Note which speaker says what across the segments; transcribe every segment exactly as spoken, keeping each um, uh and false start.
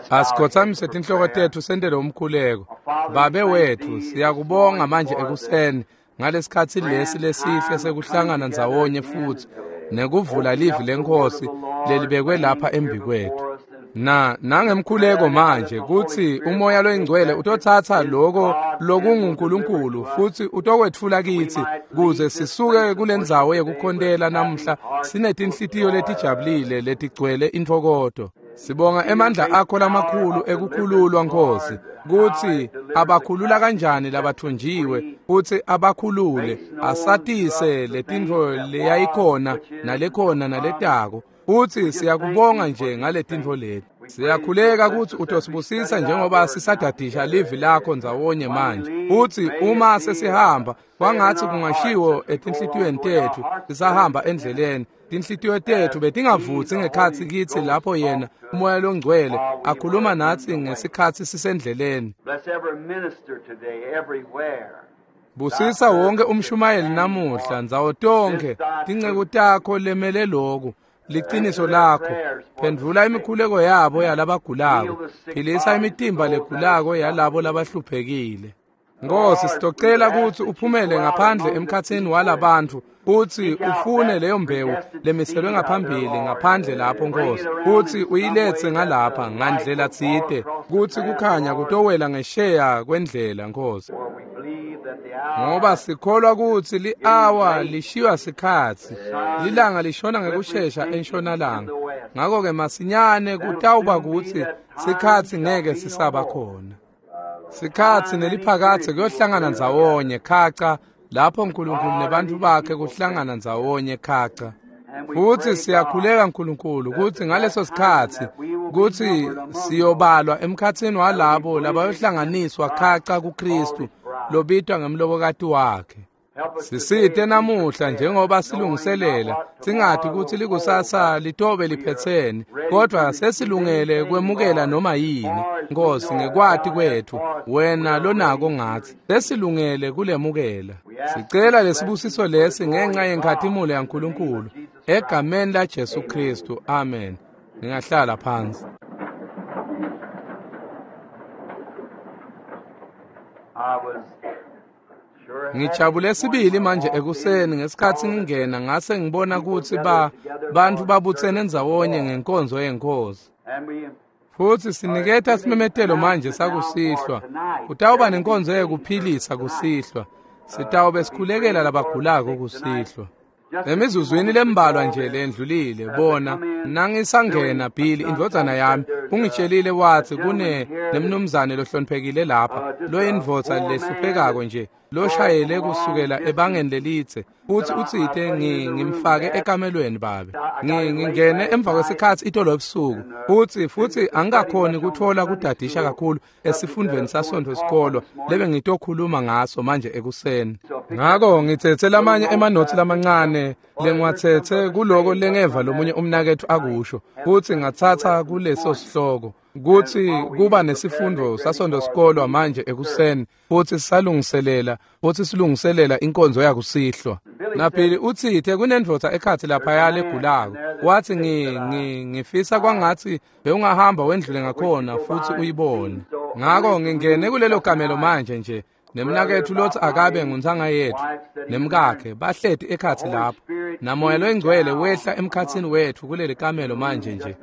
Speaker 1: Asikhothamise tinhloko tetfu sentele umkhuleko. Babe wetfu, siyakubonga manje ekuseni ngalesikhatsi lesi lesihle sekuhlangana ndzawonye futsi nekuvula livi leNkhosi lelibekwe lapha embikwetfu. Na nangemkhuleko manje kutsi umoya loyingcwele utotsatsa loko lokunguNkulunkulu futsi utokwetfula kitsi kuze sisuke kulendzawo yekukhontela namuhla sinetinhlitiyo letijabulile letigcwele intfokoto. Sibonga emandla akho lamakhulu ekukhululwa Nkosi kutsi abakhulula kanjani labathunjiwe kutsi abakhulule asatise letintfo leyayikhona nalekhona naletako. Futsi siyakubonga nje ngaletintfo leti. Siyakhuleka kutsi utosibusisa njengoba sisadadisha livi lakho ndzawonye manje. Futsi uma sesihamba kwangatsi kungashiwo etinhlitiyweni tetfu sisahamba endleleni. Tinhlitiyo tetfu betingavutsi ngekhatsi kitsi lapho yena umoya longcwele akhuluma natsi ngesikhatsi sisendleleni. Busisa wonke umshumayeli namuhla ndzawo tonkhe tinceku takho lemele loku liciniso lakho. Phendvula imikhuleko yabo yalabagulako, philisa imitimba legulako yalabo labahluphekile. Nkosi, sitocela kutsi uphumele ngaphandle emkhatsini walabantfu kutsi ufune leyo mbewu lemiselwe ngaphambili ngaphandle lapho Nkosi, kutsi uyiletse ngalapha ngandlela tsite kutsi kukhanya kutowela ngesheya kwendlela Nkosi. Ngoba sikholwa kutsi li-awa lishiywa sikhatsi, lilanga lishona ngekushesha entshonalanga. Ngako-ke masinyane kutawuba kutsi sikhatsi ngeke sisaba khona. Sikhatsi neliphakatse kuyohlangana ndzawonye khaca lapho Nkulunkulu nebantfu bakhe kuhlangana ndzawonye khaca. Futsi siyakhuleka Nkulunkulu kutsi ngaleso sikhatsi kutsi siyobalwa emkhatsini walabo labayohlanganiswa khaca kuKristu lobitwa ngemlobokati wakhe. Sisite namuhla njengoba silungiselela singathi kutsi likusasa litobe liphetsene, kodwa sesilungele kwemukela noma yini Nkosi ngekwati kwetfu wena lonako ngatsi sesilungele kulemukela. Sicela lesibusiso lesi ngenxa yenkhatimulo yaNkulunkulu egameni la Jesu Kristu, amen. Ningahlala phansi. Ngijabule sibili manje ekuseni ngesikhatsi ngingena ngase ngibona kutsi ba bantfu babutsene ndzawonye ngenkonzo yeNkhosi. Futsi siniketa simemetelo manje sakusihlwa. Kutawuba nenkonzo yekuphilisa kusihlwa. Sitawube sikhulekela labagulako kusihlwa. Emizuzwini lembalwa nje lendlulile bona nangisangena Bill indvodzana yami ungitshelile watsi kune nemnumzane lohloniphekile lapha loyindvodza lehluphekako nje loshayele kusukela ebangeni lelitse futsi utsite ngimfake ekamelweni babe. Ngingene emva kwesikhatsi itolo ebusuku futsi futsi angikakhoni kutfola kudadisha kakhulu esifundvweni saSontfo sikolwa lebe ngitokhuluma ngaso manje ekuseni. Ngako ngitsetse lamanye emanotsi lamancane lengiwatsetse kuloko lengeva lomunye umnaketfu akusho futsi ngatsatsa kuleso sihloko kutsi kuba nesifundo saSontfo sikolwa manje ekuseni futsi sisalungiselela futsi silungiselela inkonzo yakusihlwa. Naphili utsite kunendvodza ekhatsi laphaya legulako watsi ngi ngi ngifisa kwangatsi bewungahamba wendlule ngakhona futsi uyibone. Ngako ngingene kulelo kamelo manje nje nemnaketfu lotsi akabe nguntsanga yetfu nemkakhe bahleti ekhatsi lapho namoya loyingcwele wehla emkhatsini wetfu kuleli kamelo manje nje.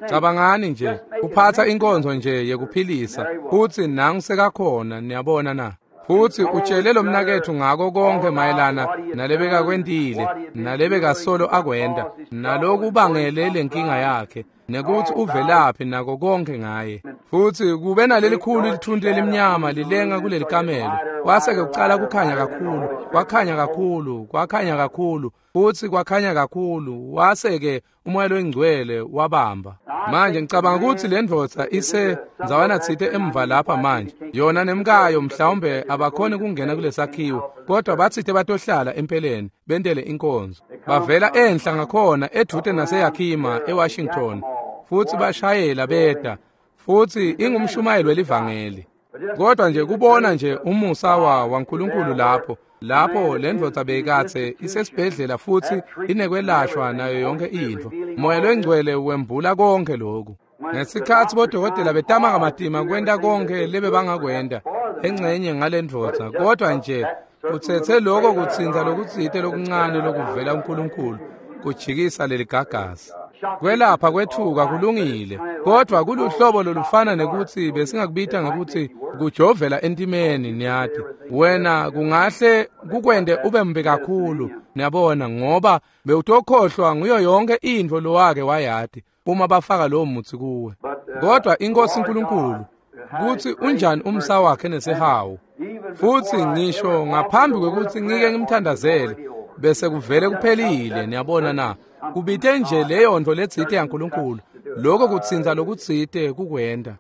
Speaker 1: Cabangani nje uphatsa inkonzo nje yekuphilisa futsi nangu sekakhona niyabona na. Futsi utshele lo mnaketfu ngako konke mayelana nalebekakwentile nalebekasolo akwenta nalokubangele lenkinga yakhe nekuthi uvelaphi nako konke ngaye. Futsi kube nalelikhulu lithunti lelimnyama lilenga kuleli kamelo kwase-ke kucala kukhanya kakhulu kwakhanya kakhulu kwakhanya kakhulu futsi kwakhanya kakhulu wase-ke umoya loyingcwele wabamba. Manje ngicabanga kutsi le ndvodza ise ndzawana tsite emva lapha manje yona nemkayo mhlawumbe abakhoni kungena kulesakhiwo kodwa batsite batohlala empeleni bentele inkonzo. Bavela enhla ngakhona edvute naseYakima eWashington futsi bashayela beta futsi ingumshumayeli welivangeli. Kodwa nje kubona nje umusa wa waNkulunkulu lapho lapho le ndvodza beyikatse isesibhedlela futsi inekwelashwa nayo yonke intfo. Moya loyingcwele wembula konke lokhu. Ngesikhatsi bodokotela betama kamatima kwenta konkhe lebebangakwenta engcenye ngalendvodza, kodwa nje kutsetse loko kutsintsa lokutsite lokuncane lokuvela kuNkulunkulu kujikisa leligagasi. Kwelapha kwetfuka kulungile, kodwa kuluhlobo lolufana nekutsi besingakubita ngekutsi kujovela entimeni, niyati. Wena kungahle kukwente ube mbi kakhulu, niyabona, ngoba bewutokhohlwa nguyo yonke intfo lowake wayati uma bafaka lowo mutsi kuwe. Kodwa iNkosi uNkulunkulu kutsi unjani umsa wakhe nesihawu, futsi ngisho ngaphambi kwekutsi ngike ngimthandazele bese kuvele kuphelile, niyabona na. Kubite nje leyo nto letsite yaNkulunkulu, lokho kutsintsa lokutsite kukwenta.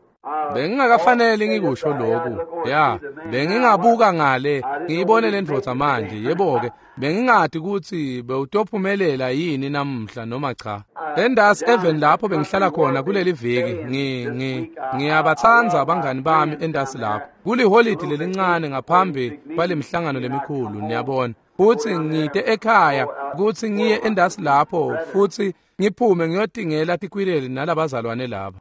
Speaker 1: Bengingakafanele ngikusho lokhu, ya, bengingabuka ngale ngiyibone le ndvodza manje, yebo-ke, bengingati kutsi bewutophumelela yini namuhla noma cha. Endasi even lapho bengihlala khona kuleli viki, ngi ngi ngiyabatsandza abangani bami endasi lapho. Kuliholidi lelincane ngaphambi kwalemhlangano lemikhulu, niyabona. Futsi ngite ekhaya kutsi ngiye endasi lapho futsi ngiphume ngiyotingela tikwireli nalabazalwane laba.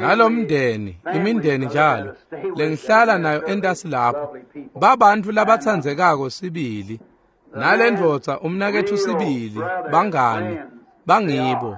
Speaker 1: Nalomndeni, imindeni njalo lengihlala nayo endasi lapho, babantu labatsandzekako sibili. Nalendvodza umnaketfu sibili, bangani, bangibo.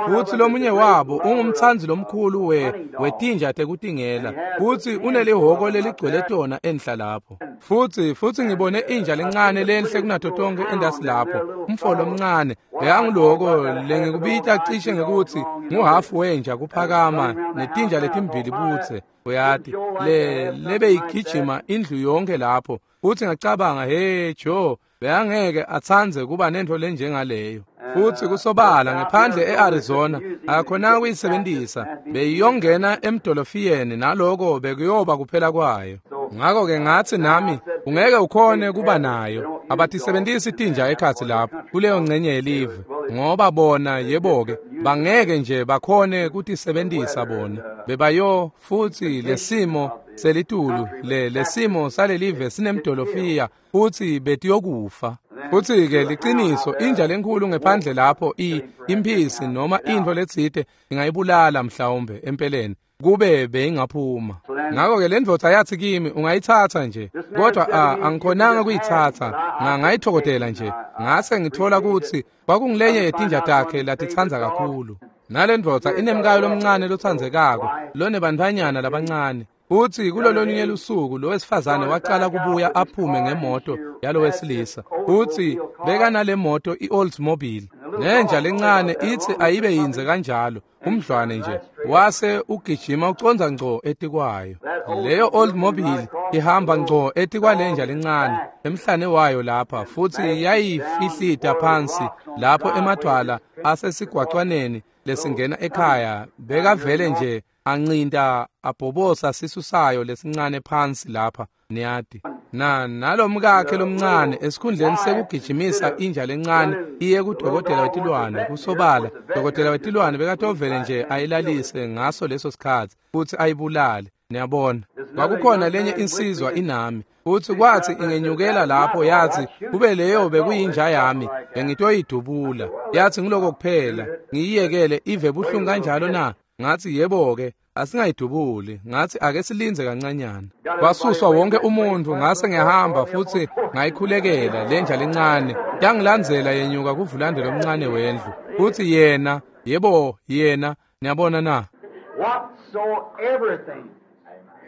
Speaker 1: Futsi lomunye wabo ungumtsandzi lomkhulu we wetinja tekutingela, futsi unelihhoko leligcwele tona enhla lapho. Futsi futsi ngibone inja lencane lenhle kunato tonkhe endasi lapho, umfo lomncane, bekanguloko lengikubita cishe ngekutsi nguhafu wenja kuphakama netinja letimbili butse, uyati, le lebeyigijima indlu yonke lapho. Futsi ngacabanga, hey Joe, bekangeke atsandze kuba nentfo lenjengaleyo. Futsi kusobala ngephandle e-Arizona akakhonanga kuyisebentisa, beyiyongena emdolofiyeni naloko bekuyoba kuphela kwayo. Ngakho-ke ngatsi nami ungeke ukhone kuba nayo, abatisebentisi tinja ekhatsi lapho kuleyo ngcenye yelive, ngoba bona yebo-ke bangeke nje bakhone kutisebentisa bona. Bebayo futsi lesimo selitulu le lesimo salelive sinemdolofiya futsi betiyokufa. Futsi-ke liciniso, inja lenkhulu ngephandle lapho i imphisi noma intfo letsite ingayibulala mhlawumbe empeleni kube beyingaphuma. Ngakho-ke le ndvodza yatsi kimi ungayitsatsa nje, kodwa angikhonanga kuyitsatsa, ngayithokotela nje. Ngase ngitfola kutsi kwakungilenye yetinja takhe latitsandza kakhulu. Nale ndvodza inemkayo lomncane lotsandzekako lonebantfwanyana labancane. Futsi kulololunye lusuku lo wesifazane wacala kubuya aphume ngemoto yalo wesilisa. Futsi bekanale moto i-Oldsmobile. Nenja lencane itsi ayibe yindze kanjalo, umdlwane nje, wase ugijima ucondza ngco etikwayo. Leyo Oldsmobile ihamba ngco etikwalenja lencane emhlane wayo lapha, futsi yayifihlita phansi lapho emadwala asesigwacwaneni lesingena ekhaya. Bekavele nje ancinta abhobosa sisu sayo lesincane phansi lapha, niyati. Na nalomkakhe lomncane esikhundleni sekugijimisa inja lencane iye kudokotela wetilwane, kusobala dokotela wetilwane bekatovele nje ayilalise ngaso leso sikhatsi futsi ayibulale, niyabona. Kwakukhona lenye insizwa inami, futsi kwatsi ingenyukela lapho yatsi kube leyo bekuyinja yami bengitoyidubula. Yatsi ngiloko kuphela, ngiyiyekele ive buhlungu kanjalo na? Ngatsi yebo-ke, asingayidubuli. Ngatsi ake silindze kancanyana. Kwasuswa wonke umuntu, ngase ngiyahamba futsi ngayikhulekela lenja lencane. Yangilandzela yenyuka kuvulande lomncane wendlu. Futsi yena, yebo yena, niyabona na?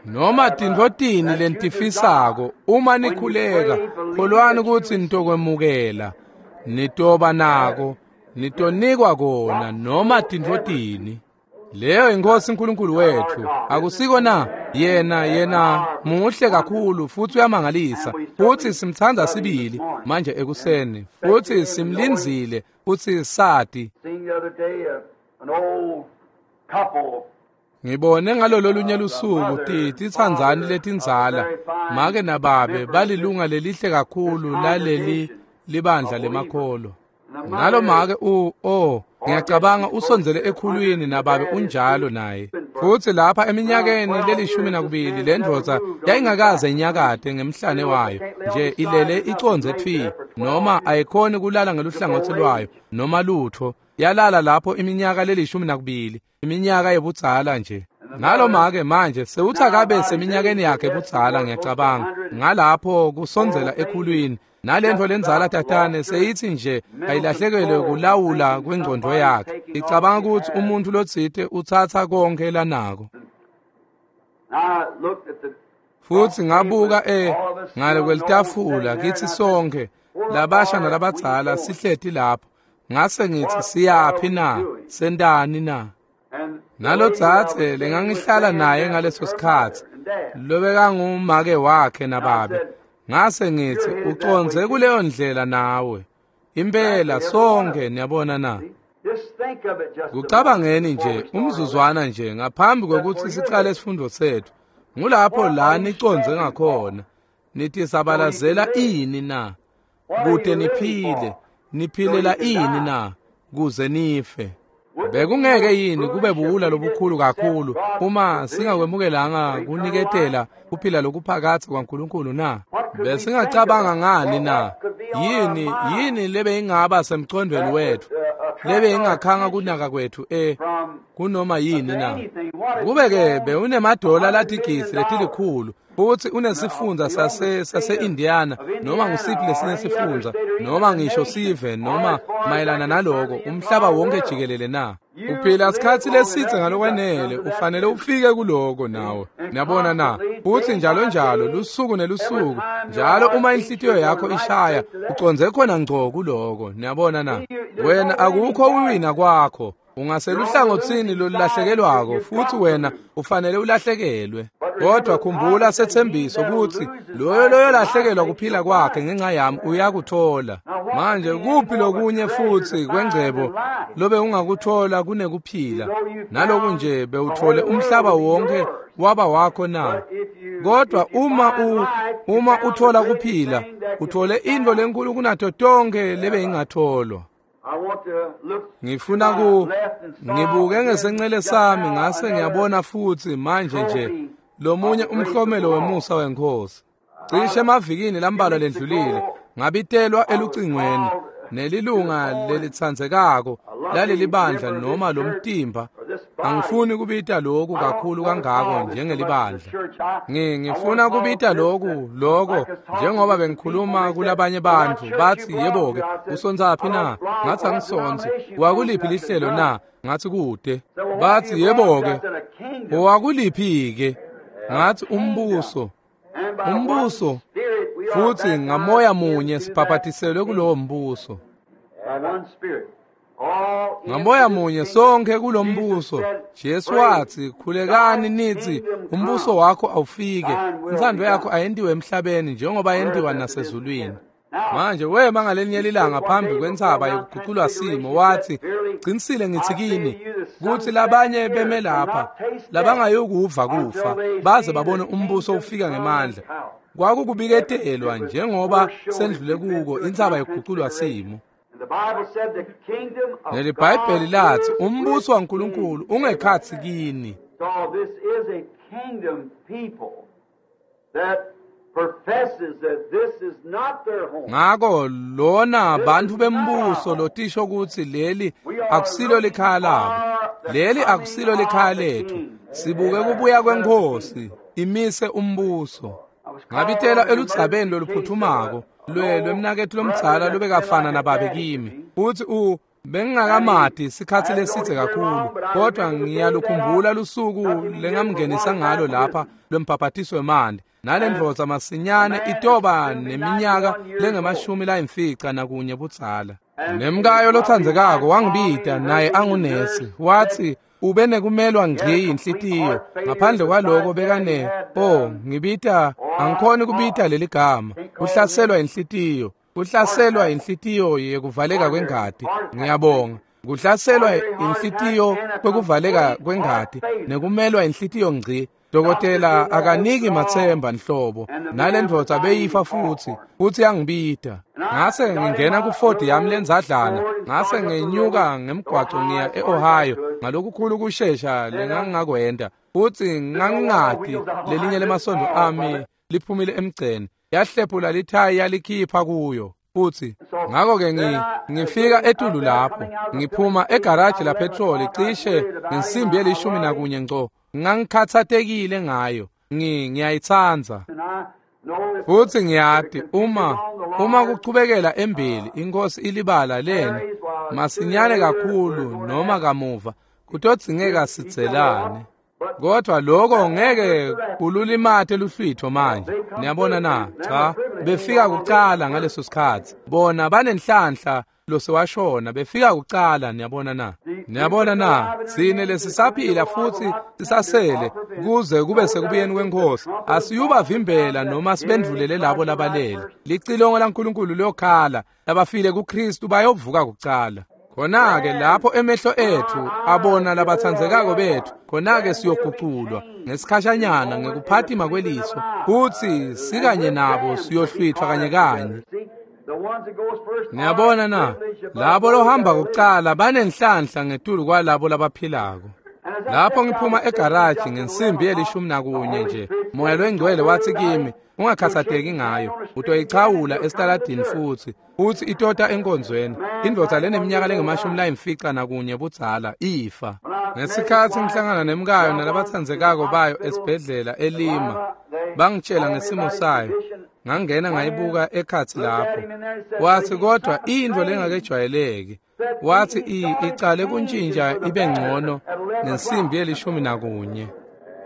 Speaker 1: Noma tintfo tini lenitifisako, uma nikhuleka, kholwani kutsi nitokwemukela, nitoba nako, nitonikwa kona, noma tintfo tini. Leyo iNkosi uNkulunkulu wethu, akusiko na? Yena yena muhle kakhulu futsi uyamangalisa, futsi simtsandza sibili manje ekuseni, futsi simlindzile futsi sati. Ngibone ngalololunye lusuku titsandzani letindzala, make nababe balilunga lelihle kakhulu laleli libandla lemakholo. Nalo make u oh ngiyacabanga usondzele ekhulwini nababe unjalo naye. Futsi lapha eminyakeni lelishumi nakubili le ndvodza yayingakaze inyakate ngemhlane wayo nje, ilele icondze tfi, noma ayikhoni kulala ngeluhlangotsi lwayo noma lutho. Yalala lapho iminyaka lelishumi nakubili, iminyaka yebudzala nje. Naloma-ke manje sewuthi akabe seminyakeni yakhe budzala ngiyacabanga ngalapho kusondzela ekhulwini nalento lenzala tatane seyithi nje ayilahlekelwe kulawula kwengqondo yakhe. Icabanga ukuthi umuntu lotsite utsatsa konke lanako. Futhi ngabuka e ngale kwelitafula kithi sonke labasha nalabadzala sihleti lapho ngase ngithi siyaphi na sentani na. Nalotsatse lengangihlala naye ngaleso sikhatsi lobekangumake wakhe nababe ngase ngithi uconze kuleyo ndlela nawe impela sonke niyabona na. Kucabangeni nje umzuzwana nje ngaphambi kwekutsi sicale isifundo sethu ngulapho la niconze ngakhona nithi sabalazela ini na kute niphile niphilela ini na kuze nife. Bekungeke yini kube buwula lobukhulu kakhulu uma singakwemukelanga kuniketela kuphila lokuphakatsi kwaNkulunkulu na? Besingacabanga ngani na? Yini yini lebe ingaba semcondweni wethu lebe ingakhanga kunaka kwethu e kunoma yini na? Kube-ke bewunemadola latigisi letilikhulu futhi unesifundza sase sase-Indiana noma ngusiphi lesinye sifundza noma ngisho sive noma mayelana naloko umhlaba wonke jikelele na? Uphila sikhatsi lesitse ngalokwanele ufanele ufike kuloko nawe niyabona na. Futhi njalo njalo lusuku nelusuku njalo uma inhlitiyo yakho ishaya uconze khona ngco kuloko niyabona na. Wena akukho uwina kwakho ungaseluhlangotsini lolulahlekelwako futhi wena ufanele ulahlekelwe. Kodwa khumbula sethembiso ukuthi loyo loyo lahlekelwa kuphila kwakhe ngenxa yami uyakuthola. Manje kuphi lokunye futhi kwengcebo lobe ungakuthola kunekuphila naloku nje bewuthole umhlaba wonke waba wakho na? Kodwa uma u uma uthola kuphila uthole into lenkulu kunato tonke lebe ingatholwa. Ngifuna ku ngibuke ngesencele sami ngase ngiyabona futhi manje nje lomunye umhlomelo wemusa wenkosi. Cishe emavikini lambalwa lendlulile ngabitelwa elucingweni nelilunga lelitsandzekako laleli bandla noma lomtimba. Angifuni kubita lokhu kakhulu kangako njengelibandla. Ngi ngifuna kubita lokhu lokho njengoba bengikhuluma kulabanye bantu bathi yebo-ke usontsaphi na? Ngathi angisonzi. Wakuliphi lihlelo na? Ngathi kude. Bathi yebo-ke wakuliphi-ke? Ngathi umbuso. Umbuso futhi ngamoya munye sibhabhatiselwe kulowo mbuso. Ngamoya munye sonke kulombuso. Jesu wathi khulekani nithi umbuso wakho awufike intsandvo yakho ayentiwe emhlabeni njengoba yentiwa nasezulwini. Manje wema ngalenye lilanga phambi kwentsaba yekuguculwa simo wathi qinisile ngithi kini kuthi labanye beme lapha labangayokuva kufa baze babone umbuso ufika ngemandla. Kwakukubiketelwa njengoba sendlule kuko intsaba yekuguculwa simo. NeliBhayibheli lathi umbuso waNkulunkulu ungekhatsi kini.
Speaker 2: So this is a kingdom people that professes that this is not their home.
Speaker 1: Ngako lona bantu bembuso lotisho ukuthi leli akusilo likhaya labo. Leli akusilo likhaya lethu. Sibuke kubuya kwenkosi imise umbuso. Ngabitela eludzabeni loluphuthumako lwe lwemnakethu lomdzala lobekafana nababe kimi. Futhi u bengingakamadi sikhatsi lesitse kakhulu kodwa ngiyalukhumbula lusuku lengamngenisa ngalo lapha lwembhabhatiso wemanti. Nalendvodza masinyane itoba neminyaka lengemashumi layimfica nakunye budzala. Nemkayo lotsandzekako wangibita naye angunesi wathi ube nekumelwa ngci inhlitiyo ngaphandle kwaloko bekane oh ngibita angikhoni kubita leli gama kuhlaselwa inhlitiyo kuhlaselwa inhlitiyo yekuvaleka kwengati. Ngiyabonga. Kuhlaselwa inhlitiyo kwekuvaleka kwengati nekumelwa inhlitiyo ngci. Dokotela akaniki matsemba nhlobo nalendvodza beyifa futhi futhi yangibita. Ngase ngingena ku-Ford yami lenzadlana ngase ngenyuka ngemgwaco ngiya e-Ohio ngalokukhulu kushesha lengangingakwenda futhi ngangingati lelinye lemasondo ami liphumile emgceni yahlephula lithayi yalikhipha kuyo. Futsi ngako-ke ngi ngifika etulu lapho ngiphuma egaraji lapetroli cishe ngensimbi yelishumi nakunye ngco. Ngangikhathatekile ngayo, ngi ngiyayitsandza. Futsi ngiyati uma uma kuchubekela embili inkosi ilibala lena masinyane kakhulu noma kamuva kutodzingeka sidzelane. Kodwa lokho ngeke kululimate luhlwitho manje. Niyabona na? Cha, befika kucala ngaleso sikhathi. Bona banenhlanhla losewashona befika kucala. Niyabona na? Niyabona na? Sine lesisaphila futsi sisasele kuze kube sekubuyeni kwenkosi. Asiyubavimbela noma sibendvulele labo labalele. Licilongo laNkulunkulu liyokhala, labafile kuKristu bayovuka kucala. Khona-ke lapho emehlo ethu abona labatsandzekako bethu, khona-ke siyoguculwa ngesikhashanyana ngekuphatima kweliso, futsi sikanye nabo siyohlwithwa kanye kanye. Niyabona na? Labo lohamba kucala banenhlanhla ngetulu kwalabo labaphilako. Lapho ngiphuma egaraji ngensimbi yelishumi nakunye nje, Moya loNgcwele wathi kimi, ungakhathatheki ngayo, utoyichawula esitaladini futsi futsi itota enkonzweni. Indvodza leneminyaka lengemashumi layimfica nakunye budzala ifa. Ngesikhatsi ngihlangana nemkayo nalabatsandzekako bayo esibhedlela eLima, bangitshela ngesimo sayo. Ngangena ngayibuka ekhatsi lapho. Wathi kodwa intfo lengakejwayeleki. Wathi icale kuntshintsha ibe ngcono ngensimbi yelishumi nakunye.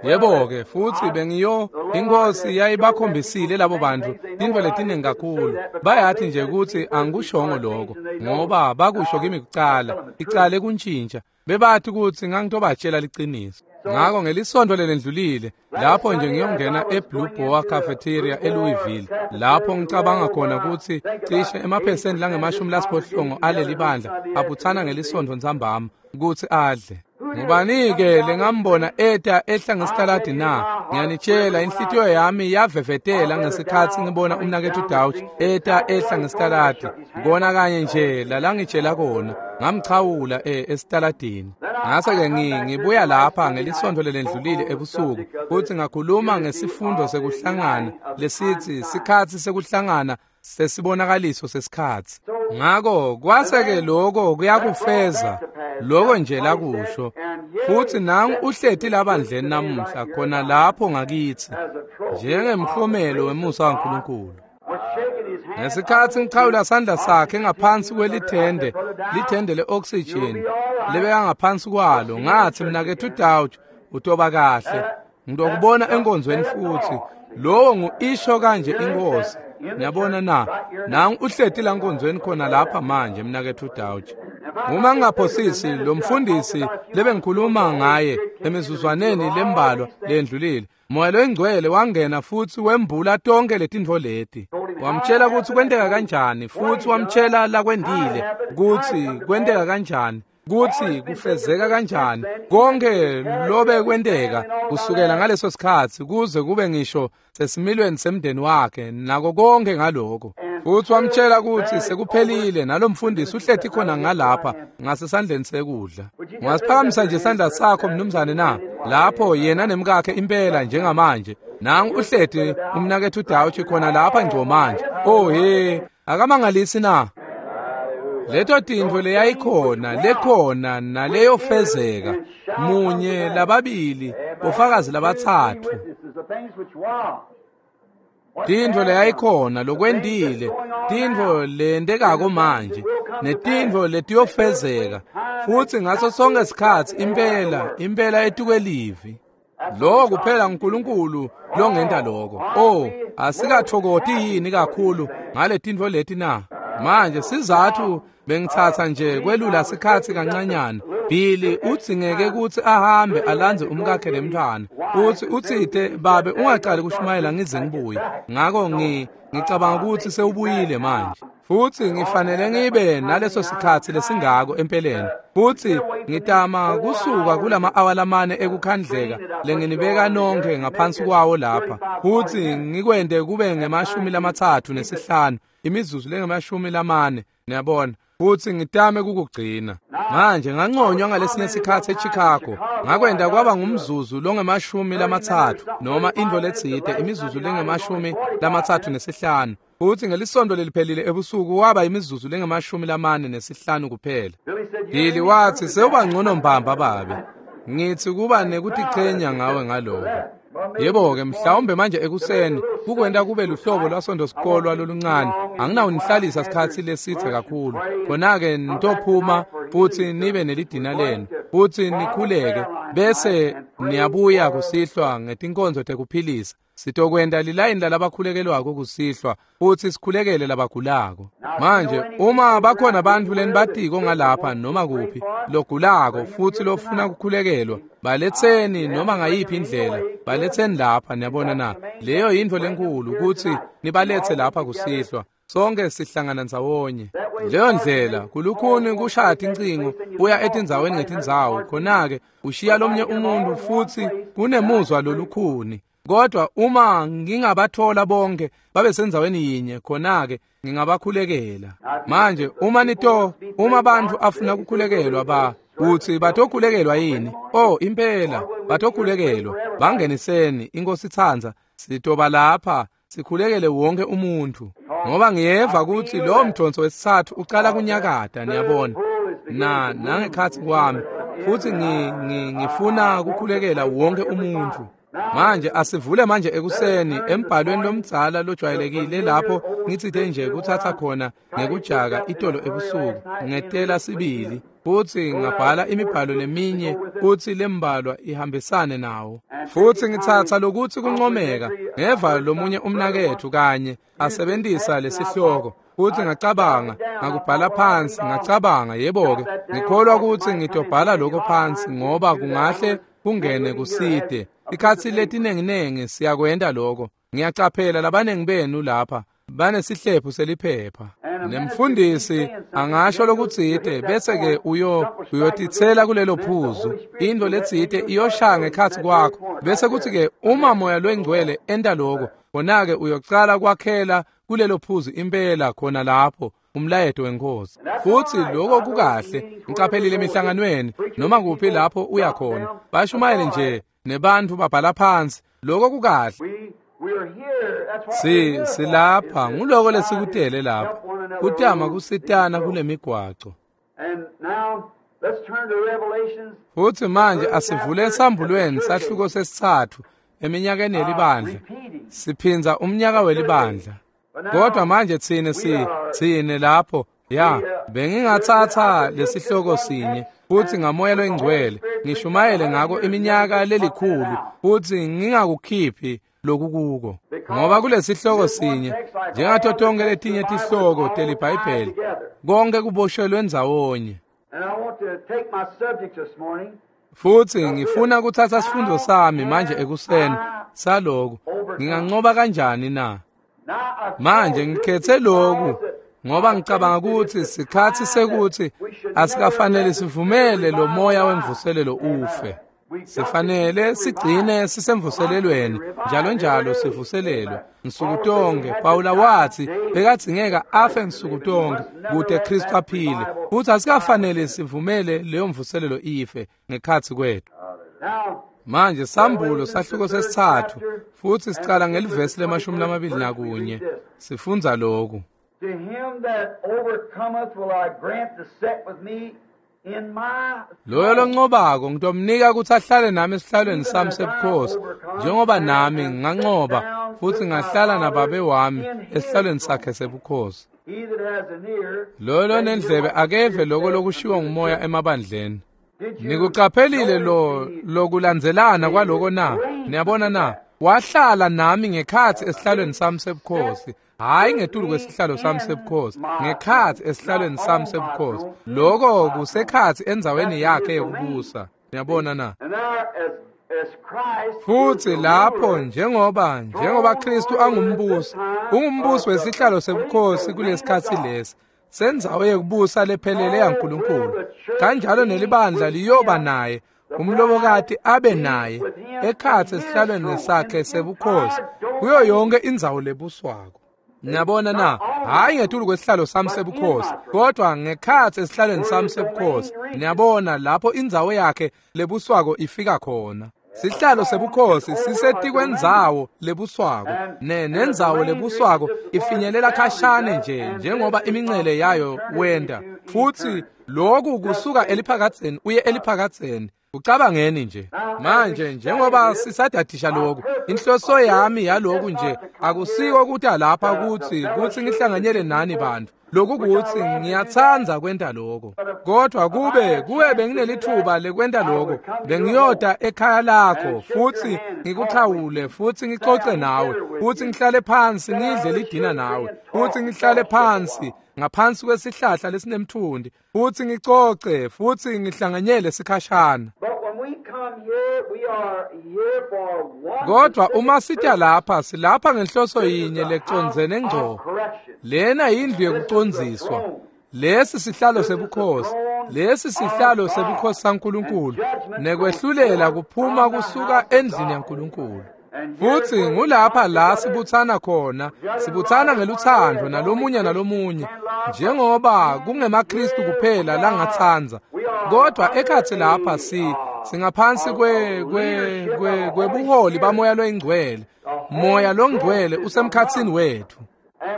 Speaker 1: Yebo-ke futsi bengiyo inkosi yayibakhombisile labo bantu tintfo letiningi kakhulu. Bayathi nje kutsi angikushongo lokho ngoba bakusho kimi kucala, icale kuntshintsha. Bebathi kutsi ngangitobatshela liciniso. Ngako ngelisonto lelendlulile lapho nje ngiyongena eBlue Boar Cafeteria eLouisville, lapho ngicabanga khona kutsi cishe emaphesenti langemashumi lasiphohlongo aleli bandla abutsana ngelisonto ntsambama kutsi adle. Ngubani-ke lengambona eta ehla ngesitaladi na? Ngiyanitshela, inhlitiyo yami yavevetela ngesikhatsi ngibona umnaketfu Dauch eta ehla ngesitaladi. Kona kanye nje lalangitshela kona, ngamchawula e esitaladini. Ngase-ke ngibuya lapha ngelisonto lelendlulile ebusuku futsi ngakhuluma ngesifundo sekuhlangana lesitsi sikhatsi sekuhlangana sesibonakaliso sesikhatsi. Ngako kwase-ke lokho kuyakufeza lokho nje lakusho. Futsi nangu uhleti labandleni namuhla khona lapho ngakithi njengemhlomelo wemusa waNkulunkulu. Ngesikhatsi ngichawula sandla sakhe ngaphansi kwelithende, lithende le-oxygen lebeka ngaphansi kwalo, ngathi mnaketfu Dauch utoba kahle, ngitokubona enkonzweni futhi. Lowo ngu-isho kanje inkosi. Niyabona na? Nangu uhleti la nkonzweni khona lapha manje mnaketfu Dauch. Uma ngingaphosisi lo mfundisi lebengikhuluma ngaye emizuzwaneni lembalwa lendlulile, Moya loNgcwele wangena futsi wembula tonke letintfo leti. Wamtshela kutsi kwenteka kanjani, futsi wamtshela lakwendile kutsi kwenteka kanjani, kutsi kufezeka kanjani konke lobe kwenteka kusukela ngaleso sikhatsi kuze kube ngisho sesimilweni semndeni wakhe nako konke ngaloko. Futsi wamtshela kutsi sekuphelile, nalomfundisi uhleti khona ngalapha ngasesandleni sekudla. Ungasiphakamisa nje isandla sakho mnumzane na? Lapho yena nemkakhe impela njengamanje. Nangu uhleti umnaketfu Dauch khona lapha ngco manje. Oh he, akamangalisi na? Leto tintfo leyayikhona lekhona naleyofezeka, munye lababili bofakazi labatsatfu. Tintfo leyayikhona lokwendile, tintfo lentekako manje, netintfo letiyofezeka, futsi ngaso sonke sikhatsi impela impela etukwelivi. Lokho kuphela uNkulunkulu longenta lokho. Oh, asikatfokoti yini kakhulu ngale tintfo leti na? Manje sizathu bengitsatsa nje kwelula sikhatsi kancanyana. Billy udzingeke kutsi ahambe alandze umkakhe lemntfwana. Utsi utsite babe ungacali kushumayela ngize ngibuye. Ngako ngi ngicabanga kutsi sewubuyile manje. Futsi ngifanele ngibe naleso sikhatsi lesingako empeleni. Futsi ngitama kusuka kulama awa lamane ekukhandleka lenginibeka nonke ngaphansi kwawo lapha. Futsi ngikwente kube ngemashumi lamatsatfu nesihlanu, imizuzu lengemashumi lamane, niyabona. Futsi ngitame kukugcina. Manje nganconywa ngalesinye sikhatsi eChicago. Ngakwenda kwaba ngumzuzu longemashumi lamatsatfu noma intfo letsite imizuzu lengemashumi lamatsatfu nesihlanu. Futsi ngelisonto leliphelile ebusuku waba imizuzu lengemashumi lamane nesihlanu kuphela. Billy watsi sewuba ngcono mbamba babe. Ngitsi kuba nekutichenya ngawe ngaloko. Yebo-ke mhlawumbe manje ekuseni kukwenta kube luhlobo lwasonto sikolwa loluncane. Anginawunihlalisa sikhatsi lesitse kakhulu. Khona-ke nitophuma futsi nibe nelidina lenu futsi nikhuleke bese niyabuya kusihlwa ngetinkonzo tekuphilisa. Sitokwenta lilayini lalabakhulekelwako kusihlwa futsi sikhulekele labagulako. Manje uma bakhona bantfu lenibatiko ngalapha noma kuphi logulako futsi lofuna kukhulekelwa, baletseni noma ngayiphi indlela, baletseni lapha. Niyabona na? Leyo yintfo lenkhulu kutsi nibaletse lapha kusihlwa. Sonke sihlangana ndzawonye. Leyo ndlela kulukhuni kushaya tincingo uya etindzaweni ngetindzawo, khona-ke ushiya lomnye umuntu futsi kunemuzwa lolukhuni. Kodwa uma ngingabathola bonke babe sendzaweni yinye, khona-ke ngingabakhulekela. Manje uma nito uma bantfu afuna kukhulekelwa ba utsi batokhulekelwa yini? Oh impela batokhulekelwa. Bangeniseni inkosi itsandza sitoba lapha sikhulekele wonke umuntu. Ngoba ngiyeva kutsi lo mdonso wesitsatfu ucala kunyakata, niyabona. Na nangekhatsi kwami futsi ngi, ngi, ngifuna kukhulekela wonke umuntu. Manje asivule manje ekuseni embhalweni lomdzala lojwayelekile lapho ngitsite nje kuthatha khona ngekujaka itolo ebusuku ngetela sibili futsi ngabhala imibhalo leminye kutsi lembalwa ihambisane nawo. Futsi ngitsatsa lokuthi kuncomeka ngeva lomunye umnaketfu kanye asebentisa lesihloko futsi ngacabanga ngakubhala phansi ngacabanga yebo-ke ngikholwa kutsi ngitobhala lokho phansi ngoba kungahle kungene kusite. Ikhatsi letinenginengi siyakwenta lokho. Ngiyacaphela labanengi benu lapha banesihlephu seliphepha. Nemfundisi angasho lokutsite bese-ke uyo uyotitsela kulelo phuzu. Intfo letsite iyoshaya ngekhatsi kwakho bese kutsi-ke uma moya lwengcwele enta lokho, khona-ke uyocala kwakhela kulelo phuzu impela khona lapho umlayeto wenkosi. Futsi lokho kukahle. Ngicaphelile emihlanganweni noma kuphi lapho uya khona bashumayele nje nebantfu babhala phansi. Lokho kukahle. Si silapha nguloko lesikutele lapha kutama kusitana kule migwaco. Futsi manje asivule esambulweni sahluko sesitsatfu eminyakeni yelibandla. Siphindza umnyaka welibandla. Kodwa manje tsine si tsine lapho ya bengingatsatsa lesihloko sinye futsi ngamoya loyingcwele ngishumayele ngako iminyaka lelikhulu futsi ngingakukhiphi lokukuko. Ngoba kulesihloko sinye njengato tonke letinye tihloko teliBhayibheli konke kuboshelwe ndzawonye. Futsi ngifuna kutsatsa sifundo sami manje ekuseni saloku nginganqoba kanjani na? Manje ngikhethe loku ngoba ngicabanga ukuthi sikhatsi sekuthi asikafanele sivumele lo moya wemvuselelo ufe. Sifanele sigcine sisemvuselelweni njalo njalo sivuselelwe nsuku tonke. Pawula watsi bekadzingeka afe nsuku tonke kute Kristu aphile. Futhi asikafanele sivumele leyo mvuselelo ife ngekhatsi kwethu. Manje sambulo sahluko sesitsatfu futsi sicala ngelivesi lemashumi lamabili nakunye sifundza lokhu.
Speaker 2: To him that overcometh will I grant to sit with me in my
Speaker 1: Loyo lonqobako ngitomnika kutsi ahlale nami esihlalweni sami sebukhosi njengoba nami nganqoba futsi ngahlala nababe wami esihlalweni sakhe sebukhosi.
Speaker 2: He that has an ear,
Speaker 1: Loyo lonendlebe akeve loko lokushiwo ngumoya emabandleni. Nikuqaphelile lo lokulandzelana kwaloko na? Niyabona na? Wahlala nami ngekhatsi esihlalweni sami sebukhosi. Hayi ngetulu kwesihlalo sami sebukhosi, ngekhatsi esihlalweni sami sebukhosi. Loko kusekhatsi endzaweni yakhe yekubusa. Niyabona na?
Speaker 2: And there as as Christ
Speaker 1: Futsi lapho njengoba njengoba Kristu angumbusi, ungumbusi wesihlalo sebukhosi kulesikhatsi lesi sendzawo yekubusa lephelele yaNkulunkulu. Kanjalo nelibandla liyoba naye, umlobokati abe naye ekhatsi esihlalweni sakhe sebukhosi kuyo yonke indzawo lebuswako. Niyabona na? Hhayi ngetulu kwesihlalo sami sebukhosi, kodwa ngekhatsi esihlalweni sami sebukhosi. Niyabona lapho indzawo yakhe lebuswako ifika khona. Sihlalo sebukhosi sisetikwenzawo lebuswako, ne nendzawo lebuswako ifinyelela khashane nje njengoba imincele yayo wenda. Futsi lokhu kusuka eliphakadzeni uye eliphakadzeni. Ucabangeni nje manje njengoba sisadadisha lokhu, inhloso yami yaloku nje akusiko ukuthi lapha ukuthi kuthi ngihlanganyele nani bantu. Lokhu kuthi ngiyatsandza kwenta lokho, kodwa kube kuwe benginelithuba lekwenta lokho, bengiyoda ekhaya lakho futhi ngikuxhawule futhi ngixoxe nawe futhi ngihlale phansi ngidle lidina nawe futhi ngihlale phansi ngaphansi kwesihlahla lesinemthundi futhi ngicoce futhi ngihlanganyele sikhashana. Kodwa uma sitya lapha, silapha ngenhloso yinye lecondzene ngco. Lena yindlu yekucondziswa. Lesi sihlalo sebukhosi, lesi sihlalo sebukhosi saNkulunkulu, nekwehlulela kuphuma kusuka endlini yaNkulunkulu. Futhi ngulapha la sibuthana khona, sibuthana ngeluthando nalomunye nalomunye, njengoba kungemaKristu kuphela langatsandza. Kodwa ekhatsi lapha si singaphansi kwe kwe kwe kwebuholi bamoya loyingcwele. Moya longcwele usemkhatsini wethu.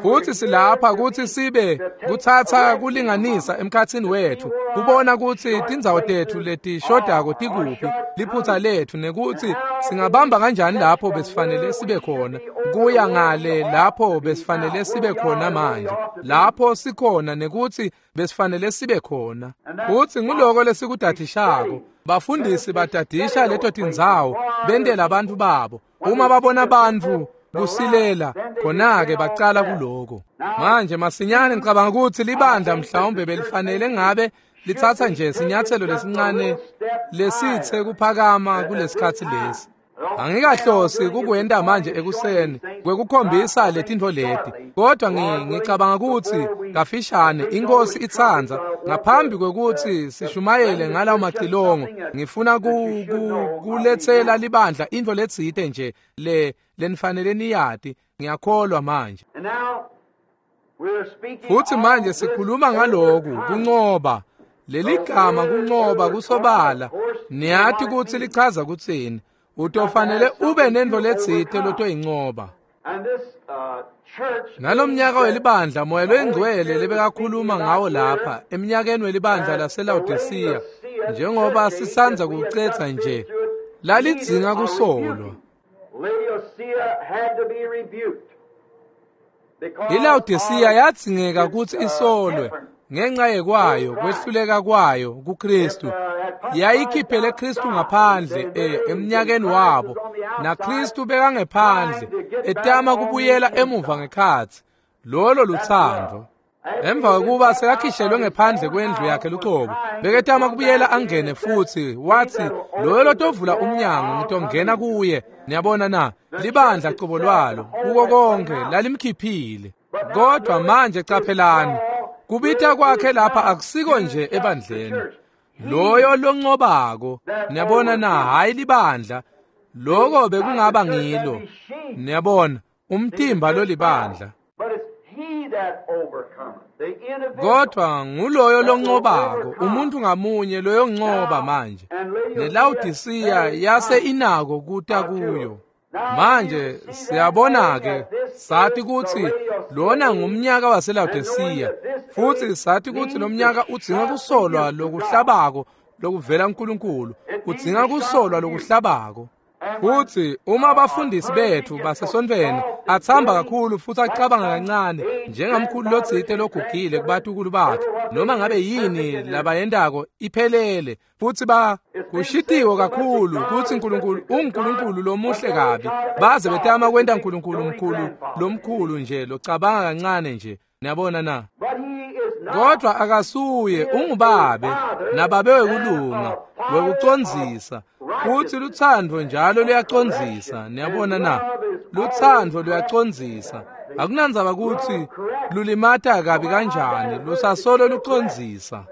Speaker 1: Futhi silapha ukuthi sibe kuthatha kulinganisa emkhatsini wethu, kubona ukuthi tindzawo tethu letishodako tikuphi, liphutha lethu, nekuthi singabamba kanjani lapho besifanele sibe khona, kuya ngale lapho besifanele sibe khona manje, lapho sikhona nekuthi besifanele sibe khona. Futhi nguloko lesikudadishako. Bafundisi badadisha leto tindzawo bentela abantu babo. Uma babona bantfu kusilela, khona-ke bacala kuloko. Manje masinyane ngicabanga ukuthi libandla mhlawumbe belifanele ngabe lithatha nje sinyathelo lesincane lesithe kuphakama kulesikhatsi lesi. Angikahlosi kukwenta manje ekuseni kwekukhombisa letintfo leti, kodwa ngicabanga ukuthi kafishane inkosi itsandza ngaphambi kwekuthi sishumayele ngalawo macilongo, ngifuna ku, ku, kuletsela libandla intfo letsite nje le lenifanele niyati. Ngiyakholwa manje. Futhi manje sikhuluma ngaloku kuncoba. Leligama kuncoba kusobala niyati kutsi lichaza kutsini. Utofanele ube nentfo letsite lotoyincoba. Nalomnyaka welibandla moya loyingcwele lebekakhuluma ngawo lapha eminyakeni welibandla laseLaodicea, njengoba sisandza kucetsa nje, lalidzinga kusolwa. ILaodicea yadzingeka kutsi isolwe ngenxa yekwayo kwehluleka kwayo kuKristu. Yayikhiphele Kristu ngaphandle eh, eminyakeni wabo, naKristu bekangephandle etama kubuyela emuva ngekhatsi. Lolo luthando. Emva kokuba sekakhishelwe ngephandle kwendlu yakhe lucobo, beketama kubuyela angene futhi wathi, loyo lotovula umnyango ngitongena kuye. Niyabona na? Libandla cobo lwalo kuko konke lalimkhiphile. Kodwa manje caphelani, kubita kwakhe lapha akusiko nje ebandleni. Loyo loncobako, niyabona na, hayi libandla. Loko bekungaba ngilo. Niyabona, umtimba lolibandla. Kodwa nguloyo loncobako, umuntu ngamunye loyoncoba manje. NeLaodicea yase inako kuta kuyo. Manje siyabona ke, sathi kutsi lona ngumnyaka waseLaodicea, futhi sathi kutsi lo mnyaka udzinga kusolwa lokuhlabako lokuvela kuNkulunkulu, udzinga kusolwa lokuhlabako. Futhi uma abafundisi bethu basesontfweni athamba kakhulu futhi acabanga kancane njengamkhulu lotsite logugile kubatukulu bakhe, noma ngabe yini labayentako iphelele, futhi ba kushitiwe kakhulu kutsi uNkulunkulu unguNkulunkulu lomuhle kabi, baze betama kwenta uNkulunkulu mkhulu lomkhulu nje locabanga kancane nje. Niyabona na? Kodwa akasuye, ungubabe nababe wekulunga wekucondzisa. Futhi luthando njalo luyacondzisa. Niyabona na? Luthando luyacondzisa. Akunandzaba kutsi lulimata kabi kanjani, lusasolo lucondzisa.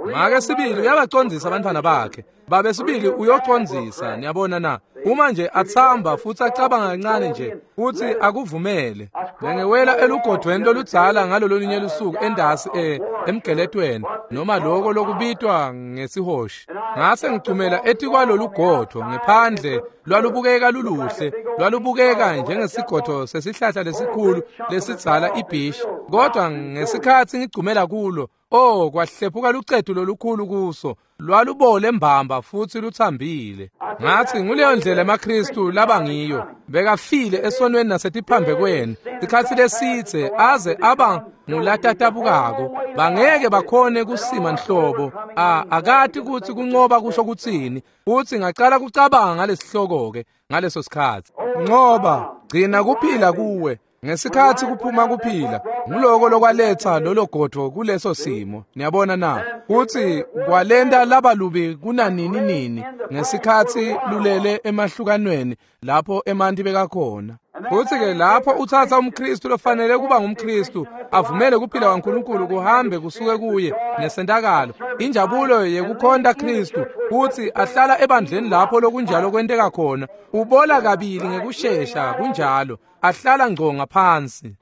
Speaker 1: Make sibili uyabacondzisa abantwana bakhe. Babe sibili uyocondzisa, niyabona na. Uma nje atsamba futsi acabanga kancane nje futsi akuvumele. Bengewela elugodvweni loludzala ngalolunye lusuku endasi e emgeletweni noma loko lokubitwa ngesihoshi. Ngase ngicumela etikwalolugodvo ngephandle lwalubukeka luluhle, lwalubukeka njengesigodvo sesihlahla lesikhulu lesidzala ibhishi. Kodwa ngesikhatsi ngigcumela kulo, oh, kwahlephuka lucetu lolukhulu kuso, lwalubole mbamba futsi lutsambile. Ngathi nguleyo ndlela emaKristu labangiyo, bekafile esonweni nasetiphambekweni sikhatsi lesidze aze aba ngulatatabukako, bangeke bakhone kusima nhlobo. A akati kutsi kuncoba kusho kutsini. Futsi ngacala kucabanga ngalesihloko-ke ngaleso sikhatsi. Ncoba, gcina kuphila kuwe. Ngesikhatsi kuphuma kuphila, nguloko lokwaletsa lolo godvo kuleso simo. Niyabona na? Kutsi kwalenta labalubi kunanini nini ngesikhatsi lulele emahlukanweni lapho emanti bekakhona. Futsi-ke lapho utsatsa umKristu lofanele kuba ngumKristu, avumele kuphila kwaNkulunkulu kuhambe kusuke kuye nesentakalo, injabulo yekukhonta Kristu, kutsi ahlala ebandleni lapho lokunjalo kwenteka khona, ubola kabili ngekushesha kunjalo, ahlala ngco ngaphansi.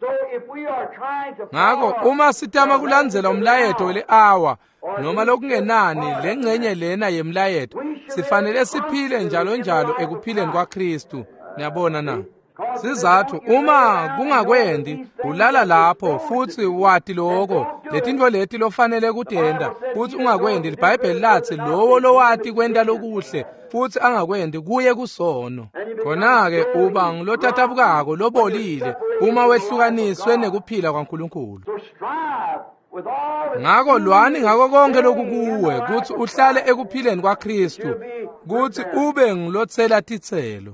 Speaker 1: Ngako uma sitama kulandzela umlayeto weli-awa noma lokungenani lengcenye lena yemlayeto, sifanele siphile njalo njalo ekuphileni kwaKristu. Niyabona na? Sizathu uma kungakwendi ulala lapho futsi wati loko letintfo leti lofanele kutenta futsi ungakwendi. LiBhayibheli latsi lowo lowati kwenta lokuhle futsi angakwendi kuye kusono. Khona-ke uba ngulotatabukako lobolile uma wehlukaniswe nekuphila kwaNkulunkulu. Ngako lwani ngako konke lokukuwe kutsi uhlale ekuphileni kwaKristu, kutsi ube ngulotsela titselo.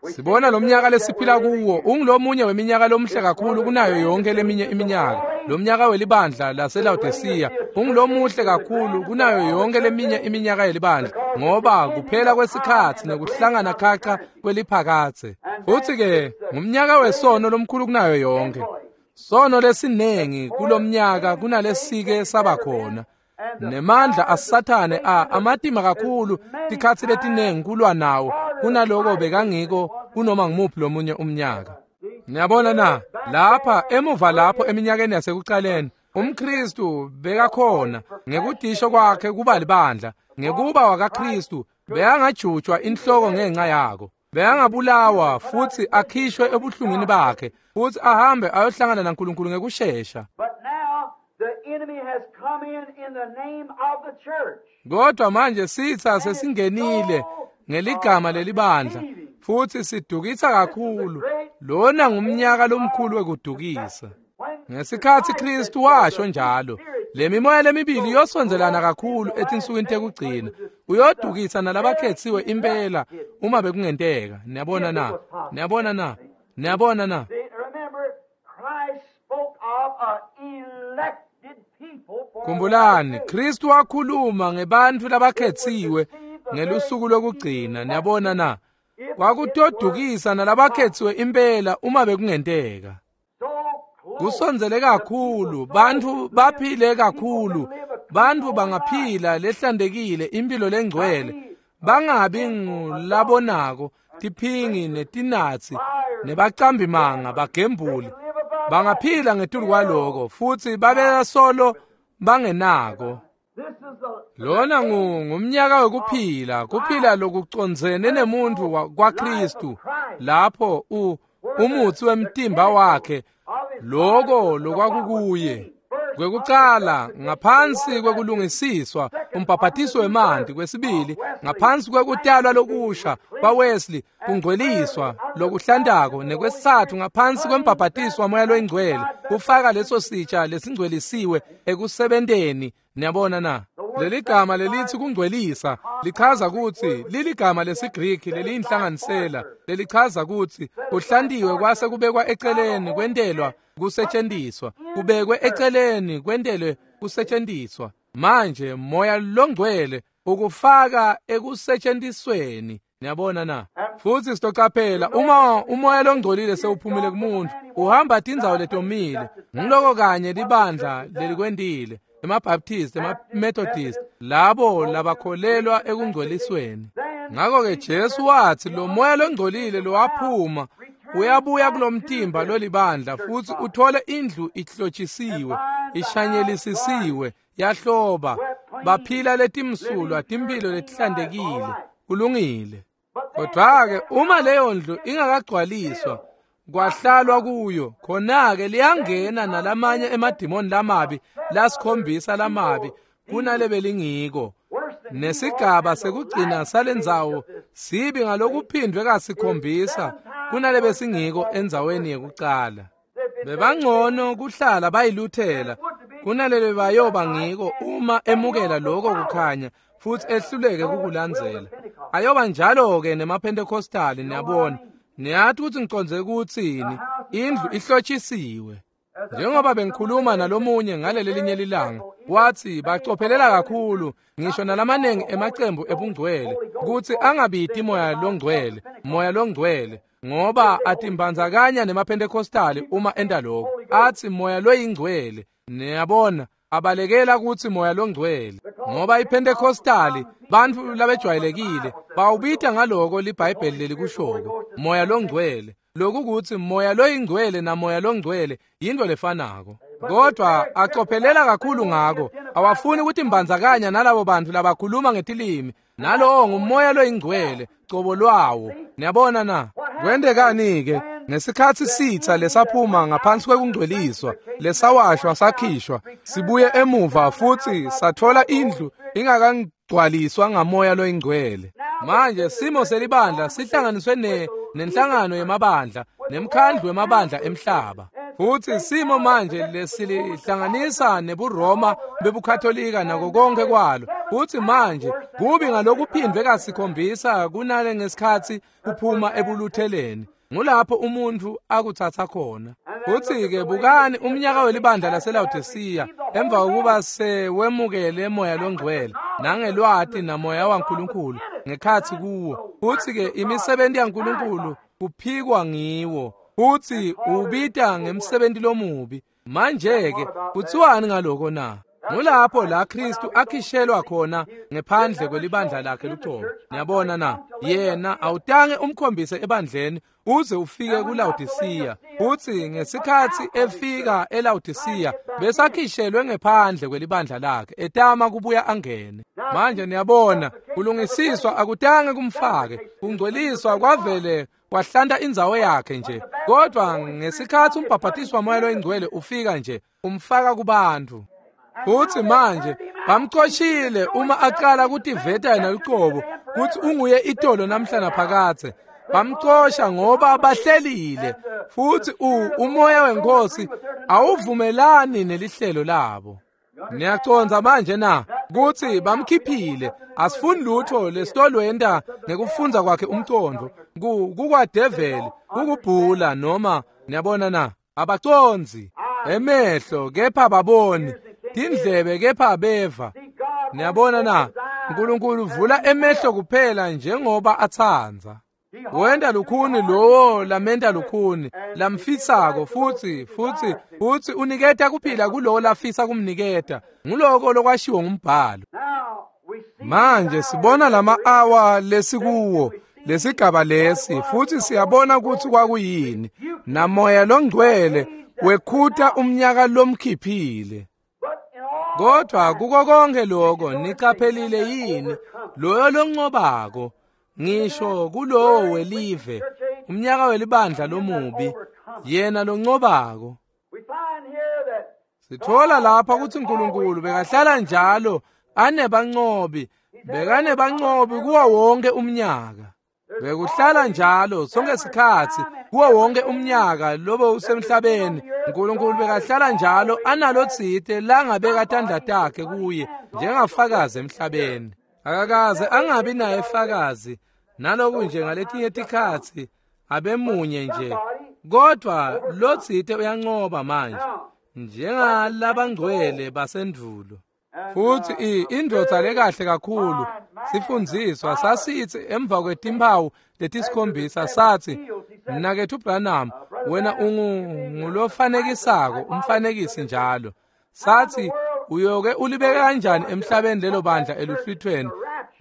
Speaker 1: Sibona lo mnyaka lesiphila kuwo ungulomunye weminyaka lomuhle kakhulu kunayo yonke leminye iminyaka. Lo mnyaka welibandla laseLaodicea ungulomuhle kakhulu kunayo yonke leminye iminyaka yelibandla, ngoba kuphela kwesikhatsi nekuhlangana khaca kweliphakatse. Futsi-ke ngumnyaka wesono lomkhulu kunayo yonke. Sono lesinengi kulomnyaka kunalesike saba khona. Nemandla aSathane a amatima kakhulu tikhatsi letinengi kulwa nawo kunaloko bekangiko kunoma ngumuphi lomunye umnyaka. Niyabona na? Lapha emuva lapho eminyakeni yasekucaleni, umKristu bekakhona ngekudisho kwakhe kuba libandla, ngekuba wakaKristu bekangajutshwa inhloko ngenxa yako. Bekangabulawa futsi akhishwe ebuhlungwini bakhe futsi ahambe ayohlangana naNkulunkulu ngekushesha. Kodwa manje sitsa sesingenile ngeligama lelibandla futsi sidukisa kakhulu. Lona ngumnyaka lomkhulu wekudukisa. Ngesikhatsi Kristu washo njalo, le mimoya lemibili iyosondzelana kakhulu etinsukwini tekugcina. Uyodukisa nalabakhetsiwe impela uma bekungenteka. Niyabona na? Niyabona na? Niyabona na? Khumbulani, Kristu wakhuluma ngebantfu labakhetsiwe ngelusuku lokugcina. Niyabona na? Kwakutodukisa nalabakhetsiwe impela uma bekungenteka. Kusondzele kakhulu, bantfu baphile kakhulu, bantfu bangaphila lehlantekile impilo lengcwele, bangabi ngulabonako, tiphingi netinatsi nebacambimanga bagembuli. Bangaphila ngetulu kwaloko futsi babe solo bangenako. Lona ngumnyaka wekuphila, kuphila lokucondzene nemuntfu kwaKristu, lapho u umutsi wemtimba wakhe loko lokwakukuye. Kwekucala ngaphansi kwekulungisiswa umbhaphathiso wemanti, kwesibili ngaphansi kwekutalwa lokusha kwaWesley kungcweliswa lokuhlantako, nekwesitsatfu ngaphansi kwembhaphathiso waMoya loyiNgcwele kufaka leso sitsha lesingcwelisiwe ekusebenteni. Niyabona na? Leli gama lelithi kungcwelisa lichaza kutsi liligama lesiGriki leliyinhlanganisela lelichaza kutsi kuhlantiwe kwase kubekwa eceleni kwentelwa kusetshenziswa, kubekwe eceleni kwentelwe kusetshenziswa. Manje Moya loNgcwele ukufaka ekusetshenzisweni. Niyabona na? Futsi sitocaphela uma umoya longcolile sewuphumile kumuntu uhamba tindzawo letomile. Ngiloko kanye libandla lelikwentile. emaBaptist, emaMethodist, labo labakholelwa ekungcwelisweni. Ngakho-ke Jesu watsi lo moya longcolile lowaphuma uyabuya kulomtimba lolibandla futsi uthole indlu ihlotshisiwe, ishanyelisisiwe, yahloba, baphila letimsulwa, timphilo letihlantekile, kulungile. Kodwa-ke uma leyo ndlu ingakagcwaliswa kwahlalwa kuyo, khona-ke liyangena nalamanye emadimoni lamabi lasikhombisa lamabi kunalebelingiko. Nesigaba sekugcina salendzawo sibi ngalokuphindwe kasikhombisa kunalebesingiko endzaweni yekucala. Bebangcono kuhlala bayiluthela kunalele bayoba ngiko uma emukela lokho kukhanya futhi ehluleke kukulandzela. Ayoba njalo-ke nemaPentecostali, niyabona. Niyathi ukuthi ngicondze ukutsini, indlu ihlotshisiwe. Njengoba bengikhuluma nalomunye ngaleli linye lilanga, wathi bacophelela kakhulu ngisho nalamanengi emacembu ebungcwele kutsi angabiti moya longcwele, moya longcwele, ngoba atimbandzakanya nemaPentecostali uma enta lokho. Athi moya loyingcwele, niyabona, abalekela kutsi moya longcwele, ngoba iPentecostali bantfu labejwayelekile bawubita ngaloko liBhayibheli lelikushoko, moya longcwele. Lokhu kutsi moya loyingcwele namoya longcwele yinto lefanako. Kodwa acophelela kakhulu ngako, awafuni ukutimbandzakanya nalabo bantu labakhuluma ngetilimi, nalowo ngumoya loyingcwele cobo lwawo. Niyabona na? Kwentekani-ke ngesikhatsi sitsa lesaphuma ngaphansi kwekungcweliswa, lesawashwa sakhishwa, sibuye emuva futsi sathola indlu ingakangcwaliswa ngamoya loyingcwele. Manje simo selibandla sihlanganiswe ne nenhlangano yemabandla nemkhandlu wemabandla emhlaba. Futsi simo manje lesilihlanganisa nebuRoma bebuKatolika nako konke kwalo. Futsi manje kubi ngalokuphindwe kasikhombisa kunale ngesikhatsi kuphuma ebulutheleni. Ngulapho umuntu akutsatsa khona. Futsi-ke bukani umnyaka welibandla laseLawodisiya emva kokuba sewemukele moya longcwele nangelwati namoya waNkulunkulu ngekhatsi kuwo. Futsi-ke imisebenti yaNkulunkulu kuphikwa ngiwo. Futsi ubita ngemsebenti lomubi. Manje-ke kutsiwani ngaloko na? Ngulapho la Kristu akhishelwa khona ngephandle kwelibandla lakhe lucobo. Niyabona na? Yena awutange umkhombise ebandleni uze ufike kuLawodisiya. Futsi ngesikhatsi efika eLawodisiya besakhishelwe ngephandle kwelibandla lakhe etama kubuya angene. Manje niyabona, kulungisiswa akutange kumfake, kungcweliswa kwavele kwahlanta indzawo yakhe nje. Kodwa ngesikhatsi umbhabhatiswa wamoya loyingcwele ufika nje, umfaka kubantu. Futsi manje bamcoshile uma aqala kutiveta yena lucobo kutsi unguye itolo namhla naphakadze. Bamcosha ngoba bahlelile, futsi umoya wenkosi awuvumelani nelihlelo labo. Niyacondza manje na kutsi bamkhiphile? Asifuni lutho lesitolwenta ngekufundza kwakhe umcondvo, kukwadeveli, kukubhula noma niyabona na? Abacondzi emehlo kepha baboni, tindlebe kepha beva. Niyabona na? Nkulunkulu uvula emehlo kuphela njengoba atsandza. Wenta lukhuni lowo lamenta lukhuni lamfisako, futsi futsi futsi uniketa kuphila kulowo lafisa kumniketa. Nguloko lokwashiwo ngumbhalo. Manje sibona lama-awa lesikuwo lesigaba lesi, futsi siyabona kutsi kwakuyini. Namoya longcwele wekhuta umnyaka lomkhiphile. Kodwa kuko konke lokho niqaphelile yini loyo loncobako, ngisho kulowo welive, umnyaka welibandla lomubi, yena loncobako. Sithola lapha kutsi Nkulunkulu bekahlala njalo anebancobi, bekanebancobi kuwo wonke umnyaka. Bekuhlala njalo sonke sikhatsi kuwo wonke umnyaka lobe usemhlabeni. Nkulunkulu bekahlala njalo analotsite langabeka tandla takhe kuye njengafakazi emhlabeni. Akakaze angabi naye fakazi, naloku nje ngaletinye tikhatsi abemunye nje. Kodwa lotsite uyancoba manje njengalabangcwele basendvulo. Futsi indvodza lekahle kakhulu sifundziswa sasitsi emva kwetimphawu letisikhombisa satsi, "Mnaketfu Branham, wena ungulofanekisako, umfanekisi njalo." Satsi, Uyoke ulibeke kanjani emhlabeni lelo bandla eluhlwithweni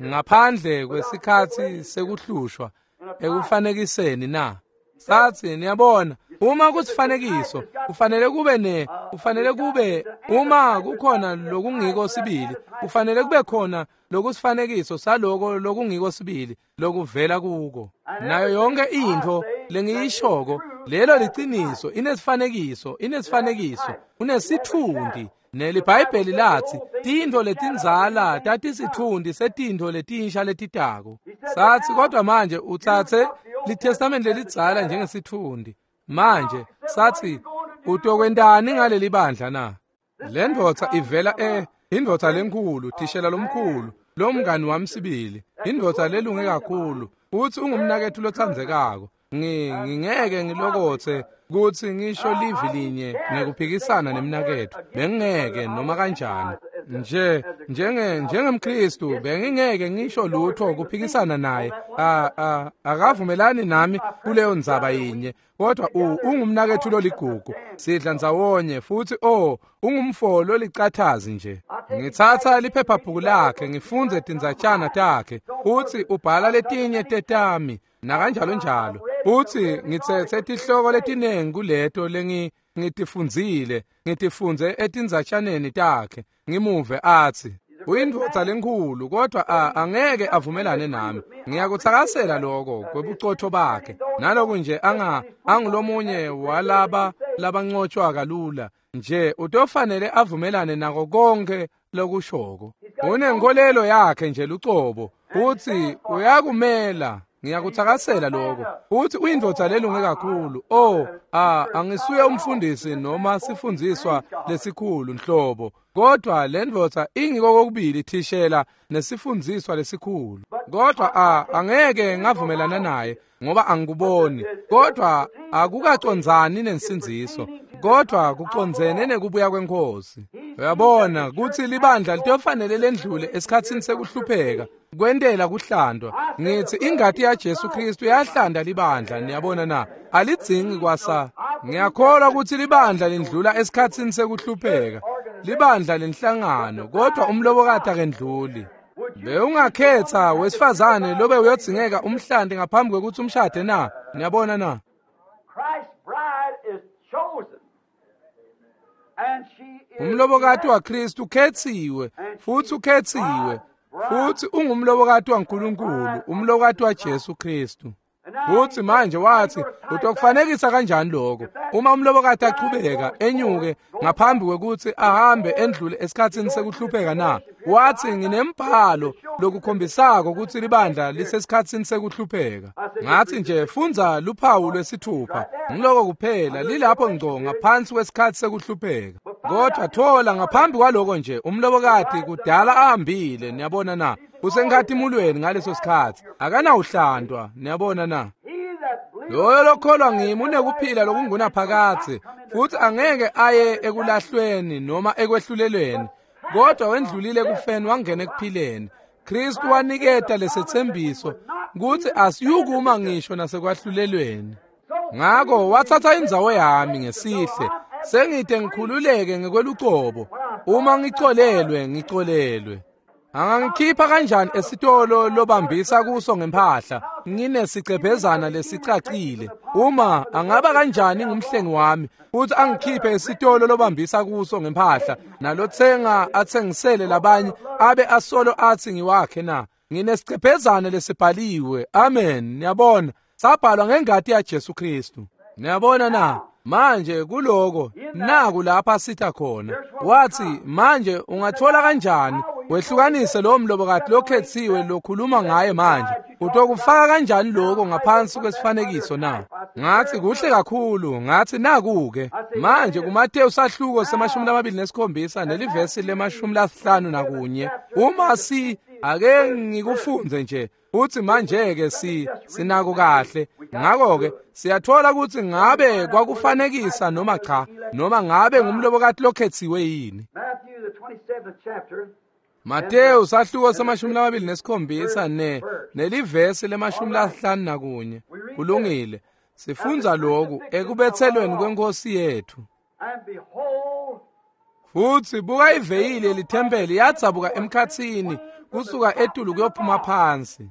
Speaker 1: ngaphandle kwesikhatsi sekuhlushwa ekufanekiseni na? Sathi, niyabona, uma kusifanekiso kufanele kube ne kufanele kube uma kukhona lokungiko sibili, kufanele kube khona lokusifanekiso saloko lokungiko sibili lokuvela kuko. Nayo yonke intfo lengiyishoko lelo liciniso, inesifanekiso, inesifanekiso, unesitfundi. NeliBhayibheli lathi tintfo letindzala tatisitfundi setintfo letinsha letitako. Sathi, kodwa manje utsatse liTestamente lelidzala njengesitfundi. Manje sathi, utokwentani ngaleli bandla na? Le ndvodza ivela e indvodza lenkhulu, thishela lomkhulu, lomngani wami sibili, indvodza lelunge kakhulu, futhi ungumnaketfu lotsandzekako. Ngingeke ngilokotse kutsi ngisho livi linye ngekuphikisana nemnaketfu, bengingeke noma kanjani. Nje njenge njengemKristu bengingeke ngisho lutho kuphikisana naye. A a akavumelani nami kuleyo ndzaba yinye, kodwa ungumnaketfu loligugu. Sidla ndzawonye futhi oh ungumfo lolicathazi nje. Ngitsatsa liphephabhuku lakhe ngifundze tindzatshana takhe, futhi ubhala letinye tetami nakanjalo njalo. Futhi ngitsetse tihloko letinengi kuleto lengi ngitifundzile, ngitifundze etindzatjaneni takhe. Ngimuve athi uyindvodza lenkhulu, kodwa angeke avumelane nami. Ngiyakutsakasela lokho kwebucotho bakhe. Naloku nje anga angulomunye walaba labancotshwa kalula nje, utofanele avumelane nako konke lokushoko. Unenkolelo yakhe nje lucobo, futhi uyakumela. Ngiyakutsakasela lokho. Futhi uyindvodza lelunge kakhulu. Oh, ah, angisuye umfundisi noma sifundziswa lesikhulu nhlobo, kodwa le ndvodza ingiko kokubili thishela nesifundziswa lesikhulu. Kodwa ah, angeke ngavumelana naye ngoba angikuboni. Kodwa akukacondzani nensindziso, kodwa kucondzene nekubuya kweNkhosi. Uyabona kutsi libandla litofanele lendlule esikhatsini sekuhlupheka kwentela kuhlandwa. Ngithi ingati yaJesu Kristu yahlanda libandla, niyabona na? Alidzingi kwasa. Ngiyakholwa ukuthi libandla lindlula esikhatsini sekuhlupheka, libandla lenhlangano, kodwa umlobokati akendluli. Bewungakhetha wesifazane lobe uyodzingeka umhlande ngaphambi kwekutsi umshade na? Niyabona na? Umlobokati waKristu ukhetsiwe, futhi ukhetsiwe, futhi ungumlobokati waNkulunkulu, umlobokati waJesu Kristu. Futhi manje wathi, utokufanekisa kanjani lokho? Uma umlobokati achubeka enyuke ngaphambi kwekutsi ahambe endlule esikhatsini sekuhlupheka na? Wathi, nginembhalo lokukhombisako kutsi libandla lisesikhatsini sekuhlupheka. Ngathi nje, fundza luphawu lwesithupha, ngiloko kuphela lilapho ngco ngaphansi kwesikhatsi sekuhlupheka. Kodwa thola ngaphambi kwaloko nje umlobokati kudala ahambile, niyabona na? Usenkhatimulweni ngaleso sikhatsi, akanawuhlandwa, niyabona na? Loyo lokholwa ngimi unekuphila lokungunaphakadze, futhi angeke aye ekulahlweni noma ekwehlulelweni, kodwa wendlulile ekufeni wangena ekuphileni. Kristu waniketa lesetsembiso kutsi asiyukuma ngisho nasekwahlulelweni. Ngako watsatsa indzawo yami ngesihle, sengide ngikhululeke ngekwelucobo. Uma ngicolelwe, ngicolelwe. Angangikhipha kanjani esitolo lobambisa kuso ngempahla nginesicebhezana lesicacile? Uma angaba kanjani ngumhlengi wami futhi angikhiphe esitolo lobambisa kuso ngempahla, nalothenga athengisele labanye abe asolo athi ngiwakhe na? Nginesicebhezana lesibhaliwe. Amen. Niyabona, sabhalwa ngengati yaJesu Kristu. Niyabona na? Manje kuloko naku lapha sitha khona. Wathi, manje ungathola kanjani wehlukanise lo mlobokati lokhetsiwe lokhuluma ngaye manje? Utokufaka kanjani lokho ngaphansi kwesifanekiso na? Ngathi kuhle kakhulu. Ngathi naku-ke manje kuMateyu sahluko semashumi lamabili nesikhombisa nelivesi lemashumi lasihlanu nakunye. Uma si ake ngikufunze nje uthi manje-ke si sinako kahle. Ngakho-ke siyathola ukuthi ngabe kwakufanekisa noma cha, noma ngabe ngumlobokati lokhetsiwe yini. Mateyu sahluko semashumi lamabili nesikhombisa ne nelivesi lemashumi lasihlanu nakunye. Kulungile. Sifundza lokhu ekubethelweni kwenkosi yethu. Futsi buka iveyili yelithempeli yadzabuka emkhatsini kusuka etulu kuyophuma phansi.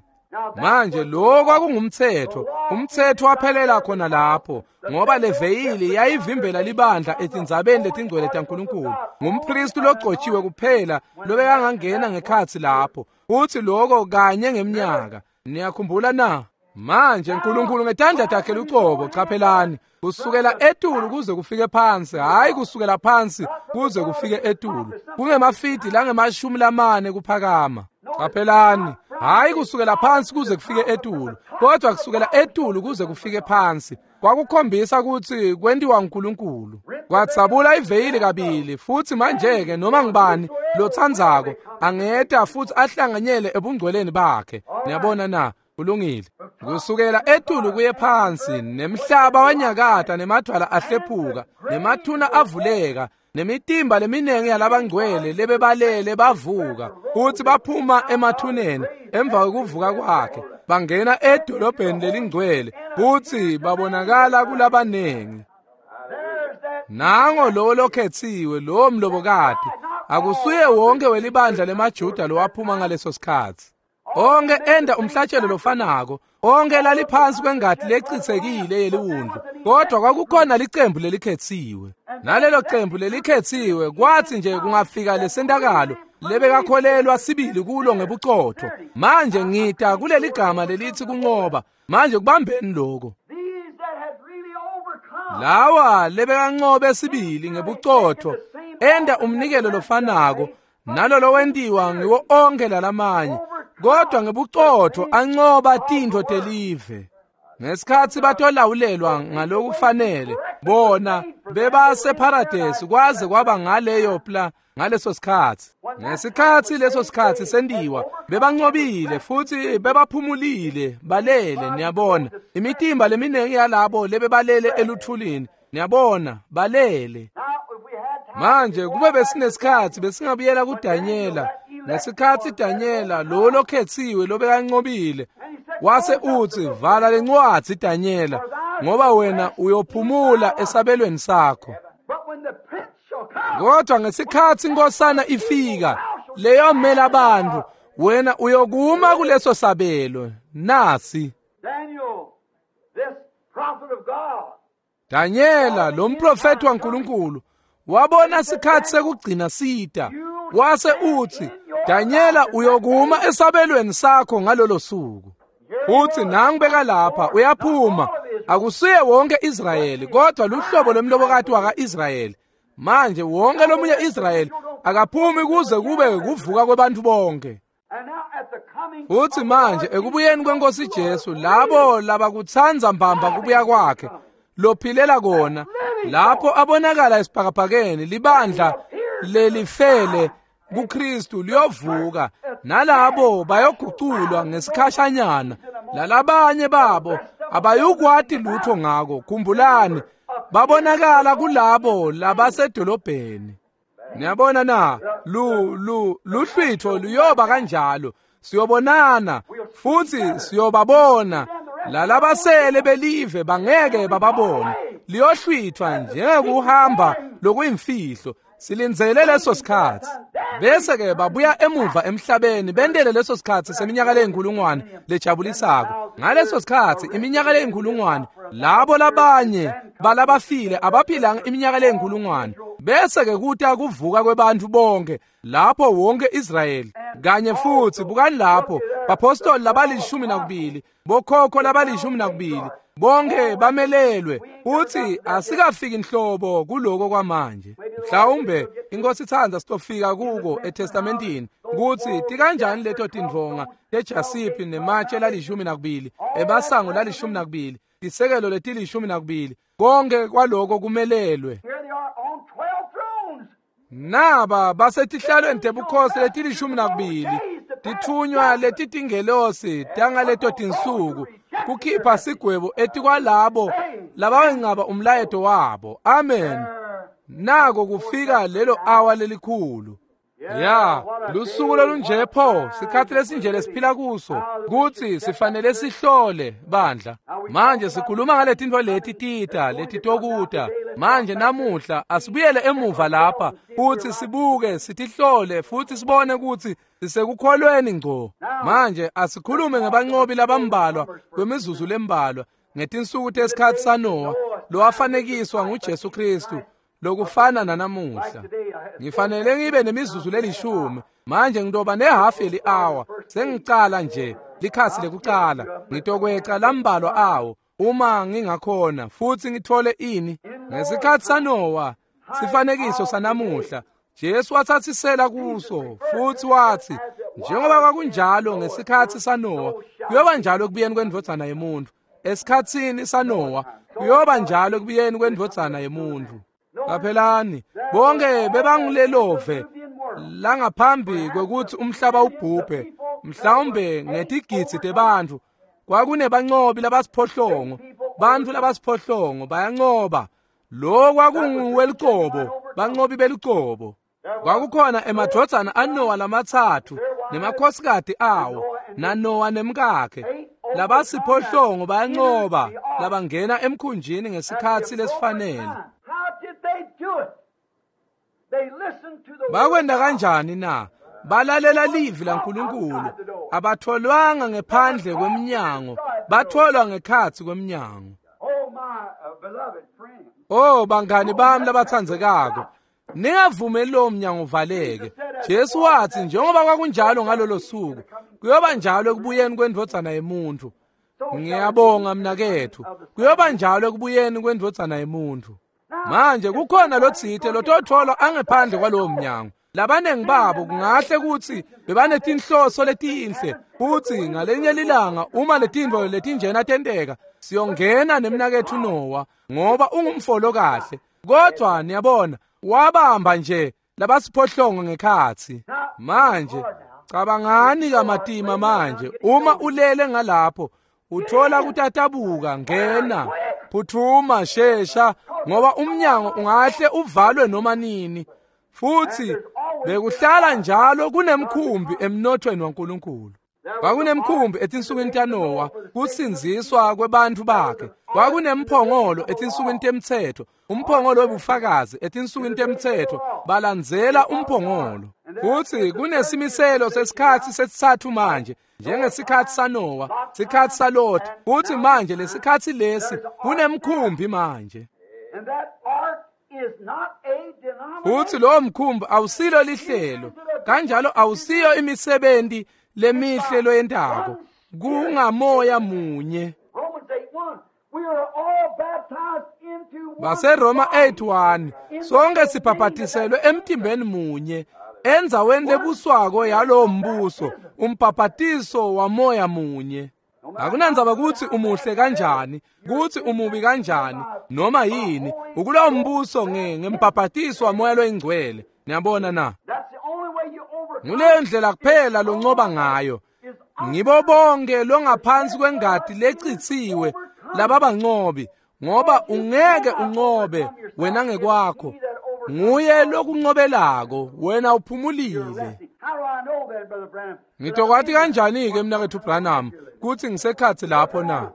Speaker 1: Manje lo kwakungumtsetfo, umtsetfo waphelela khona lapho, ngoba leveyili yayivimbela libandla etindzabeni letingcwele taNkulunkulu. Ngumpristi logcotshiwe kuphela lobekangangena ngekhatsi lapho, futsi loko kanye ngemnyaka. Niyakhumbula na? Manje uNkulunkulu ngetandla takhe lucobo, chaphelani, kusukela etulu kuze kufike phansi, hayi kusukela phansi kuze kufike etulu, kungemafidi langemashumi lamane kuphakama. Chaphelani, hayi kusukela phansi kuze kufike etulu, kodwa kusukela etulu kuze kufike phansi. Kwakukhombisa kutsi kwentiwa uNkulunkulu. Kwadzabula iveyili kabili, futsi manje-ke noma ngubani lotsandzako angeta futsi ahlanganyele ebungcweleni bakhe. Niyabona na? Kulungile. Kusukela etulu kuye phansi, nemhlaba wanyakata, nemadwala ahlephuka, nemathuna avuleka, nemitimba leminingi yalabangcwele lebebalele bavuka, futsi baphuma emathuneni emva kwekuvuka kwakhe, bangena edolobheni lelingcwele, futsi babonakala kulabanengi. Nango lowo lokhetsiwe, lowo mlobokati, akusuye wonke welibandla lemaJuda lowaphuma ngaleso sikhatsi. Onke enda umhlatshelo lofanako, onke laliphansi kwengati lecitsekile yeliwundlu, kodwa kwakukhona licembu lelikhetsiwe. Nalelo cembu lelikhetsiwe kwathi nje kungafika lesentakalo lebekakholelwa sibili kulo ngebucotho. Manje ngita kuleli gama lelithi kunqoba. Manje kubambeni lokho. Lawa lebekanqobe sibili ngebucotho enda umnikelo lofanako nalolo wentiwa ngiwo onke lalamanye, kodwa ngebucotho anqoba tintfo telive. Ngesikhatsi batolawulelwa ngalokufanele, bona bebaseparadesi kwaze kwaba ngaleyo pla ngaleso sikhatsi. Ngesikhatsi leso sikhatsi sentiwa, bebanqobile futsi bebaphumulile, balele. Niyabona, imitimba leminingi yalabo lebebalele eluthulini, niyabona, balele. Manje kube besinesikhatsi besingabuyela kuDanyela. Ngesikhatsi Danyela lo lokhetsiwe lobekanqobile wase utsi, vala lencwadzi Danyela, ngoba wena uyophumula esabelweni sakho. Kodwa ngesikhatsi inkosana ifika leyomela abantu, wena uyokuma kuleso sabelo. Nasi Danyela lo mprofeti waNkulunkulu wabona sikhatsi sekugcina sita, wase utsi, Danyela uyokuma esabelweni sakho ngalolo suku. Utsi nangibeka lapha uyaphuma, akusuye wonke Israyeli, kodwa luhlobo lomlobokati waka-Israyeli. Manje wonke lomunye Israyeli akaphumi kuze kube kuvuka kwebantfu bonke. Utsi manje ekubuyeni kwenkosi Jesu, labo labakutsandza mbamba kubuya kwakhe, lophilela kona, lapho abonakala esibhakabhakeni, libandla lelifele kuKristu liyovuka, nalabo bayoguculwa ngesikhashanyana. Lalabanye babo abayukwati lutho ngako. Khumbulani, babonakala kulabo labasedolobheni. Niyabona na? Lu lu luhlwitho luyoba kanjalo. Siyobonana futsi siyobabona. Lalabasele belive bangeke bababone. Liyohlwithwa njengekuhamba lokuyimfihlo. Silindzele leso sikhatsi. Bese ke babuya emuva emhlabeni bentele leso sikhatsi seminyaka leyinkulungwane lejabulisako. Ngaleso sikhatsi iminyaka leyinkulungwane, labo labanye balabafile abaphilanga iminyaka leyinkulungwane. Bese ke kuta kuvuka kwebantfu bonke lapho wonke Israyeli kanye futsi bukani lapho bapostoli labalishumi nakubili, bokhokho labalishumi nakubili, bonke bamelelwe. Uthi asikafiki inhlobo kuloko kwamanje. Mhlawumbe inkosi itsandza sitofika kuko eTestamentini kutsi tikanjani leto tindvonga tejasiphi nematshe lalishumi nakubili, emasango lalishumi nakubili, tisekelo letilishumi nakubili, konke kwaloko kumelelwe. Naba basetihlalweni tebukhosi letilishumi nakubili, tithunywa letitingelosi tangaleto tinsuku kukhipha sigwebo etikwalabo labawenqaba umlayeto wabo. Amen. Nako kufika lelo awa lelikhulu. Ya, lusuku lolunje pho, sikhathi lesinje lesiphila kuso, kutsi sifanele sihlole bandla. Manje sikhuluma ngaletintfo leti tita, letitokuta. Manje namuhla asibuyele emuva lapha futsi sibuke, sitihlole futsi sibone kutsi sisekukholweni ngco. Manje asikhulume ngebancobi labambalwa kwemizuzu lembalwa ngetinsuku tesikhatsi saNowa lowafanekiswa nguJesu Kristu lokufana nanamuhla. Ngifanele ngibe nemizuzu lelishumi. Manje ngitoba nehafu yeli-hour. Sengicala nje likhasi lekucala. Ngitokweca lambalwa awo uma ngingakhona futsi ngithole ini. Ngesikhatsi saNowa, sifanekiso sanamuhla, Jesu wathatsisela kuso futsi watsi njengoba kwakunjalo ngesikhatsi saNowa, kuyoba njalo ekubuyeni kwendvodzana yemuntfu. Esikhatsini saNowa kuyoba njalo ekubuyeni kwendvodzana yemuntfu. Qaphelani, bonke bebangulelove langaphambi kwekutsi umhlaba ubhubhe, mhlawumbe ngetigidzi tebantfu. Kwakunebancobi labasiphohlongo, bantfu labasiphohlongo bayancoba. Lo kwakunguwelucobo, bancobi belucobo. Kwakukhona emadvodzana aNowa lamatsatfu nemakhosikati awo, naNowa nemkakhe. Labasiphohlongo bayancoba, labangena emkhunjini ngesikhatsi lesifanele. Bakwenta kanjani na? Balalela livi laNkulunkulu. Abatholwanga ngephandle kwemnyango, batholwa ngekhatsi kwemnyango. Oh bangani bami labatsandzekako, ningavumeli lowo mnyango uvaleke. Jesu watsi njengoba kwakunjalo ngalolo suku, kuyoba njalo ekubuyeni kwendvodzana yemuntfu. Ngiyabonga mnaketfu, kuyoba njalo ekubuyeni kwendvodzana yemuntfu. Manje kukhona lotsite lototholwa angephandle kwalowo mnyango. Labanengi babo kungahle kutsi bebanetinhloso letinhle, futsi ngalenye lilanga uma letintfo letinjena tenteka, siyongena nemnaketfu Nowa ngoba ungumfolo kahle. Kodwa niyabona, wabamba nje labasiphohlongo ngekhatsi. Manje cabangani kamatima manje, uma ulele ngalapho uthola kutatabuka, ngena, phuthuma, shesha, ngoba umnyango ungahle uvalwe noma nini. Futsi bekuhlala njalo kunemkhumbi emnothweni waNkulunkulu. Kwakunemkhumbi etinsukwini taNowa, kusindziswa kwebantfu bakhe. Kwakunemphongolo etinsukwini temtsetfo, umphongolo webufakazi etinsukwini temtsetfo, balandzela umphongolo. Futsi kunesimiselo sesikhatsi sesitsatfu manje, njengesikhatsi saNowa, sikhatsi saLot. Futsi manje lesikhatsi lesi kunemkhumbi manje. Futsi lowo mkhumbi awusilo lihlelo, kanjalo awusiyo imisebenti lemihle loyentako, kungamoya munye. BaseRoma eight one, sonke sibhabhatiselwe emtimbeni munye, endzaweni lebuswako yalowo mbuso, umbhabhatiso wamoya munye. Akunandzaba kutsi umuhle kanjani, kutsi umubi kanjani, noma yini, ukulowo mbuso ngembhabhatiso wamoya loyingcwele. Niyabona na? Nguleyo ndlela kuphela loncoba ngayo. Ngibo bonke longaphansi kwengati lecitsiwe lababancobi, ngoba ungeke uncobe wena ngekwakho. Nguye lokuncobelako, wena uphumulile. Ngitokwati kanjani-ke mnaketfu Branham kutsi ngisekhatsi lapho na?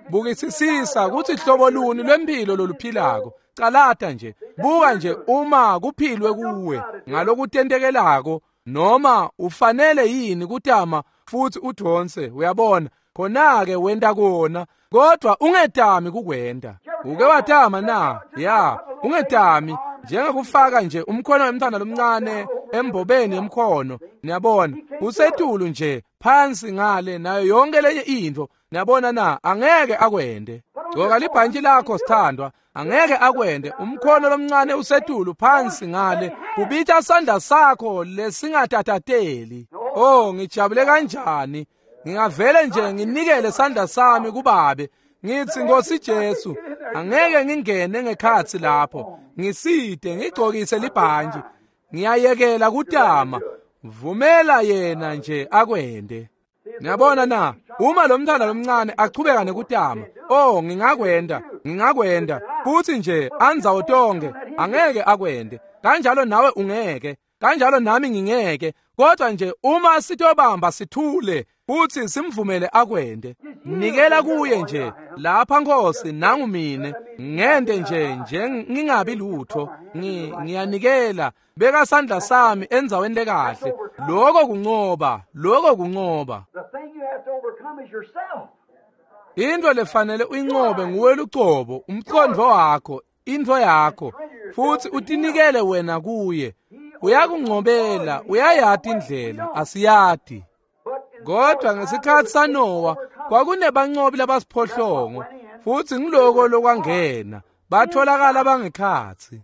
Speaker 1: Bukisisisa kutsi hlobo luni lwemphilo loluphilako. Calata nje, buka nje uma kuphilwe kuwe ngalokutentekelako, noma ufanele yini kutama futsi udvonse, uyabona, khona-ke wenta kona, kodwa ungetami kukwenta. Uke watama na? Ya, ungetami, njengekufaka nje umkhono wemntfwana lomncane embobeni yemkhono, niyabona, usetulu nje phansi ngale nayo yonke lenye intfo, niyabona na, angeke akwente. Gcoka libhantshi lakho sithandwa, angeke akwente. Umkhono lomncane usetulu phansi ngale, kubita sandla sakho lesingatatateli. Oh, ngijabule kanjani. Ngingavele nje nginikele sandla sami kubabe, ngithi Nkosi Jesu, angeke ngingene ngekhatsi lapho, ngisite ngigcokise libhantshi, ngiyayekela kutama, vumela yena nje akwente. Niyabona na, uma lo mntwana lomncane achubeka nekutama, oh ngingakwenda, ngingakwenda, futhi nje andzawo tonke, angeke akwende, kanjalo nawe ungeke. Kanjalo nami ngingeke, kodwa nje uma sitobamba sithule futhi simvumele akwende. Nikela kuye nje lapha Nkosi, nangu mine ngende nje nje ngingabi lutho, ngiyanikela, beka sandla sami endzaweni lekahle. Lokho kuncoba, lokho kuncoba. Into lefanele uyincobe nguwe lucobo, umqondo wakho, into yakho, futhi utinikele wena kuye. Uyakuncobela, uyayati indlela, asiyati. Kodwa ngesikhathi saNowa kwakunebancobi labasiphohlongo, futhi ngiloko lokwangena batholakala bangekhatsi.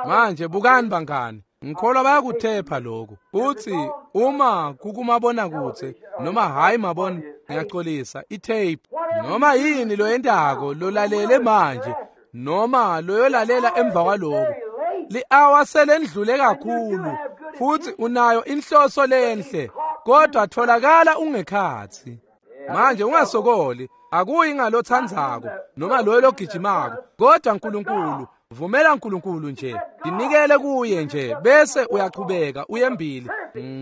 Speaker 1: Manje bukani bangani, ngikholwa bayakuthepha lokhu. Futhi uma kukumabona kutse noma hayi mabona, ngiyaxolisa, itape noma yini loyentako lolalele manje noma loyolalela emva kwaloko, li-hour selendlule kakhulu, futhi unayo inhloso lenhle, kodwa tholakala ungekhatsi. Manje ungasokoli, akuyi ngalothandzako noma loyo logijimako, kodwa uNkulunkulu, vumela uNkulunkulu nje, dinikele kuye nje, bese uyachubeka uyembili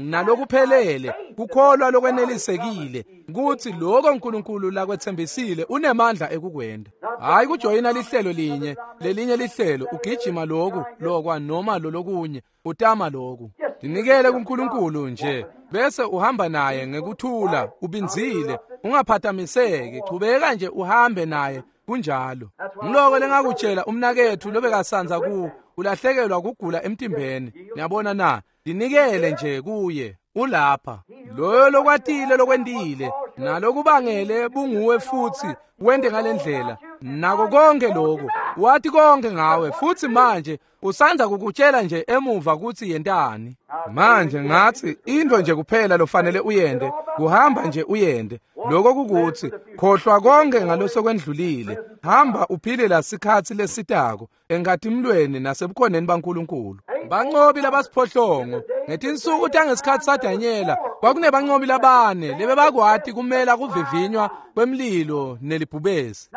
Speaker 1: nalokuphelele kukholwa lokwenelisekile ukuthi lokho uNkulunkulu lakwethembisile unemandla ekukwenda. Hayi kujoyina lihlelo linye lelinye lihlelo, ugijima lokhu lokwa noma lolokunye, utama lokhu. Dinikele kuNkulunkulu nje, bese uhamba naye ngekuthula, ubinzile, ungaphathamiseki, chubeka nje uhambe naye kunjalo. Ngiloko lengakutshela umnakethu lobekasanza ku ulahlekelwa kugula emtimbeni. Niyabona na? Dinikele nje kuye, ulapha. Loyo lokwatile lokwendile nalokubangele bunguwe futhi wende ngalendlela nako konke lokho wathi konke ngawe, futhi manje usanza kukutshela nje emuva ukuthi yentani. Manje ngathi into nje kuphela lofanele uyende kuhamba nje uyende. Lokho kukuthi khohlwa konke ngalosokwendlulile, hamba uphile la sikhathi lesitako enkatimlweni nasebukhoneni baNkulunkulu. Bancobi labasiphohlongo ngetinsuku tangesikhathi saDanyela kwakunebancobi labane lebebakwati kumela kuvivinywa kwemlilo nelibhubesi.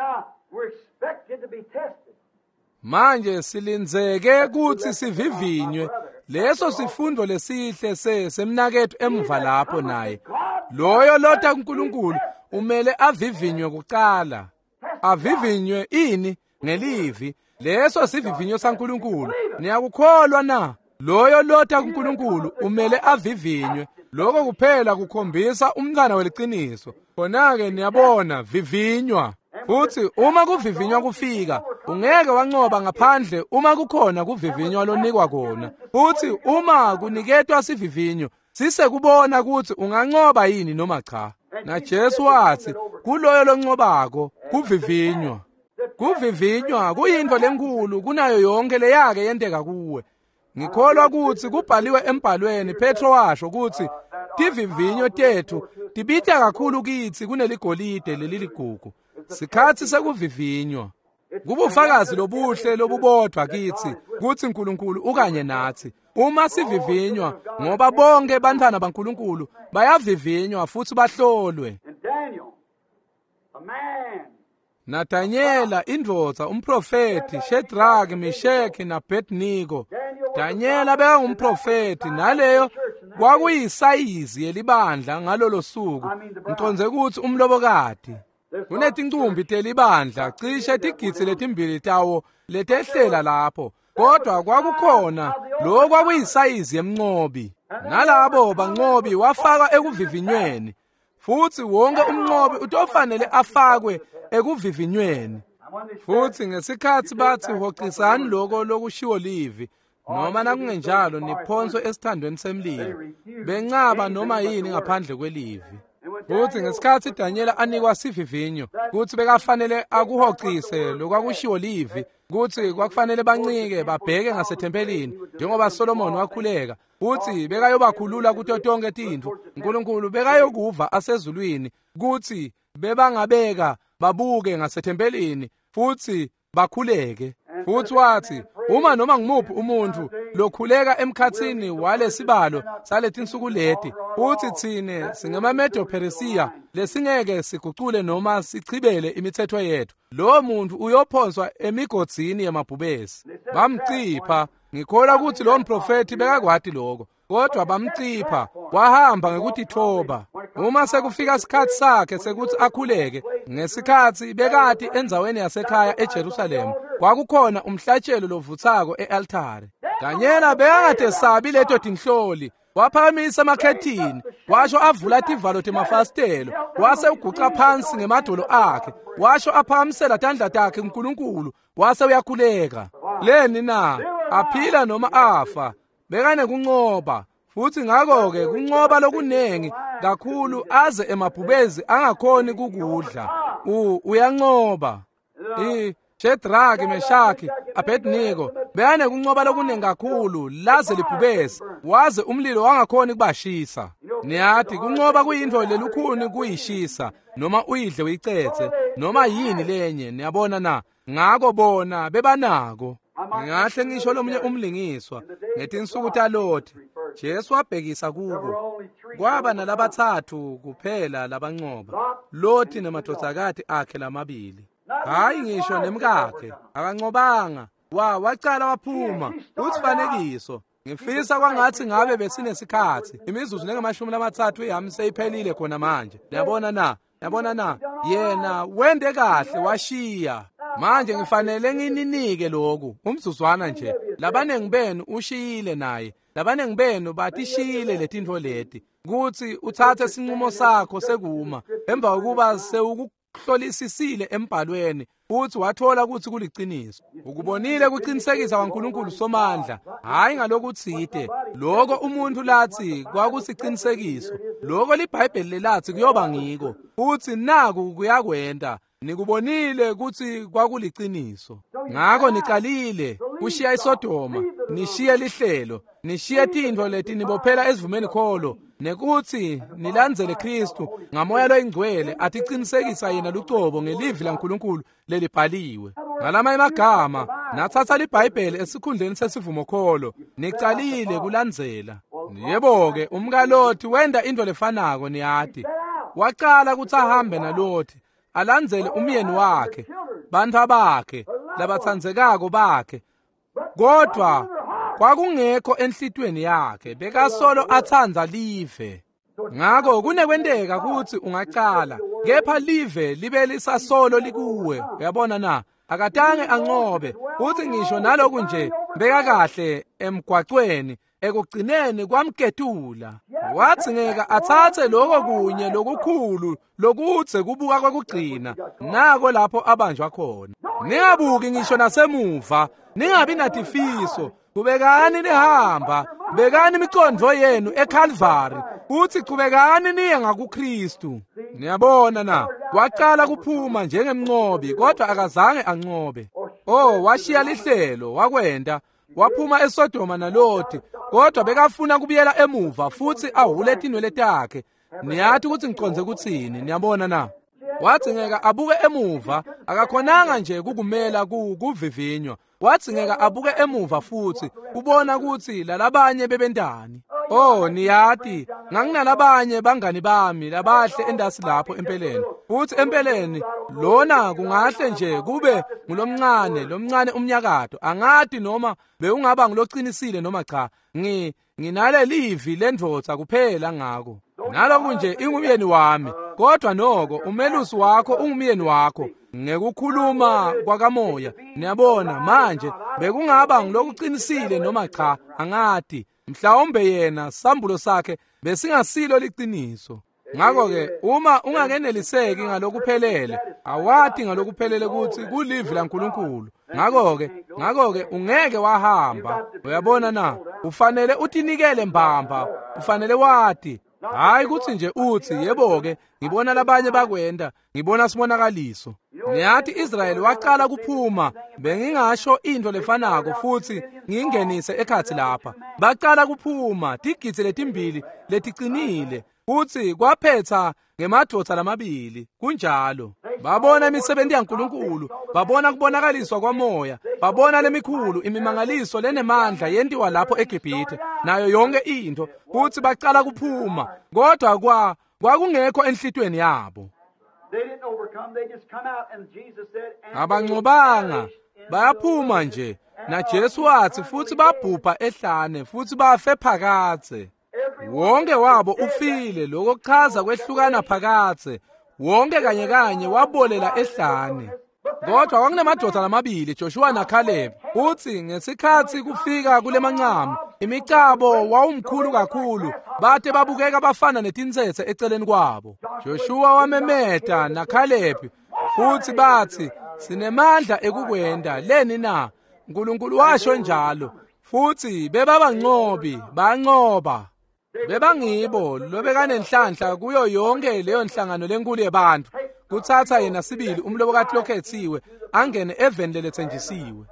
Speaker 1: Manje silindzeke kutsi sivivinywe. Leso sifundo lesihle se semnaketfu emva lapho naye. Loyo lota kuNkulunkulu umele avivinywe kucala. Avivinywe ini? Ngelivi. Leso sivivinyo saNkulunkulu. Niyakukholwa na? Loyo lota kuNkulunkulu umele avivinywe. Lokho kuphela kukhombisa umntwana weliciniso. Khona-ke niyabona, vivinywa. Futhi uma kuvivinywa kufika, ungeke wancoba ngaphandle uma kukhona kuvivinywa lonikwa kona. Futhi uma kuniketwa sivivinyo, sisekubona ukuthi ungancoba yini noma cha. Na Jesu wathi, kuloyo loncobako kuvivinywa. Kuvivinywa kuyinto lenkulu kunayo yonke leyake yenteka kuwe. Ngikholwa ukuthi kubhaliwe embhalweni, Petro washo ukuthi tivivinyo tethu tibita kakhulu kithi kuneligolide leliligugu. Sikhathi sekuvivinywa. Kubufakazi lobuhle lobubodwa kithi kuthi uNkulunkulu ukanye nathi. Uma sivivinywa, ngoba bonke bantwana baNkulunkulu bayavivinywa futhi bahlolwe. NaDanyela indvodza umprofeti, Shadrach, Meshach naAbednego. Danyela bekangumprofeti, naleyo kwakuyisayizi yelibandla ngalolo suku. Ngiconze ukuthi umlobokati. Kunetincumbi telibandla cishe tigidzi letimbili tawo letehlela lapho, kodwa kwakukhona lo kwakuyisayizi yemncobi. Nalabo bancobi wafakwa ekuvivinyweni, futhi wonke umncobi utofanele afakwe ekuvivinyweni. Futhi ngesikhathi bathi hocisani lokho lokushiwo livi, noma nakungenjalo niphonswe esithandweni semlilo, bencaba noma yini ngaphandle kwelivi. Futhi ngesikhathi Danyela anikwa sivivinyo kuthi bekafanele akuhocise lokwakushiwo livi, kuthi kwakufanele bancike babheke ngasethempelini njengoba Solomon wakhuleka, futhi bekayobakhulula kuto tonke tintfo. uNkulunkulu bekayokuva asezulwini kuthi bebangabeka babuke ngasethempelini futhi bakhuleke. Futhi wathi uma noma ngumuphi umuntu lokhuleka emkhatsini walesibalo saletinsuku leti, uthi tsine singemaMedo-Persia lesingeke sigucule noma sichibele imithetho yethu, lowo muntu uyophonswa emigodzini yemabhubesi. Bamcipha. Ngikholwa ukuthi lo mprofethi bekakwati lokho, kodwa bamcipha wahamba ngekutithoba. Uma sekufika isikhathi sakhe sekuthi akhuleke, ngesikhathi bekati endzaweni yasekhaya eJerusalem, kwakukhona umhlatshelo lovuthako e-altare. Danyela bekangatesabi leto tinhloli, waphakamisa amakhethini, washo avula tivalo temafasitelo, wase uguca phansi ngemadolo akhe, washo aphakamisela tandla takhe kuNkulunkulu, wase uyakhuleka. Leni na? Aphila noma afa, bekanekuncoba. Futhi ngakho-ke kuncoba lokunengi kakhulu aze emabhubezi angakhoni kukudla. U uyancoba. I Shedraki, Meshaki, Abednego bekanekuncoba lokunengi kakhulu laze libhubesi, waze umlilo wangakhoni kubashisa. Niyathi kuncoba kuyintfo lelukhuni kuyishisa, noma uyidle uyicetse, noma yini lenye, niyabona na? Ngako bona bebanako. Ngingahle ngisho lomunye umlingiswa ngetinsuku taLothi, Jesu wabhekisa kubo. Kwaba nalabathathu kuphela labancoba, Lothi nemadvodzakati akhe lamabili. Hayi ngisho nemkakhe akancobanga, wa wacala waphuma. Usifanekiso. Ngifisa kwangathi ngabe besinesikhathi, imizuzu lengamashumi lamathathu yami seyiphelile khona manje. Niyabona na? Yabona na? Yena wende kahle washiya. Manje ngifanele ngininike lokhu umzuzwana nje. Labanengi benu ushiyile naye, labanengi benu batishiyile letintfo leti, kutsi utsatse sinqumo sakho sekuma emva kokuba sewukuhlolisisile embhalweni futhi wathola ukuthi kuliciniso. Ukubonile kuqinisekisa kwaNkulunkulu Somandla, hayi ngalokutsite lokho umuntu lathi kwakusiqinisekiso, lokho liBhayibheli lelathi kuyoba ngiko, futhi naku kuyakwenta. Nikubonile ukuthi kwakuliciniso. Ngakho niqalile kushiya iSodoma, nishiye lihlelo, nishiye tintfo leti nibophela esivumeni kholo, nekuthi nilandzele Kristu ngamoya loyingcwele atiqinisekisa yena lucobo ngelivi laNkulunkulu lelibhaliwe. Ngalamanye amagama, nathatha liBhayibheli esikhundleni sesivumokholo, nicalile kulandzela. Yebo-ke, umkaLothi wenda into lefanako, niyati. Wacala kutsi ahambe naLothi, alandzele umyeni wakhe, bantfwa bakhe, labatsandzekako bakhe. Kodwa kwakungekho enhlitiyweni yakhe, bekasolo atsandza live. Ngakho kunekwenteka kutsi ungacala, kepha live libe lisasolo likuwe. Uyabona na? Akatange ancobe. Uthi ngisho naloku nje bekakahle emgwacweni, ekugcineni kwamketula. Wathi ngeke atsatse lokho kunye lokukhulu lokudze kubuka kwekugcina, nako lapho abanjwa khona. Ningabuki ngisho nasemuva, ningabi natifiso, kubekani nihamba, bekani imicondvo yenu eKalvari, futhi chubekani niye ngakuKristu. Niyabona na? Waqala kuphuma njengemncobi, kodwa akazange ancobe. Oh, washiya lihlelo, wakwenda, waphuma eSodoma naLothi, kodwa bekafuna kubuyela emuva futhi ahule tinwele takhe. Niyathi ukuthi ngiconze kuthini, niyabona na? Wathi ngeke abuke emuva, akakhonanga nje kukumela kuvivinywa. Wathi ngeke abuke emuva futhi kubona ukuthi lalabanye bebentani. Oh, niyati, nganginalabanye bangani bami labahle endasi lapho empeleni. Futhi empeleni lona kungahle nje kube ngulomncane, lomncane umnyakato. Angati noma bewungaba ngiloqinisile noma cha. Ngi nginale livi lendvodza kuphela ngako. Naloku nje ingumyeni wami, kodwa noko umelusi wakho ungumyeni wakho ngekukhuluma kwakamoya. Niyabona manje bekungaba ngilokuqinisile noma cha, angati. Mhlawumbe yena sambulo sakhe besingasilo liqiniso. Ngakho-ke uma ungakeneliseki ngalokuphelele, awati ngalokuphelele ukuthi kulivi laNkulunkulu. Ngakho-ke ngakho-ke ungeke wahamba. Uyabona na? Ufanele utinikele mbamba, ufanele wati. Hayi kuthi nje uthi yebo-ke ngibona labanye bakwenda, ngibona sibonakaliso. Niyathi Israyeli waqala kuphuma, bengingasho into lefanako futhi ngingenise ekhathi lapha. Baqala kuphuma tigidzi letimbili leticinile, futhi kwaphetha ngemadvodza lamabili. Kunjalo. Babona imisebenti yaNkulunkulu, babona kubonakaliswa kwamoya, babona lemikhulu imimangaliso lenemandla yentiwa lapho eGibhithe nayo yonke into, kutsi bacala kuphuma, kodwa kwa kwakungekho enhlitiyweni yabo. Abancobanga, bayaphuma nje. Na Jesu wathi futhi babhubha ehlane futhi bafe phakadze. Wonke wabo ufile, lokho kuchaza kwehlukana phakadze. Wonke kanye kanye wabolela ehlane. Kodwa kwakunemadoda lamabili, Joshua naCaleb. Uthi ngesikhathi kufika kulemancamu, imicabo wawumkhulu kakhulu, bate babukeka bafana netintsetse eceleni kwabo. Joshua wamemeta naCaleb, futhi bathi sinemandla ekukwenda leni na? uNkulunkulu washo njalo. Futhi bebabanqobi, banqoba. Bebangibo lobekanenhlanhla kuyo yonke leyo nhlangano lenkulu yebantu, kuthatha yena sibili umlobokati lokhethiwe angene eveni lelethenjisiwe.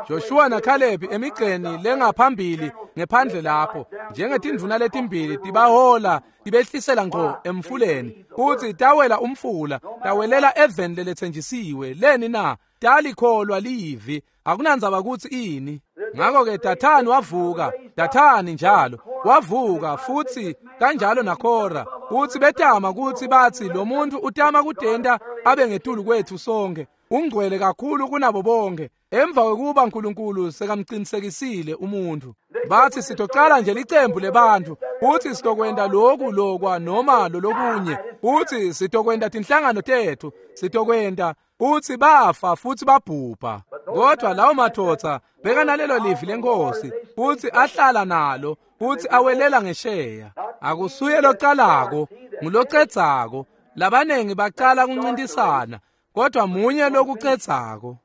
Speaker 1: Joshua naCaleb emigceni lengaphambili ngephandle lapho njengetindvuna letimbili tibahola tibehlisela ngqo emfuleni, futhi tawela umfula tawelela eveni lelethenjisiwe. Leni na? Talikholwa livi, akunandzaba kutsi ini. Ngakho-ke Dathani wavuka, Dathani njalo wavuka, futhi kanjalo naKora, kutsi betama kutsi batsi lo muntu utama kutenta abe ngetulu kwethu sonke, ungcwele kakhulu kunabo bonke. Emva kwekuba uNkulunkulu sekamqinisekisile umuntu, bathi sitocala nje licembu lebantu, futhi sitokwenta lokhu lokwa noma lolokunye, futhi sitokwenta tinhlangano tethu, sitokwenta. Futhi bafa futhi babhubha. Kodwa lawo madoda bekanalelo livi lenkosi, futhi ahlala nalo, futhi awelela ngesheya. Akusuye localako, ngulocedzako. Labanengi bacala kuncintisana, kodwa munye lokucedzako.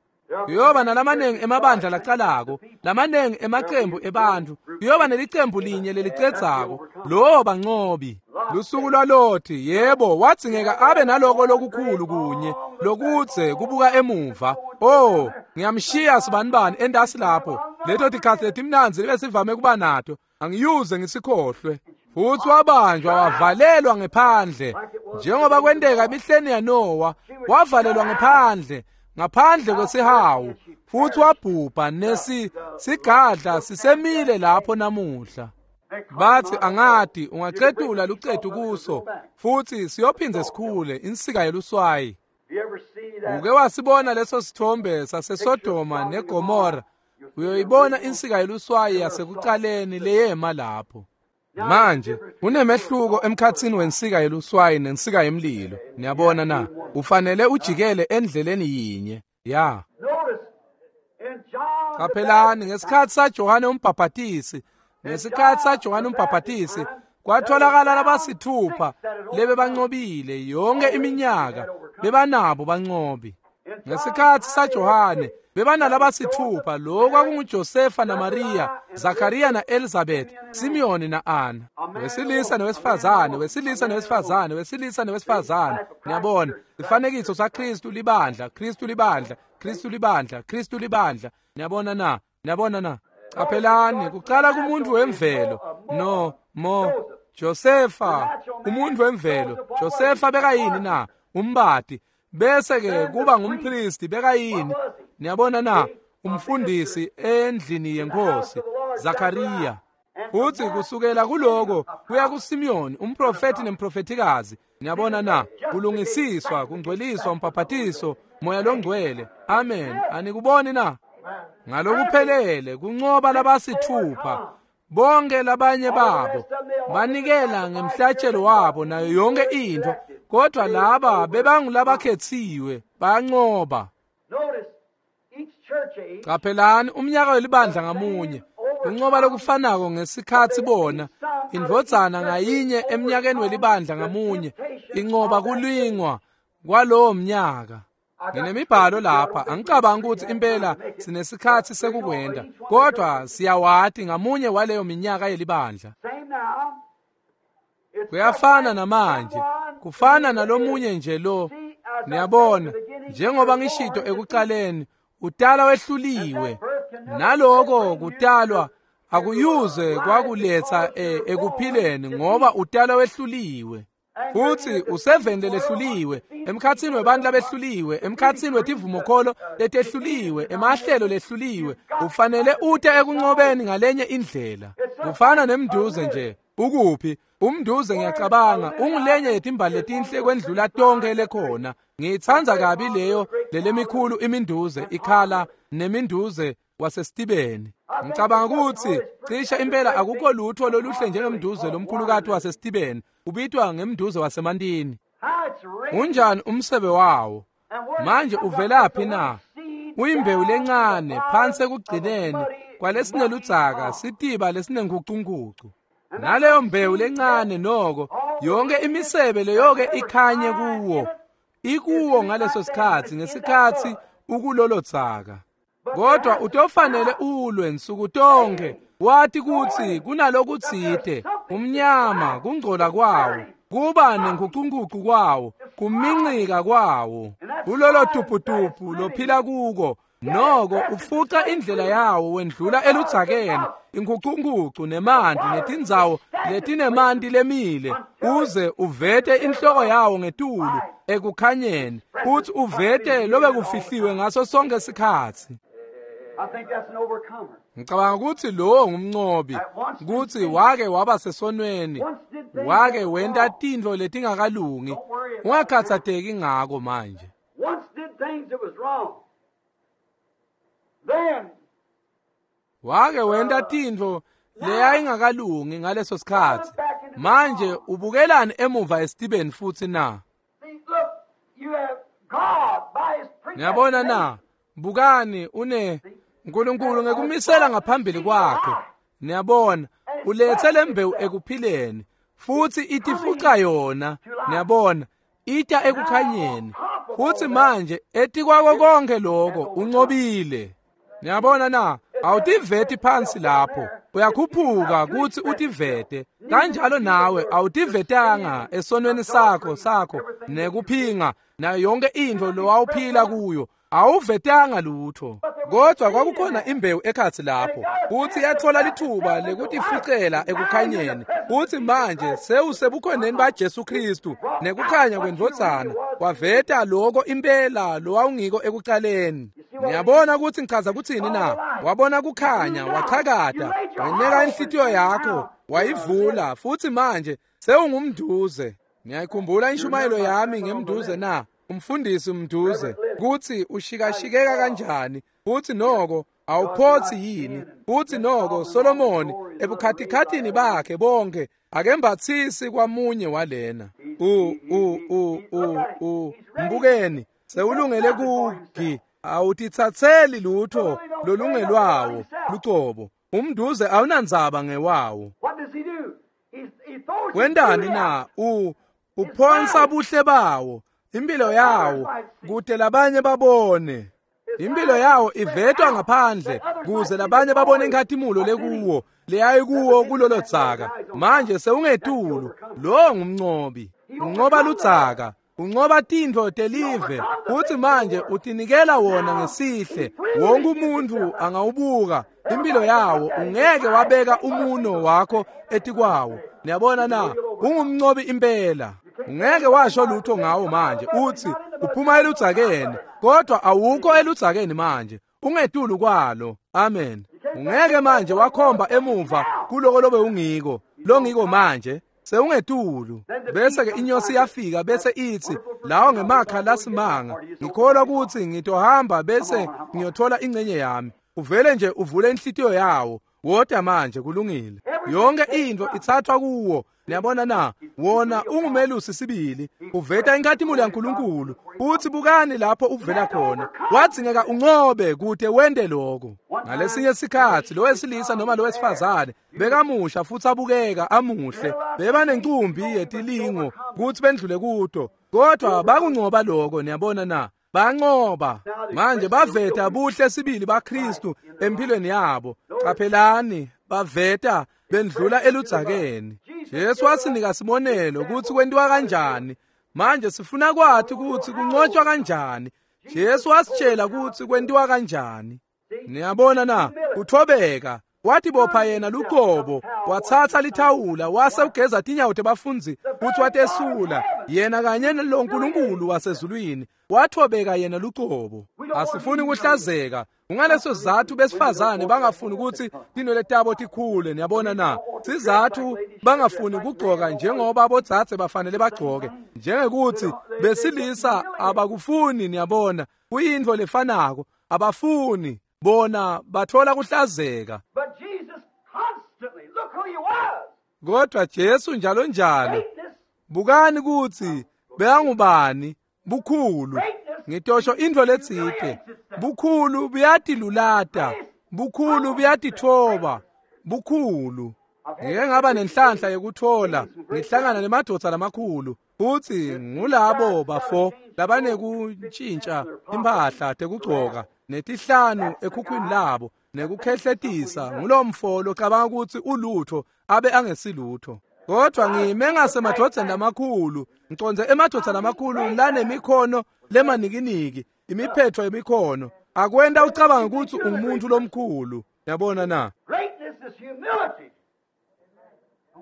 Speaker 1: Kuyoba nalamanengi emabandla lacalako, lamanengi emacembu ebantfu. Kuyoba nelicembu linye lelicedzako, lowo banqobi. Lusuku lwaLothi, yebo, wadzingeka abe naloko lokukhulu kunye lokudze kubuka emuva. Oh, ngiyamshiya sibanibani endasi lapho. Leto tikhatsi letimnandzi lebesivame kuba nato, angiyuze ngisikhohlwe. Futhi wabanjwa wavalelwa ngephandle, njengoba kwenteka emihleni yaNowa, wavalelwa ngephandle, ngaphandle kwesihawu, futhi wabhubha nesi sigadla sisemile lapho namuhla. Bathi angati ungacetula lucetu kuso, futhi siyophindze sikhule insika yeluswayi. Uke wasibona leso sithombe saseSodoma neGomora, uyoyibona insika yeluswayi yasekucaleni leyema lapho. Manje kunemehluko emkhatsini wensika yeluswayi nensika yemlilo. Niyabona na? Ufanele ujikele endleleni yinye. Ya. Qaphelani ngesikhathi saJohane umbhaphatisi, ngesikhathi saJohane umbhaphatisi kwatholakala labasithupha lebebanqobile yonke iminyaka, bebanabo banqobi. Ngesikhathi saJohane bebanalabasithupha, lo kwakunguJosefa naMaria, Zakariya na-Elizabeth, Simiyoni na-Ana, wesilisa nowesifazane, wesilisa nowesifazane, wesilisa nowesifazane. Niyabona, ifanekiso saKristu libandla, Kristu libandla, Kristu libandla, Kristu libandla. Niyabona na? Niyabona na? Qaphelani, kucala kumuntu wemvelo, no mo Josefa, umuntu wemvelo. Josefa bekayini na? Umbati. Bese ke kuba ngumpristi bekayini? Niyabona na? Umfundisi endlini yenkosi, Zakariya. Futhi kusukela kuloko kuya kuSimiyoni, umprofeti nemprofetikazi. Niyabona na? Kulungisiswa, kungcweliswa, umbhaphatiso, moya longcwele. Amen. Anikuboni na? Ngalokuphelele kunqoba labasithupha, bonke labanye babo banikela ngemhlatshelo wabo nayo yonke into, kodwa laba bebangulabakhethiwe, banqoba. Qaphelani umnyaka welibandla ngamunye unqoba lokufanako ngesikhathi bona indvodzana ngayinye emnyakeni welibandla ngamunye inqoba kulingwa kwalowo mnyaka. Nginemibhalo lapha, angicabangi ukuthi impela sinesikhathi sekukwenda, kodwa siyawati ngamunye waleyo minyaka yelibandla. Kuyafana namanje, kufana nalomunye nje lo. Niyabona, njengoba ngishito ekucaleni, utala wehluliwe, naloko kutalwa akuyuze kwakuletha ekuphileni ngoba utala wehluliwe. Futsi useveni lelehluliwe, emkhatsini webantfu labehluliwe, emkhatsini wetivumokholo letehluliwe, emahlelo lehluliwe. Ufanele ute ekuncobeni ngalenye indlela. Kufana nemnduze nje. Ukuphi? Umnduze ngiyacabanga ungulenye yetimbali letinhle kwendlula tonke lekhona. Ngiyitsandza kabi leyo lelemikhulu iminduze ikhala neminduze wasesitibeni. Ngicabanga ukuthi cishe impela akukho lutho loluhle njengemnduze lomkhulukati wasesitibeni, ubitwa ngemnduze wasemantini. Unjani umsebe wawo? Manje uvelaphi na? Uyimbewu lencane phansi ekugcineni kwalesineludzaka, sitiba lesinenkucunkucu. Naleyo mbewu lencane noko yonke imisebe leyoke ikhanye kuwo, ikuwo ngaleso sikhatsi, ngesikhatsi ukulolo dzaka. Kodwa utofanele ulwe nsuku tonke, wati kutsi kunalokutsite, umnyama, kungcola kwawo, kuba nenkucunkucu kwawo, kumincika kwawo, kulolo tuputupu lophila kuko. Noko ufuca indlela yawo wendlula eludzakeni, inkucunkucu nemanti netindzawo letinemanti lemile, uze uvete inhloko yawo ngetulu ekukhanyeni, futhi uvete lobe kufihliwe ngaso sonke sikhatsi. Ngicabanga ukuthi lowo ngumncobi, kutsi wake waba sesonweni, wake wenta tintfo letingakalungi. Ungakhatsateki ngako manje. Wake wenta tintfo leyayingakalungi ngaleso sikhatsi. Manje ubukelani emuva esitibeni futhi na? Niyabona na? Bukani une uNkulunkulu ngekumisela ngaphambili kwakhe. Niyabona, ulethe lembewu ekuphileni futhi itifuca yona. Niyabona, ita ekukhanyeni. Futhi manje etikwako konke lokho uncobile. Niyabona na? Awutiveti phansi lapho, uyakhuphuka kutsi utivete. Kanjalo nawe awutivetanga esonweni sakho sakho nekuphinga nayo yonke intfo lowawuphila kuyo. Awuvetanga lutho. Kodwa kwakukhona imbewu ekhatsi lapho, kutsi yatfola lithuba lekutifucela ekukhanyeni. Kutsi manje sewusebukhoneni baJesu Kristu nekukhanya kwendvodzana, waveta loko impela lowawungiko ekucaleni. Niyabona kutsi ngichaza kutsini na? Wabona kukhanya, wachakata, weneka inhlitiyo yakho, wayivula, futsi manje sewungumnduze. Niyayikhumbula inshumayelo yami ngemnduze na? Umfundisi umnduze kutsi ushikashikeka kanjani, futsi noko awuphotsi yini, futsi noko Solomoni ebukhatikhathini bakhe bonke akembatsisi kwamunye walena. U u u u u mbukeni sewulungele kugi, awutitsatseli lutho lolungelwawo lucobo. Umnduze awunandzaba ngewawo. Wendani na? U uphonsa buhle bawo, impilo yawo, kude labanye babone. Impilo yawo ivetwa ngaphandle kuze labanye babone inkhatimulo lekuwo leyayikuwo kulolo dzaka. Manje sewungetulu, lo ngumncobi. Uncoba ludzaka, uncoba tintfo telive, futsi manje utinikela wona ngesihle. Wonke umuntu angawubuka impilo yawo, ungeke wabeka umuno wakho etikwawo. Niyabona na? Ungumncobi impela. Ungeke washo lutho ngawo manje, uthi uphuma eludzakeni, kodwa awukho eludzakeni manje, ungetulu kwalo. Amen. Ungeke manje wakhomba emuva kuloko lobe ungiko, longiko manje sewungetulu. Bese ke inyosi yafika bese ithi, lawo ngemakha lasimanga, ngikholwa ukuthi ngitohamba bese ngiyothola ingcenye yami. Uvele nje uvule inhlitiyo yawo. Wota manje, kulungile. Yonke into ithathwa kuwo. Niyabona na? Wona ungumelusi sibili, uveta inkhatimulo yaNkulunkulu. Uthi bukani lapho uvela khona. Wadzingeka uncobe kude wente lokho. Ngalesinye sikhatsi lo wesilisa noma lo wesifazane bekamusha futhi abukeka amuhle, bebanencumbi yetilingo kutsi bendlule kuto, kodwa bakuncoba lokho. Niyabona na? Bancoba. Manje baveta buhle sibili baKristu empilweni yabo. Qaphelani, baveta bendlula eludzakeni. Jesu wasinika sibonelo kutsi kwentiwa kanjani. Manje sifuna kwathi kutsi kuncotshwa kanjani. Jesu wasitshela kutsi kwentiwa kanjani. Niyabona na? Kuthobeka, Watibopha yena luqobo, watsatsa lithawula, wase ugeza tinyawo tebafundzi futsi watesula yena kanye loNkulunkulu wasezulwini. Wathobeka yena luqobo. Asifuni kuhlazeka. Kungaleso sizatfu besifazane bangafuni kutsi tinwele tabo tikhule, niyabona na? Sizatfu bangafuni kugcoka njengoba bodzadze bafanele bagcoke, njengekuthi besilisa abakufuni, niyabona. Kuyintfo lefanako, abafuni bona bathola kuhlazeka.
Speaker 2: But Jesus constantly, look who he was.
Speaker 1: Kodwa Jesu njalo njalo,
Speaker 2: Greatness,
Speaker 1: bukani kutsi bekangubani, bukhulu. Ngitosho intfo letsite, bukhulu buyatilulata, bukhulu buyatitfoba, bukhulu. Ngike ngaba nenhlanhla yekutfola ngihlangana nemadvodza lamakhulu, futsi ngulabo bafo labanekuntjintja timphahla tekugcoka netihlanu ekhukhwini labo nekukhehletisa. Ngulomfo locabanga kutsi ulutho abe angesilutho. Kodwa ngime ngasemadvodzeni lamakhulu, ngicondze emadvodza lamakhulu lanemikhono lemanikiniki, imiphetho yemikhono akwenta ucabange kutsi ungumuntu lomkhulu. Yabona na?
Speaker 2: Greatness is humility.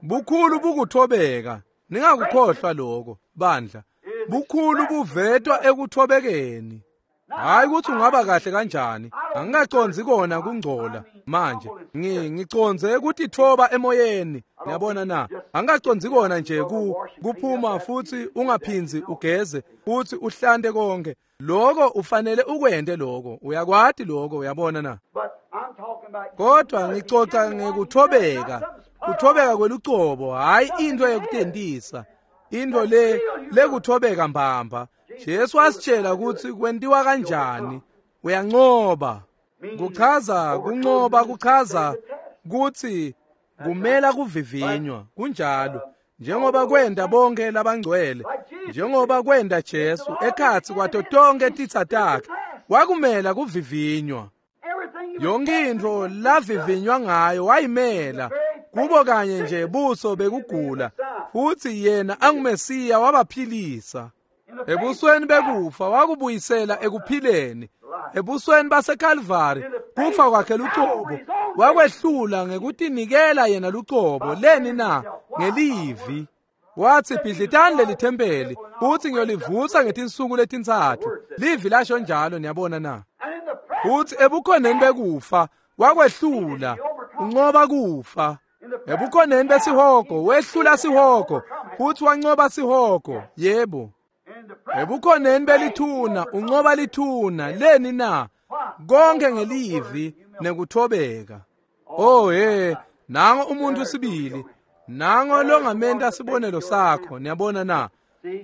Speaker 1: Bukhulu bukuthobeka. Ningakukhohlwa lokho bandla. Bukhulu buvetwa ekuthobekeni. Hayi ukuthi ungaba kahle kanjani, angingacondzi kona kungcola manje. Ngi ngicondze ukutitfoba emoyeni, niyabona na? Angingacondzi kona nje ku kuphuma futsi ungaphindzi ugeze futsi uhlante konke. Lokho ufanele ukwente lokho, uyakwati lokho, uyabona na?
Speaker 2: But I'm talking about
Speaker 1: Kodwa ngicoca ngekuthobeka, kuthobeka kwelucobo, hayi into yekutentisa, into le lekuthobeka mbamba. Jesu wasitshela kutsi kwentiwa kanjani. Uyancoba. Kuchaza kuncoba, kuchaza kutsi kumela kuvivinywa. Kunjalo njengoba kwenta bonke labangcwele, njengoba kwenta Jesu ekhatsi kwato tonke titsa takhe, wakumela kuvivinywa.
Speaker 2: everything he was
Speaker 1: Yonke intfo lavivinywa ngayo wayimela, kubo kanye nje buso bekugula, futsi yena anguMesiya wabaphilisa. Ebusweni bekufa wakubuyisela ekuphileni. Ebusweni baseKalvari kufa kwakhe lucobo wakwehlula ngekutinikela yena lucobo. Leni na? Ngelivi. Watsi bhidlitani leli thempeli futsi ngiyolivutsa ngetinsuku letintsatfu. Livi lasho njalo, niyabona na?
Speaker 2: and in the presence
Speaker 1: Futsi ebukhoneni bekufa wakwehlula, uncoba kufa. Ebukhoneni besihogo wehlula sihogo futsi wancoba sihogo. Yebo.
Speaker 2: in the presence
Speaker 1: Ebukhoneni belithuna uncoba lithuna. Leni na? Konke ngelivi nekuthobeka. Oh he, nango umuntu sibili, nango longamenta sibonelo sakho, niyabona na?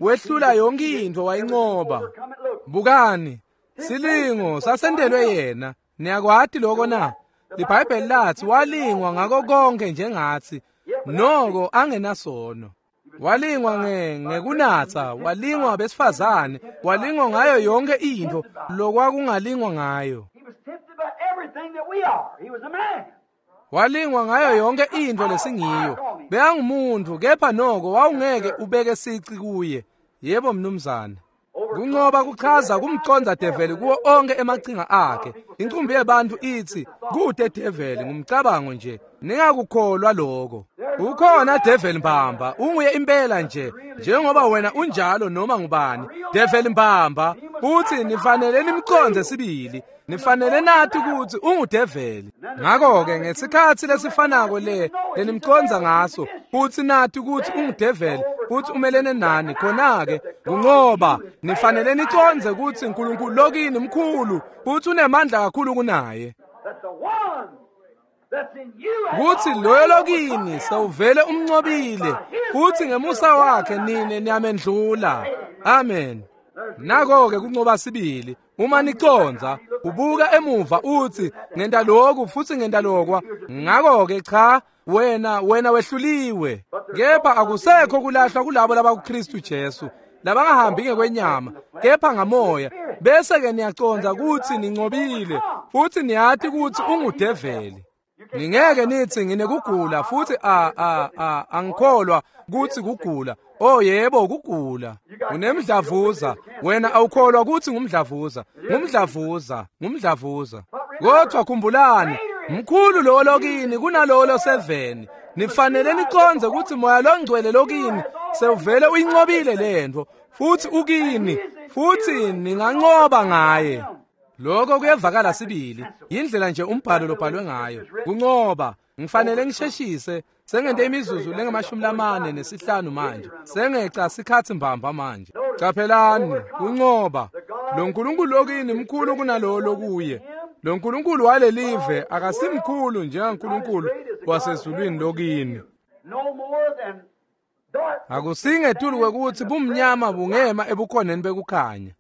Speaker 1: Wehlula yonke intfo wayincoba.
Speaker 2: overcome it. Look,
Speaker 1: Bukani, silingo sasentelwe yena. Niyakwati lokho na? LiBhayibheli lathi walingwa ngako konke njengathi, noko angenasono. Walingwa nge ngekunatsa, walingwa besifazane, walingwa ngayo yonke intfo lokwakungalingwa ngayo.
Speaker 2: he was tempted by everything that we are. He was a man.
Speaker 1: Walingwa ngayo yonke intfo lesingiyo. Bekangumuntu kepha noko wawungeke ubeke sici kuye. Yebo mnumzane. Kuncoba kuchaza kumcondza develi kuwo onke emachinga akhe. Incumbi yebantu ithi kude develi ngumcabango nje. Ningakukholwa lokho. Ukhona develi mbamba, unguye impela nje njengoba wena unjalo noma ngubani. Develi mbamba, uthi nifanele nimcondze sibili. Nifanele nathi kutsi ungudeveli. Ngakho-ke ngesikhatsi lesifanako le lenimcondza ngaso, futsi nathi kutsi ungudeveli, futsi umelene nani, khona-ke kuncoba nifanele nicondze kutsi uNkulunkulu lokini mkhulu futsi unemandla kakhulu kunaye.
Speaker 2: That the one that's in you has
Speaker 1: Kutsi
Speaker 2: already
Speaker 1: loyo
Speaker 2: overcome
Speaker 1: lokini
Speaker 2: him.
Speaker 1: sewuvele umncobile, futsi ngemusa wakhe nine niyamendlula. Amen. Nako-ke kuncoba sibili. Uma nicondza, ubuka emuva utsi ngenta lokhu futsi ngenta lokwa. Ngakho-ke cha, wena wena wehluliwe. Kepha akusekho kulahlwa kulabo labakuKristu Jesu, labangahambi ngekwenyama, kepha ngamoya. Bese-ke niyacondza kutsi nincobile, futsi niyati kutsi ungudeveli. Ningeke nithi nginekugula futsi a a a angikholwa kutsi kugula. Oh yebo kugula. Unemdlavuza, wena awukholwa kutsi ngumdlavuza. Ngumdlavuza, ngumdlavuza. Kodwa khumbulani, Mkhulu lowo lokini kunalowo loseveni. Nifanele niqondze ukuthi moya longcwele lokini sewuvele uyinqobile lento futhi ukini futhi ninganqoba ngaye. Lokho kuyevakala sibili, indlela nje umbhalo lobhalwe ngayo. Kunqoba, ngifanele ngisheshise, sengente imizuzu lengamashumi lamane nesihlanu manje. Sengeca sikhathi mbamba manje. Qaphelani, kunqoba. Lo nkulunkulu lokini mkhulu kunalowo lokuye. Lo nkulunkulu walelive akasimkhulu njengaNkulunkulu wasezulwini lokini. Akusingetulu kwekuthi bumnyama bungema ebukhoneni bekukhanya.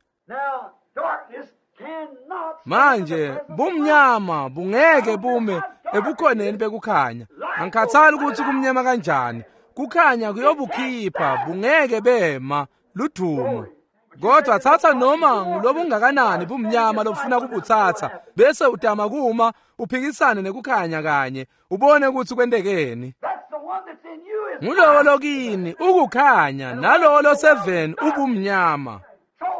Speaker 1: Manje bumnyama bungeke bume ebukhoneni bekukhanya. Angikhathali ukuthi kumnyama kanjani, kukhanya kuyobukhipha, bungeke bema ludumo. Kodwa thatha noma ngulobungakanani bumnyama lofuna kubuthatha bese utama kuma uphikisane nekukhanya kanye ubone ukuthi kwentekeni. Ngulowo lokini ukukhanya nalowo loseveni ubumnyama.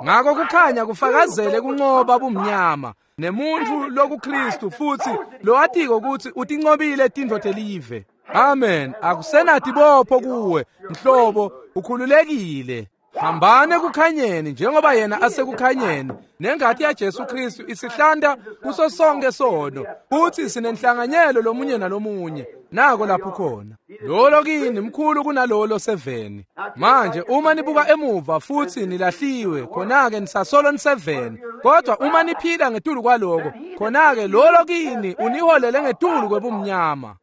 Speaker 1: Ngakho kukhanya kufakazele kunqoba bumnyama nemuntu lokuKristu futhi lowatiko ukuthi utinqobile tintfo telive. Amen. Akusenatibopho kuwe mhlobo, ukhululekile. Hambane kukhanyeni njengoba yena asekukhanyeni. Nengati yaJesu Kristu isihlanda kuso sonke sono futhi sinenhlanganyelo lomunye nalomunye. Nako lapho khona lolo kini mkhulu kunalolo seveni. Manje uma nibuka emuva futhi nilahliwe, khona-ke nisasolo niseveni. Kodwa uma niphila ngetulu kwaloko, khona-ke lolo kini uniholele ngetulu kwebumnyama.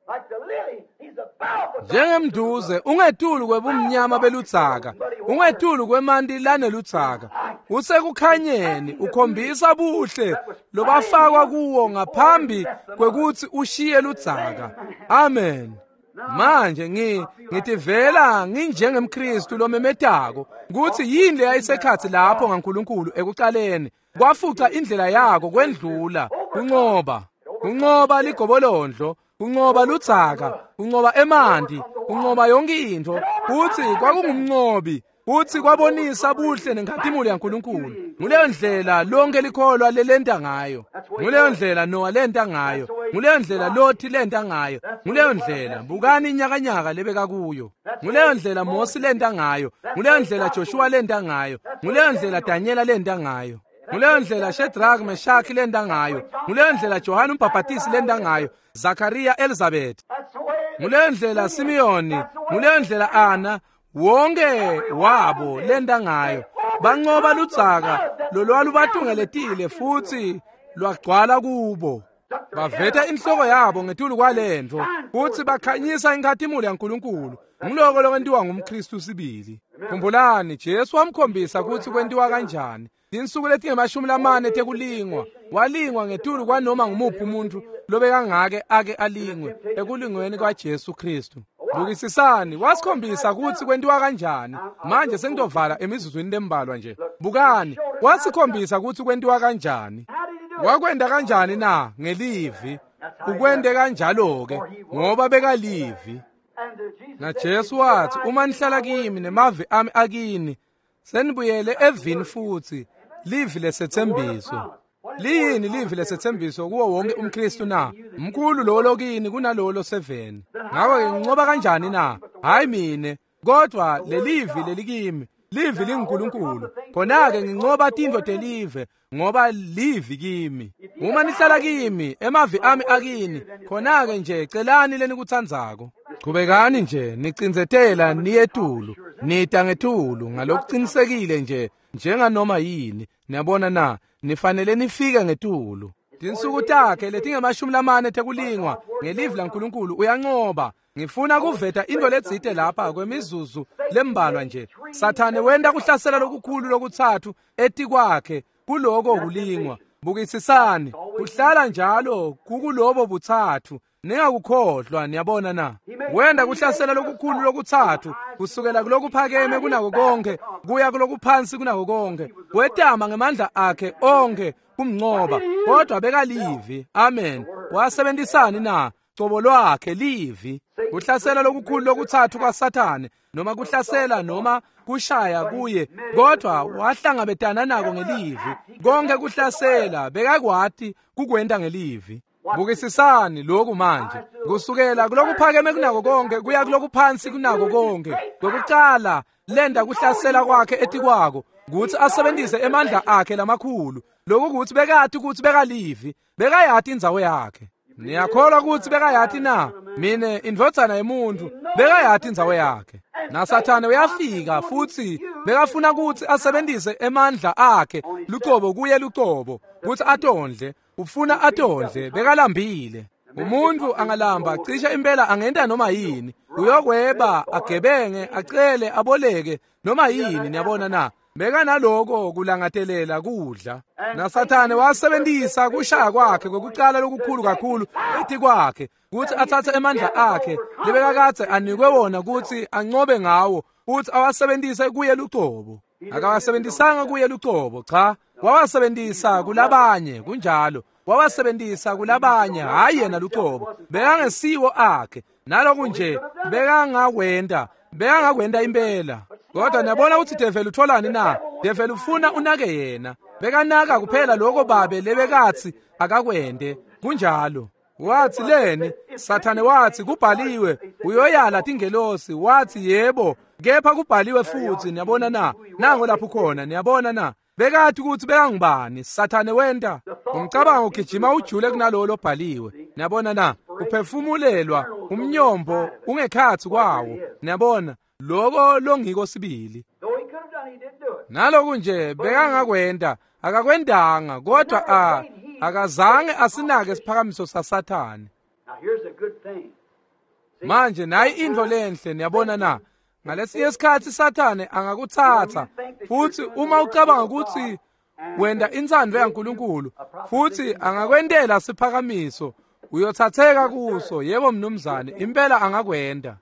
Speaker 1: Njengemduze ungetulu kwebumnyama beludzaka, ungetulu kwemanti laneludzaka. Usekukhanyeni ukhombisa buhle lobafakwa kuwo ngaphambi kwekuthi ushiye ludzaka. Amen. Manje ngi ngitivela nginjengemKristu lomemetako ukuthi yini leyayisekhathi lapho ngaNkulunkulu ekucaleni kwafuca indlela yako kwendlula kunqoba. Kunqoba ligobolondlo, kunqoba ludzaka, kunqoba emanti, kunqoba yonke into. Futhi kwakungumnqobi, futhi kwabonisa buhle nenkhatimulo yaNkulunkulu. Nguleyo ndlela lonke likholwa lelenta ngayo. Nguleyo ndlela Noah lenta ngayo. Nguleyo ndlela Lothi lenta ngayo. Nguleyo ndlela bukani inyakanyaka lebeka kuyo. Nguleyo ndlela Mose lenta ngayo. Nguleyo ndlela Joshua lenta ngayo. Nguleyo ndlela Daniela lenta ngayo. Nguleyo ndlela Shadrach Meshach lenta ngayo. Nguleyo ndlela Johane umbhaphatisi lenta ngayo. Zakaria Elizabeth. Nguleyo ndlela Simeoni, nguleyo ndlela Anna, wonke wabo lenta ngayo. Banqoba ludzaka lolwalubatungeletile futhi lwagcwala kubo. Baveta inhloko yabo ngetulu kwalento futhi bakhanyisa inkhatimulo yaNkulunkulu. Ngiloko lokwentiwa ngumKristu sibili. Khumbulani, Jesu wamkhombisa ukuthi kwentiwa kanjani. Tinsuku letingemashumi lamane tekulingwa, walingwa ngetulu kwanoma ngumuphi umuntu lobekangake ake alingwe ekulingweni kwaJesu Kristu. Bukisisani, wasikhombisa ukuthi kwentiwa kanjani. Manje sengitovala emizuzwini lembalwa nje. Bukani, wasikhombisa ukuthi kwentiwa kanjani. Wakwenda kanjani na? Ngelivi. Ukwende kanjalo ke ngoba bekalivi. Na Jesu wathi, uma nihlala kimi nemavi ami akini, senibuyele evini futhi, livi lesethembiso. Liyini livi lesethembiso kuwo wonke umKristu na? Mkhulu lo lokini kunalowo loseveni. Ngakho-ke nginqoba kanjani na? Hayi mine, kodwa lelivi lelikimi, livi linguNkulunkulu. Khona-ke nginqoba tintfo telive ngoba livi kimi. Uma nihlala kimi, emavi ami akini, khona-ke nje celani lenikutsandzako. Chubekani nje nicindzetela niyetulu, nita ngetulu ngalokuqinisekile nje njenganoma yini. Niyabona na? Nifanele nifike ngetulu. Tinsuku takhe letingemashumi lamane tekulingwa ngelivi laNkulunkulu uyanqoba. Ngifuna kuveta into letsite lapha kwemizuzu lembalwa nje. Sathane wenta kuhlasela lokukhulu lokutsatfu etikwakhe kuloko kulingwa. Bukisisani, kuhlala njalo kukulobo butsatfu. Ningakukhohlwa, niyabona na? Wenda kuhlasela lokukhulu lokutsatfu kusukela kulokuphakeme kunako konke kuya kulokuphansi kunako konke. Wetama ngemandla akhe onke kumnqoba, kodwa bekalivi. Amen. Wasebenzisani na? Cobo lwakhe livi. Kuhlasela lokukhulu lokutsatfu kwaSathane, noma kuhlasela noma kushaya kuye, kodwa wahlangabetana nako ngelivi. Konke kuhlasela bekakwati kukwenta ngelivi. Bukisisani lokhu manje, kusukela kulokuphakeme kunako konke kuya kulokuphansi kunako konke. Kwekucala lenda kuhlasela kwakhe etikwako kutsi asebenzise emandla akhe lamakhulu. Lokhu kutsi bekati kutsi bekalivi, bekayati indzawo yakhe. Niyakholwa kutsi bekayati na? Mine indvodzana yemuntfu bekayati indzawo yakhe. NaSathane uyafika futsi bekafuna kutsi asebenzise emandla akhe lucobo kuye lucobo kutsi atondle. Ufuna atondle, bekalambile. Umuntu angalamba cishe impela angenta noma yini. Uyokweba, agebenge, acele, aboleke noma yini. Niyabona na? Bekanaloko kulangatelela kudla. NaSathane wasebenzisa kushaya kwakhe kwekucala lokukhulu kakhulu etikwakhe kutsi atsatse emandla akhe lebekakadze anikwe wona kutsi ancobe ngawo, kutsi awasebenzise kuye lucobo. Akawasebenzisanga kuye lucobo, cha, wawasebenzisa kulabanye. Kunjalo, wawasebenzisa kulabanye, hayi yena lucobo. Bekangesiwo akhe. Naloku nje bekangakwenta, bekangakwenta impela. Kodwa niyabona ukuthi develi utholani na? Develi ufuna unake yena. Bekanaka kuphela lokho babe lebekatsi akakwente. Kunjalo. Wathi leni? Sathane wathi kubhaliwe uyoyala tingelosi. Wathi yebo, kepha kubhaliwe futhi. Niyabona na? Nango lapho khona. Niyabona na? Bekathi ukuthi bekangubani. Sathane wenta umcabango ugijima ujule kunalowo lobhaliwe. Niyabona na? Uphefumulelwa umnyombo ungekhatsi kwawo. Niyabona loko longiko sibili. Naloku nje bekangakwenta, akakwentanga, kodwa a akazange asinake isiphakamiso saSathane. Manje nayi intfo lenhle. Niyabona na? Ngalesinye isikhatsi Sathane angakutsatsa futsi uma ucabanga ukuthi wenda intsandvo yaNkulunkulu futsi angakwentela siphakamiso, uyothatheka kuso. Yebo mnumzane, impela angakwenta.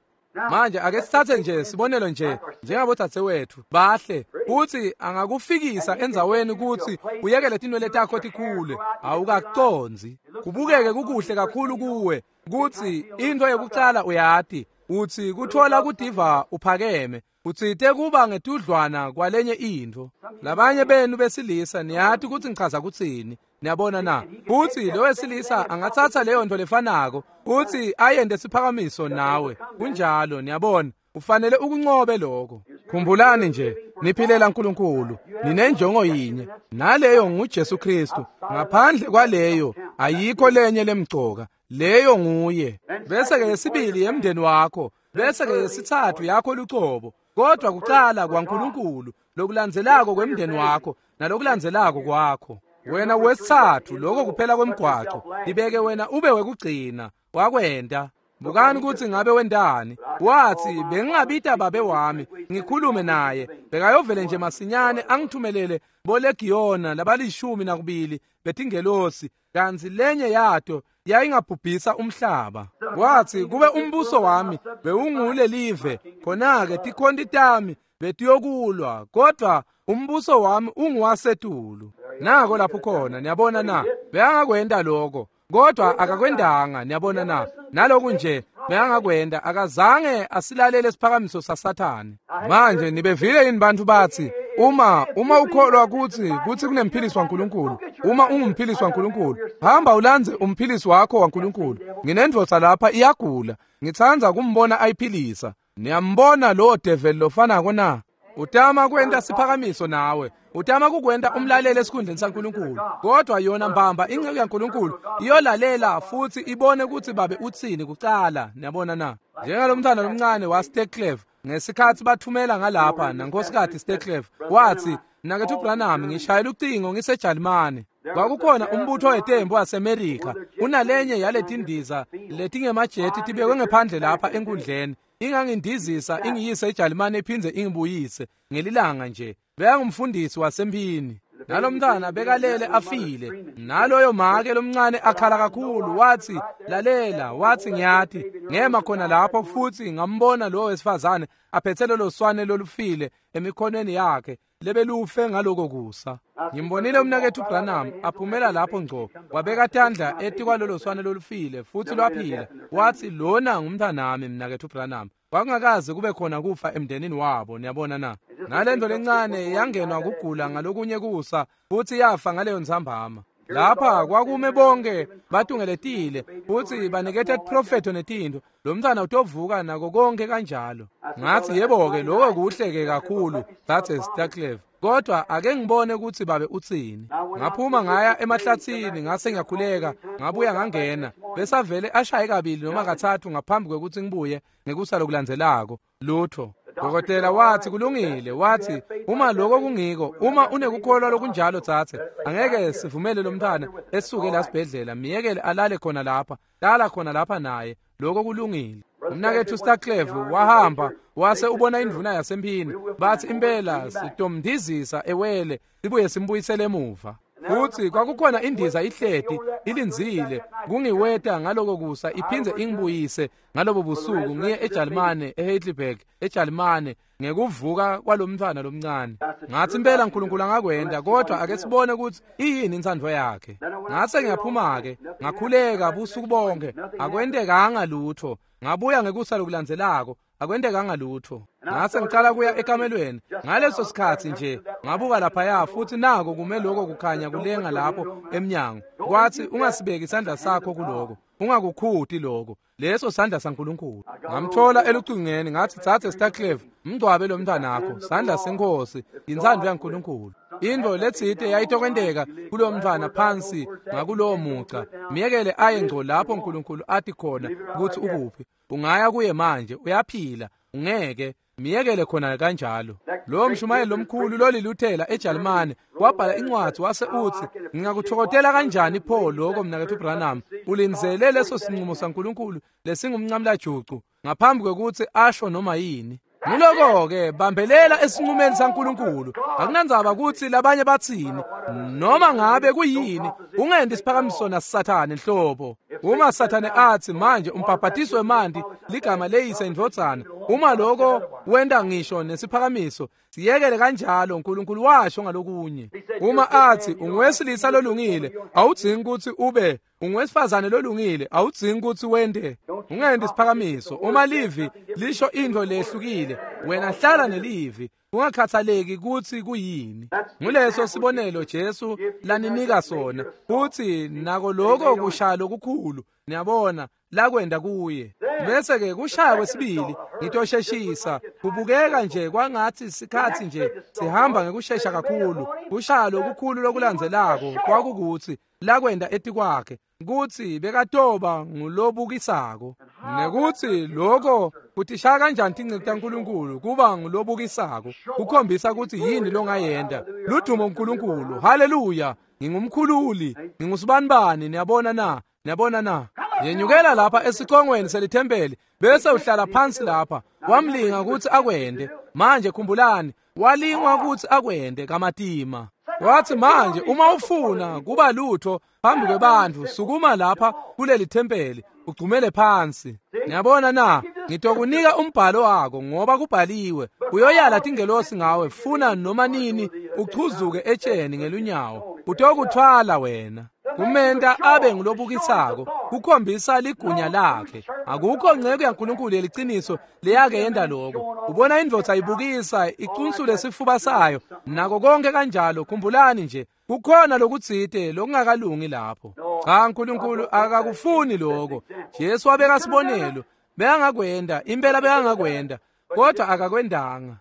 Speaker 1: Manje ake sithathe nje sibonelo nje njengabodzadzewethu bahle, kutsi angakufikisa endzaweni kutsi uyekele tinwele takho tikhule, awukacondzi. Kubukeke kukuhle kakhulu kuwe kutsi intfo yekucala uyati utsi kuthola kudiva uphakeme, utsite kuba ngetudlwana kwalenye intfo. Labanye benu besilisa niyati kutsi ngichaza kutsini. Niyabona na? Futsi lo wesilisa angatsatsa leyo nto lefanako utsi ayente siphakamiso nawe. Kunjalo, niyabona, ufanele ukuncobe lokho. Khumbulani nje, niphilela uNkulunkulu, ninenjongo yinye, naleyo nguJesu Kristu. Ngaphandle kwaleyo ayikho lenye lemcoka. Leyo nguye. Bese ke yesibili yemndeni wakho, bese ke yesithathu yakho lucobo. Kodwa kucala kwaNkulunkulu, lokulandzelako kwemndeni wakho, nalokulandzelako kwakho. Wena wesithathu, lokho kuphela kwemgwaco. Ibeke wena ube wekugcina. Wakwenta. Bukani kutsi ngabe wentani. Wathi bengingabita babe wami ngikhulume naye, bekayovele nje masinyane angithumelele bolegiyona labalishumi nakubili betingelosi, kantsi lenye yato yayingabhubhisa umhlaba. Wathi kube umbuso wami bewungulelive, khona-ke tikhonti tami betiyokulwa, kodwa umbuso wami unguwasetulu. Nako lapho khona. Niyabona na? Bekangakwenta lokho, kodwa akakwentanga. Niyabona na? Naloku nje bekangakwenta, akazange asilalele isiphakamiso saSathane. Manje nibevile yini bantfu batsi uma uma ukholwa kutsi kutsi kunemphilisi waNkulunkulu, uma ungumphilisi waNkulunkulu, hamba ulandze umphilisi wakho waNkulunkulu. Nginendvodza lapha iyagula, ngitsandza kumbona ayiphilisa. Niyambona lowo develi lofanako na? Utama kwenta siphakamiso nawe, utama kukwenta umlalele esikhundleni saNkulunkulu. Kodwa yona mbamba inceku yaNkulunkulu iyolalela futsi ibone kutsi babe utsini kucala. Niyabona na? Njengalomntwana lomncane waSteklev ngesikhatsi bathumela ngalapha nankosikazi Steklev, wathi Mnaketfu Branham, ngishayela ucingo ngiseJalimane. Kwakukhona umbutho wetembu waseMerika unalenye yaletindiza letingemajeti tibekwe ngephandle lapha enkundleni, ingangindizisa ingiyise eJalimane iphindze ingibuyise ngelilanga nje. Bekangumfundisi wasemphini. Nalomntwana bekalele afile, naloyo make lomncane akhala kakhulu. Wathi lalela, wathi ngiyati ngema khona lapho futsi ngambona lo wesifazane aphethe lolo swane lolufile emikhonweni yakhe lebelufe ngaloko kusa. Ngimbonile umnaketfu Branham aphumela lapho ngco, wabeka tandla etikwalolo swane lolufile futsi lwaphila. Wathi lona ngumntwanami mnaketfu Branham. Kwakungakaze kube khona kufa emndenini wabo. Niyabona na? Nalento lencane yangenwa kugula ngalokunye kusa futsi yafa ngaleyo ntsambama. Lapha kwakume bonke batungeletile futhi baniketa tiprofetho netintfo. Lo mntwana utovuka nako konke kanjalo. Ngathi yebo-ke lokho kuhle-ke kakhulu, Dzadze Staclev. Kodwa ake ngibone ukuthi babe utsini. Ngaphuma ngaya emahlathini ngase ngiyakhuleka, ngabuya ngangena. Besavele ashaye kabili noma kathathu ngaphambi kwekuthi ngibuye ngekusa lokulandzelako. Lutho. Dokotela wathi kulungile, wathi uma lokho kungiko, uma unekukholwa lokunjalo tsatse, angeke sivumele lo mntwana esuke la sibhedlela, miyekele alale khona lapha, lala khona lapha naye, lokho kulungile. Umnakethu Staclev wahamba wase ubona indvuna yasemphini, bathi impela sitomndizisa ewele sibuye simbuyisele emuva. Futhi kwakukhona indiza ihleti ilindzile kungiweta ngaloko kusa iphindze ingibuyise ngalobo busuku ngiye eJalimane eHeidelberg eJalimane ngekuvuka kwalomntwana lomncane. Ngathi impela uNkulunkulu angakwenda, kodwa ake sibone ukuthi iyini intsandvo yakhe. Ngase ngiyaphuma ke ngakhuleka busuku bonke, akwentekanga lutho. Ngabuya ngekusa lokulandzelako, akwentekanga lutho. Ngase ngicala kuya ekamelweni ngaleso sikhathi nje ngabuka laphaya futhi nako kume lokho kukhanya kulenga lapho emnyango. Kwathi ungasibeki isandla sakho kuloko, ungakukhuti lokho, leso sandla saNkulunkulu. Ngamthola elucingweni ngathi Dzadze Staclev, mngcwabe lo mntwanakho, sandla senkosi, intsandvo yaNkulunkulu. Intfo letsite yayitokwenteka kulo mntwana phansi ngakulowo muca, miyekele aye ngco lapho uNkulunkulu athi khona ukuthi ukuphi. Ungaya kuye manje, uyaphila, ungeke miyekele khona kanjalo. Lo mshumayeli lomkhulu loliluthela eJalimane wabhala incwadi wase uthi ngingakuthokothela kanjani pho lokho mnakethu Branham, ulindzele leso sinqumo saNkulunkulu lesingumncamlajucu ngaphambi kwekuthi asho noma yini. Ngiloko-ke bambelela esinqumeni saNkulunkulu. Akunandzaba ukuthi labanye batsini noma ngabe kuyini, ungendi isiphakamiso naSathane nhlobo. Uma Sathane athi manje umbhabhatiso wemanti ligama leyise indvodzana, uma lokho wenda ngisho nesiphakamiso siyekele kanjalo, uNkulunkulu washo ngalokunye. Uma athi ungowesilisa lolungile, awudzingi ukuthi ube ungowesifazane lolungile, awudzingi ukuthi wende. Ungendi isiphakamiso. Uma livi lisho into lehlukile, wena hlala nelivi, ungakhathaleki ukuthi kuyini. Nguleso sibonelo Jesu laninika sona, futhi nako lokho kushaya lokukhulu, niyabona, lakwenda kuye. Bese ke kushaya kwesibili, ngitosheshisa, kubukeka nje kwangathi sikhathi nje sihamba ngekushesha kakhulu. Kushaya lokukhulu lokulandzelako kwakukuthi lakwenda etikwakhe kuthi bekatoba ngulobukisako, nekuthi lokho kutishaya kanjani tinceku taNkulunkulu kuba ngulobukisako, kukhombisa ukuthi yini longayenda. Ludumo uNkulunkulu, haleluya, ngingumkhululi, ngingusibanibani, niyabona na, niyabona na. Yenyukela lapha esicongweni selithempeli bese uhlala phansi lapha. Wamlinga ukuthi akwende. Manje khumbulani, walingwa ukuthi akwende kamatima. Wathi manje uma ufuna kuba lutho phambi kwebantu, sukuma lapha kuleli thempeli ugcumele phansi. Niyabona na, ngitokunika umbhalo wakho ngoba kubhaliwe, uyoyala tingelosi ngawe funa noma nini uchuzuke etsheni ngelunyawo, utokuthwala wena. Kumenta abe ngulobukisako, kukhombisa ligunya lakhe. Akukho nceko yaNkulunkulu yeliciniso leyake yenda lokho. Ubona indvodza ibukisa icunsule sifuba sayo nako konke kanjalo. Khumbulani nje, kukhona lokutsite lokungakalungi lapho. Cha, uNkulunkulu akakufuni lokho. Jesu wabeka sibonelo, bekangakwenda, impela bekangakwenda, kodwa akakwendanga.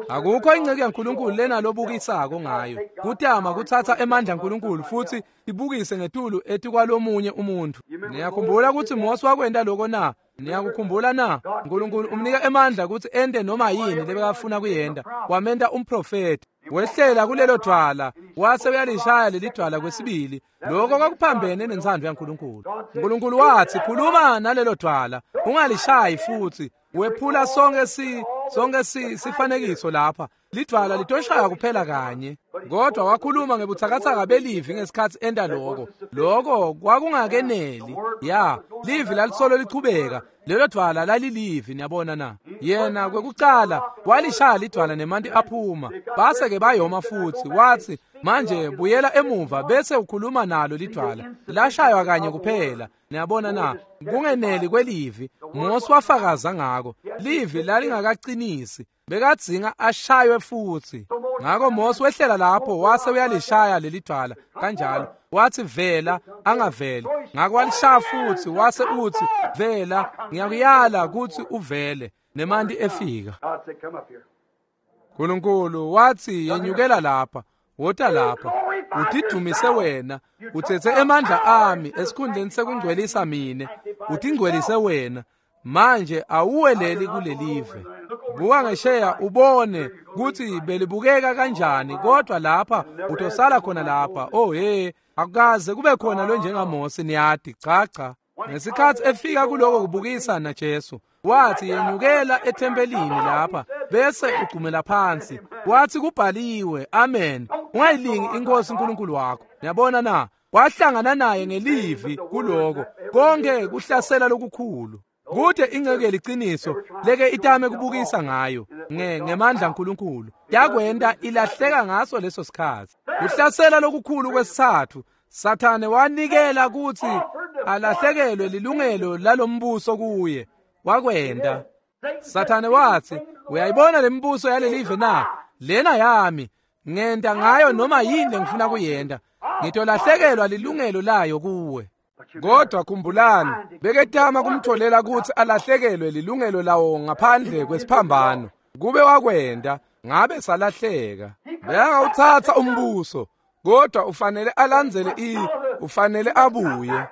Speaker 1: Akukho inceke yaNkulunkulu lena lobukisako ngayo. Kutama kuthatha emandla aNkulunkulu futhi ibukise ngetulu etikwalomunye umuntu. Niyakhumbula ukuthi Mose wakwenda lokho na? Niyakukhumbula na? uNkulunkulu umnika emandla ukuthi ende noma yini lebekafuna kuyenda. Wamenta umprofeti. Wehlela kulelo dwala, wase uyalishaya leli dwala kwesibili. Lokho kwakuphambene nentsandvo yaNkulunkulu. uNkulunkulu wathi khuluma nalelo dwala, ungalishayi futhi. Wephula sonke si sonke si sifanekiso lapha. Lidwala litoshaya kuphela kanye. Kodwa wakhuluma ngebuthakathaka belivi ngesikhathi enda lokho. Lokho kwakungakeneli. Ya, livi lalisolo lichubeka. Lelo dwala lalilivi, niyabona na. Yena kwekucala walishaya lidwala nemanti aphuma. Base ke bayoma futhi. Wathi Manje buyela emuva bese ukhuluma nalo lidwala. Lashaywa kanye kuphela. Niyabona na? Kungeneli kwelivi. Mose wafakaza ngako. Livi lalingakacinisi. Bekadzinga ashaywe futhi. Ngako Mose wehlela lapho wase uyalishaya lelidwala kanjalo. Wathi vela angaveli. Ngako walishaya futhi wase uthi vela, ngiyakuyala ukuthi uvele. Nemanti efika. Nkulunkulu wathi yenyukela lapha, wota lapha, utidumise wena, uthethe emandla ami esikhundleni sekungcwelisa mine, utingcwelise wena. Manje awuweleli kulelive. Buka ngesheya ubone ukuthi belibukeka kanjani, kodwa lapha utosala khona lapha. Oh hey, akukaze kube khona lo njengaMose, niyati. Cha cha. Ngesikhathi efika kuloko kubukisa na Jesu, wathi yenyukela ethempelini lapha bese ugcumela phansi. Wathi kubhaliwe, amen, ungayilingi inkosi uNkulunkulu wakho. Niyabona na? Wahlangana naye ngelivi kuloko konke kuhlasela lokukhulu. Kude ingceke liciniso leke itame kubukisa ngayo nge ngemandla kaNkulunkulu yakwenda ilahleka ngaso leso sikhathi. Kuhlasela lokukhulu kwesithathu, Sathane wanikela ukuthi alahlekelwe lilungelo lalombuso kuye. Wakwenda. Sathane wathi, uyayibona lembuso yalelive na? Lena yami, ngenda ngayo noma yini engifuna kuyenda. Ngitolahlekelwa lilungelo layo kuwe. Kodwa khumbulani, beketama kumtholela ukuthi alahlekelwe lilungelo lawo ngaphandle kwesiphambano. Kube wakwenda, ngabe salahleka. Bekangawuthatha umbuso, kodwa ufanele alandzele i, ufanele abuye.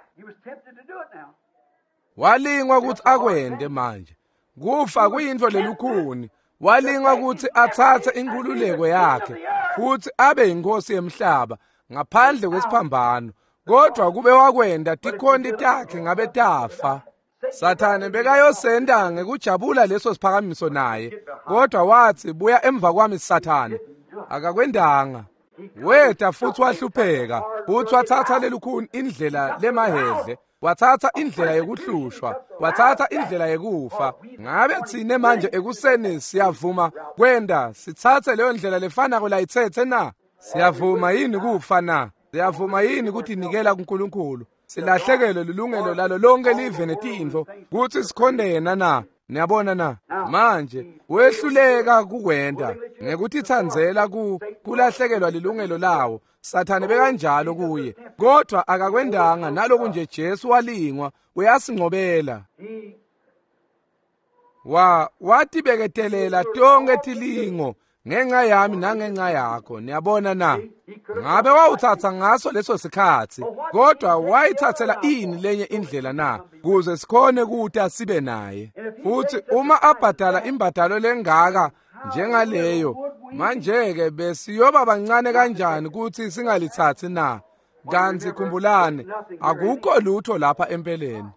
Speaker 1: Walingwa ukuthi akwende manje. Kufa kuyintfo lelukhuni. Walingwa ukuthi athathe inkululeko yakhe futhi abe inkosi yemhlaba ngaphandle kwesiphambano. Kodwa kube wakwenda tikhonti takhe ngabe tafa. Sathane bekayosenda ngekujabula leso siphakamiso naye, kodwa wathi buya emva kwami Sathane. Akakwendanga. Weta futhi wahlupheka, futhi wathatha lelukhuni indlela lemahedle, wathatha indlela yokuhlushwa, wathatha indlela yekufa. Ngabe thine manje ekuseni siyavuma kwenda sithathe leyo ndlela lefanako layithethe na? Siyavuma yini kufa na? Siyavuma yini ukuthi nikela kuNkulunkulu? Silahlekelwe lilungelo lalo lonke live netintfo kutsi sikhonde yena na? Niyabona na? Manje wehluleka kukwenda ngekutitsandzela ku kulahlekelwa lilungelo lawo. Sathane bekanjalo kuye, kodwa akakwendanga. Naloku nje Jesu walingwa, uyasingcobela. Wa watibeketelela tonke tilingo ngenxa yami nangenxa yakho. Niyabona na? Ngabe wawuthatha ngaso leso sikhathi, kodwa wayithathela ini lenye indlela na? Kuze sikhone kuta sibe naye. Futhi uma abhadala imbadalo lengaka njengaleyo, manje-ke besiyoba bancane kanjani ukuthi singalithathi na? Kanti khumbulani, akukho lutho lapha empeleni.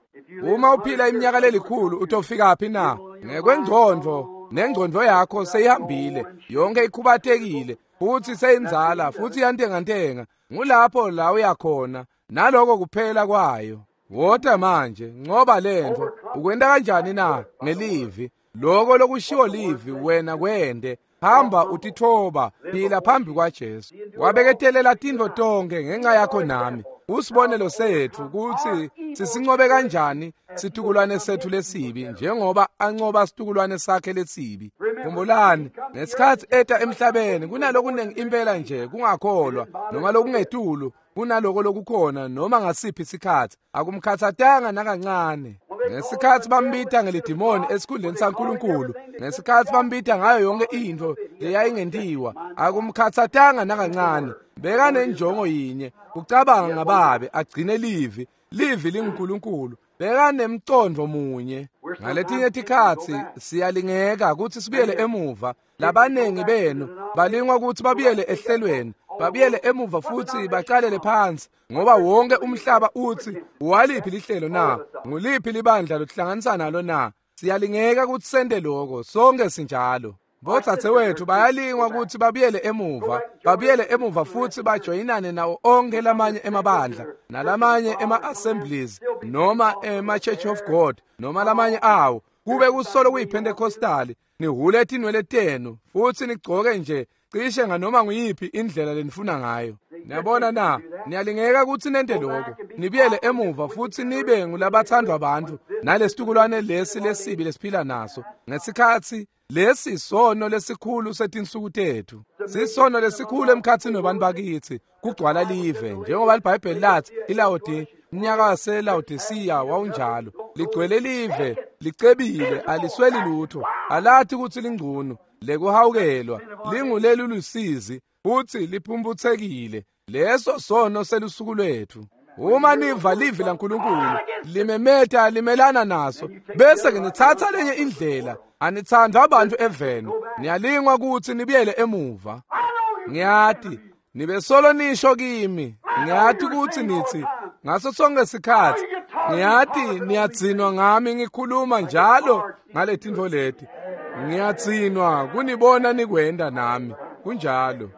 Speaker 1: Uma uphila iminyaka lelikhulu utofika phi na? Ngekwengcondvo, nengcondvo yakho seyihambile, yonke ikhubatekile, futhi seyinzala, futhi iyantengantenga. Ngulapho la uyakhona, naloko kuphela kwayo. Wota manje, ngoba lento ukwenda kanjani na? Ngelivi. Loko lokushiwo livi wena kwende. Hamba utithoba, phila phambi kwaJesu. Wabeketelela tintfo tonke ngenxa yakho nami. Usibonelo sethu kutsi sisincobe kanjani situkulwane sethu lesibi, njengoba ancoba situkulwane sakhe lesibi. Khumbulani, ngesikhathi eta emhlabeni kunalokunengi impela nje kungakholwa noma lokungetulu kunaloko lokukhona noma ngasiphi isikhathi. Akumkhathatanga nakancane. Ngesikhathi bambita ngelidimoni esikhundleni saNkulunkulu, ngesikhathi bambita ngayo yonke intfo leyayingentiwa, akumkhathatanga nakancane. Bekanenjongo yinye, kucabanga ngababe agcine livi. Livi linguNkulunkulu. Bekanemcondvo munye. Ngaletinye tikhatsi siyalingeka kutsi sibuyele emuva. Labanengi benu balingwa kutsi babuyele ehlelweni, babuyele emuva futhi bacalele phansi, ngoba wonke umhlaba uthi waliphi lihlelo na? Nguliphi libandla lokuhlanganisa nalo na? Siyalingeka kutsi sente loko, sonke sinjalo. Bodzadzewethu bayalingwa kutsi babuyele emuva, babuyele emuva futhi bajoyinane nawo onke lamanye emabandla, nalamanye ema-assemblies, noma ema-Church of God, noma lamanye awo. Kube kusolo kuyiPentecostal, nihule tinwele tenu, futhi nigcoke nje Cishe nganoma nguyiphi indlela lenifuna ngayo. Niyabona na, niyalingeka kutsi nente lokho. Nibuyele emuva futsi nibe ngulabathandwa bantfu nalesitukulwane lesi lesibi lesiphila naso. Ngesikhatsi lesi sono lesikhulu setinsuku tethu. Sisono lesikhulu emkhatsini webantfu bakitsi kugcwala live njengoba iBhayibheli lathi iLawodi umnyaka waseLawodisiya wawunjalo. Ligcwele live, licebile, alisweli lutho, alathi kutsi lingcunu, lekuhawukelwa, linguleli lusizi, futsi liphumphutsekile. Leso sono selusuku lwetfu. Uma niva livi laNkulunkulu limemeta limelana naso, bese ke nitsatsa lenye indlela. Anitsandva abantu eveni, niyalingwa kutsi nibuyele emuva. Ngiyati nibe solo nisho kimi, ngiyati kutsi nitsi ngaso sonke sikhatsi, ngiyati niyadzinwa ngami ngikhuluma njalo ngaletintfo leti. Ngiyadzinwa kunibona nikwenda nami. Kunjalo.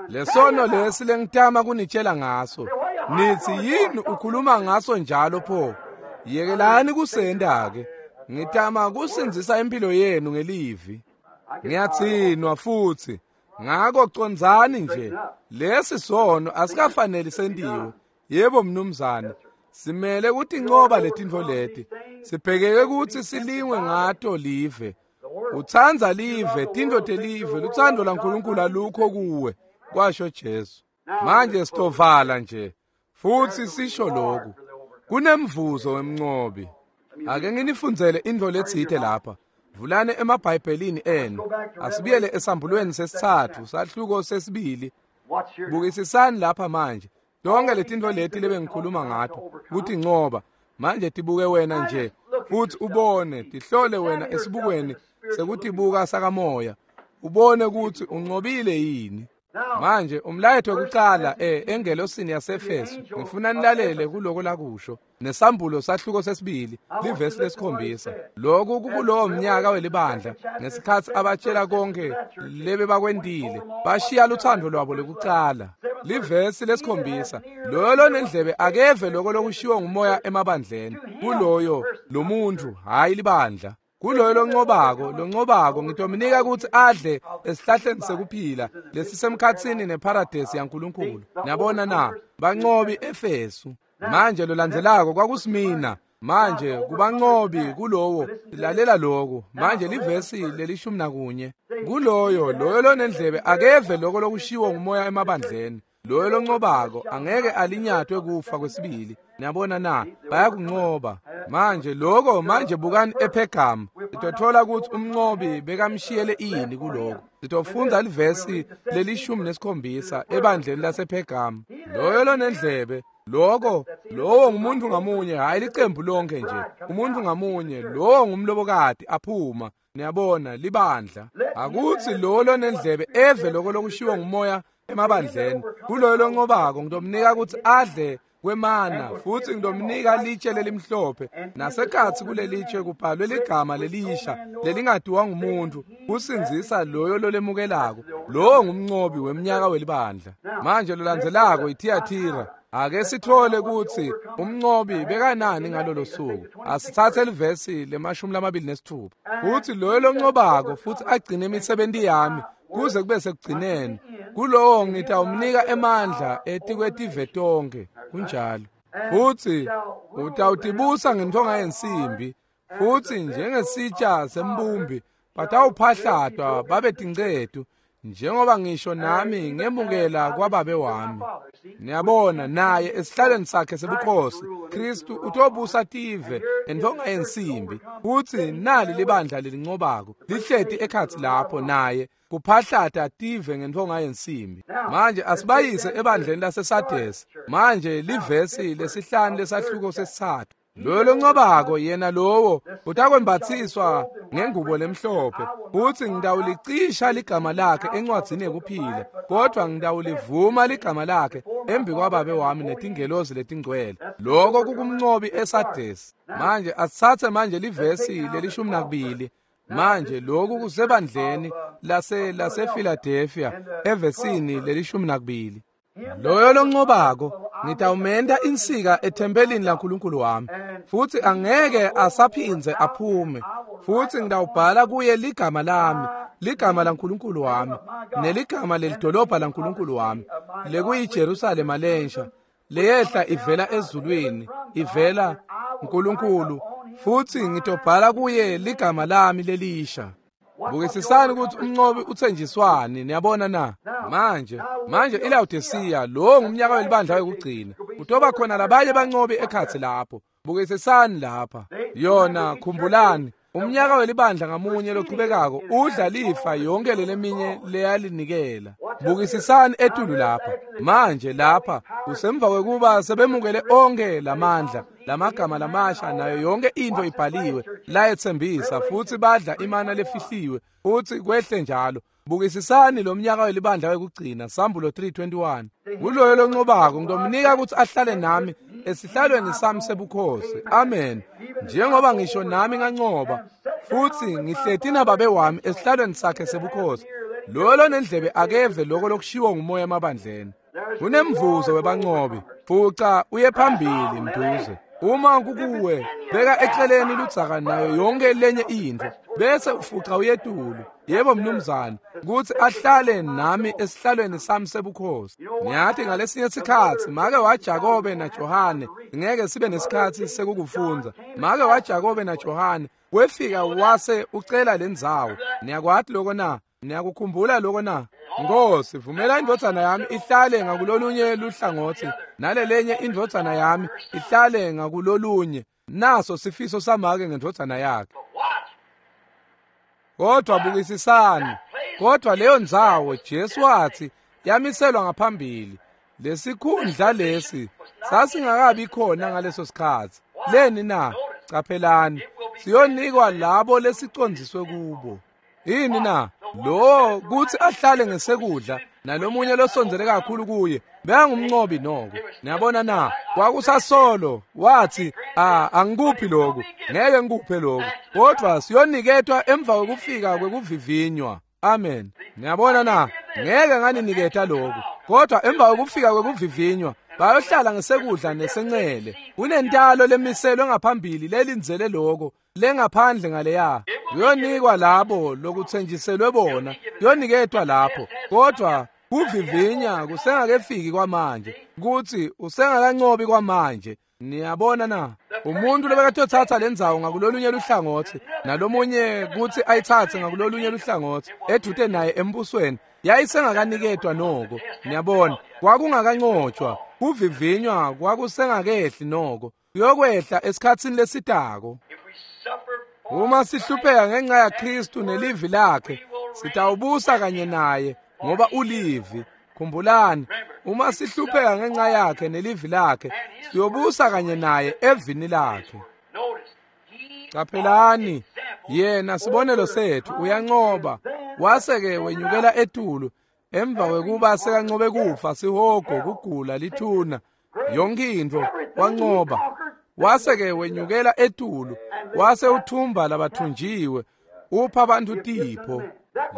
Speaker 1: Lesono lesi lengitama kunitshela ngaso. Nitsi yini ukhuluma ngaso njalo pho? Yekelani kusenda ke. Ngitama kusindzisa impilo yenu ngelivi. Ngiyadzinwa futsi. Ngako condzani nje. Lesi sono asikafaneli sentiwe. Yebo mnumzane. Simele kutincoba letintfo leti. Sibhekeke kutsi silingwe ngato live. Utsandza live, tintfo telive, lutsandvo laNkulunkulu alukho kuwe, kwasho Jesu. Manje sitovala nje futsi sisho lokhu. Kunemvuzo wemncobi. Ake nginifundzele intfo letsite lapha. Vulani emaBhayibhelini enu. Asibuyele esambulweni sesitsatfu, sahluko sesibili. Bukisisani lapha manje. Tonke letintfo leti lebengikhuluma ngato kutincoba. Manje tibuke wena nje futsi ubone, tihlole wena esibukweni sekutibuka sakamoya. Ubone kutsi uncobile yini. Manje umlayeto wekucala eh engelosini yaseEfesu, ngifuna nilalele kuloko lakusho. Nesambulo sahluko sesibili, livesi lesikhombisa. Lokhu kukulowo mnyaka welibandla ngesikhatsi abatshela konke lebe bakwentile, bashiya luthando lwabo lekucala. Livesi lesikhombisa, loyo lonendlebe akeve lokho lokushiwo ngumoya emabandleni. Kuloyo lo muntu, hayi libandla. Kuloyo loncobako, loncobako ngitomnika kutsi adle esihlahleni sekuphila lesisemkhatsini neparadesi yaNkulunkulu. Niyabona na, bancobi Efesu. Manje lolandzelako kwakusimina. Manje kubancobi kulowo, lalela lokho. Manje livesi lelishumi nakunye. Kuloyo, loyo lonendlebe akeve lokho lokushiwo ngumoya emabandleni. Loyo loncobako angeke alinyatwe kufa kwesibili. Niyabona na, bayakuncoba. Manje lokho, manje bukani ePhergamu. Sitothola kutsi umncobi bekamshiyele ini kuloko. Sitofundza livesi lelishumi nesikhombisa ebandleni lasePhergamu. Loyo lonendlebe, lokho, lowo ngumuntu ngamunye, hayi licembu lonke nje. Umuntu ngamunye, lowo ngumlobokati aphuma. Niyabona, libandla. Akutsi lowo lonendlebe eve lokho lokushiwo ngumoya emabandleni. Kuloyo loncobako ngitomnika kutsi adle kwemana, futsi ngitomnika litshe lelimhlophe. Nasekhatsi kulelitshe kubhalwe ligama lelisha lelingatiwa ngumuntu, kusindzisa loyo lolemukelako. Lowo ngumncobi wemnyaka welibandla. Manje lolandzelako iThiyathira. Ake sithole kutsi umncobi bekanani ngalolo suku. Asitsatse livesi lemashumi lamabili nesithupha. Futsi loyo loncobako futsi agcine imisebenti yami kuze kube sekugcineni, kulowo ngitawumnika emandla etikwetive tonke. Kunjalo. Futsi utawutibusa ngentonga yensimbi, futsi njengesitsha sembumbi batawuphahlatwa babe tincetu, njengoba ngisho nami ngemukela kwababe wami. Niyabona, naye esihlalweni sakhe sebukhosi Kristu utobusa tive entonga yensimbi. Futsi nali libandla lelincobako lihleti ekhatsi lapho naye kuphahlata tive ngentonga yensimbi. Manje asibayise ebandleni laseSardesi. Manje livesi lesihlanu lesahluko sesitsatfu. Loyo loncobako yena lowo utakwembathiswa ngengubo lemhlophe, futsi ngitawulicisha ligama lakhe encwadzini yekuphila, kodvwa ngitawulivuma ligama lakhe embi kwababe wami netingelozi letingcwele. Lokho kukumncobi eSardesi. Manje asitsatse manje livesi lelishumi nakubili. Manje lokhu kusebandleni lase lasePhiladelphia evesini lelishumi nakubili. Loyo loncobako Ngitawumenta insika ethempelini laNkulunkulu wami, futsi angeke asaphindze aphume, futsi ngitawubhala kuye ligama lami, ligama laNkulunkulu wami, neligama lelidolobha laNkulunkulu wami, lekuyiJerusalema lensha, leyehla ivela ezulwini, ivela Nkulunkulu, futsi ngitobhala kuye ligama lami lelisha. Bukisisani ukuthi umnqobi uthenjiswani, niyabona na? Manje, manje iLawodisiya, lo ngumnyaka welibandla wekugcina. Kutoba khona labanye banqobi ekhatsi lapho. Bukisisani lapha. Yona, khumbulani, umnyaka welibandla ngamunye lochubekako udla lifa yonke leleminye leyalinikela. Bukisisani etulu lapha. Manje lapha kusemva kwekuba sebemukele onke lamandla, lamagama lamasha nayo yonke into ibhaliwe layetsembisa, futsi badla imana lefihliwe, futsi kwehle njalo. Bukisisani lo mnyaka welibandla wekugcina, Sambulo three twenty-one. Kuloyo lonqobako ngitomnika ukuthi ahlale nami esihlalweni sami sebukhosi. Amen. Njengoba ngisho nami nganqoba, futsi ngihleti nababe wami esihlalweni sakhe sebukhosi. Loyo lonendlebe akeve lokho lokushiwo ngumoya emabandleni. Kunemvuzo webanqobi. Fuca uye phambili mduze. Uma kukuwe, beka eceleni ludzaka nayo yonke lenye intfo, bese ufuca uyetulu. Yebo mnumzane, kutsi ahlale nami esihlalweni sami sebukhosi. Ngiyathi ngalesinye sikhatsi make waJakobe naJohane, ngeke sibe nesikhatsi sekukufundza. Make waJakobe naJohane wefika wase ucela lendzawo. Niyakwati lokho na? Niyakukhumbula lokho na? Nkosi, vumela indvodzana yami ihlale ngakulolunye luhlangotsi, nalelenye indvodzana yami ihlale ngakulolunye. Naso sifiso samake ngendvodzana yakhe. Kodwa bukisisani, kodwa leyo ndzawo Jesu wathi yamiselwa ngaphambili. Lesikhundla lesi sasingakabi khona ngaleso sikhatsi. Leni na? Caphelani, siyonikwa labo lesicondziswe kubo. Yini na? Lo kuthi ahlale ngesekudla nalomunye losondzele kakhulu kuye bekangumnqobi noko. Niyabona na? Kwakusasolo wathi, ah, angikuphi lokhu, ngeke ngikuphe lokhu, kodwa siyoniketwa emva kwekufika kwekuvivinywa. Amen. Niyabona na? Ngeke nganiniketa lokhu, kodwa emva kwekufika kwekuvivinywa bayohlala ngesekudla nesencele. Kunentalo lemiselwe ngaphambili lelindzele lokho lengaphandle ngaleya. Kuyonikwa labo lokuthenjiselwe bona, kuyoniketwa lapho. Kodwa kuvivinya kusengakefiki kwamanje, kuthi usengakanqobi kwamanje. Niyabona na? Umuntu lobekatothatha lendzawo ngakulolunye luhlangotsi, nalomunye kuthi ayithathe ngakulolunye luhlangotsi, edute naye embusweni, yayisengakaniketwa noko. Niyabona, kwakungakanqotshwa, kuvivinywa kwakusengakehli noko, kuyokwehla esikhatsini lesitako. Uma sihlupheka ngenxa yaKristu nelivi lakhe, sitawubusa kanye naye ngoba ulivi. Khumbulani, uma sihlupheka ngenxa yakhe nelivi lakhe, siyobusa kanye naye evini lakhe. Caphelani, yena sibonelo sethu uyanqoba, wase-ke wenyukela etulu emva kwekuba sekanqobe kufa, sihogo, kugula, lithuna, yonke intfo wanqoba. Wase-ke wenyukela etulu, wase uthumba labathunjiwe, upha abantu tipho.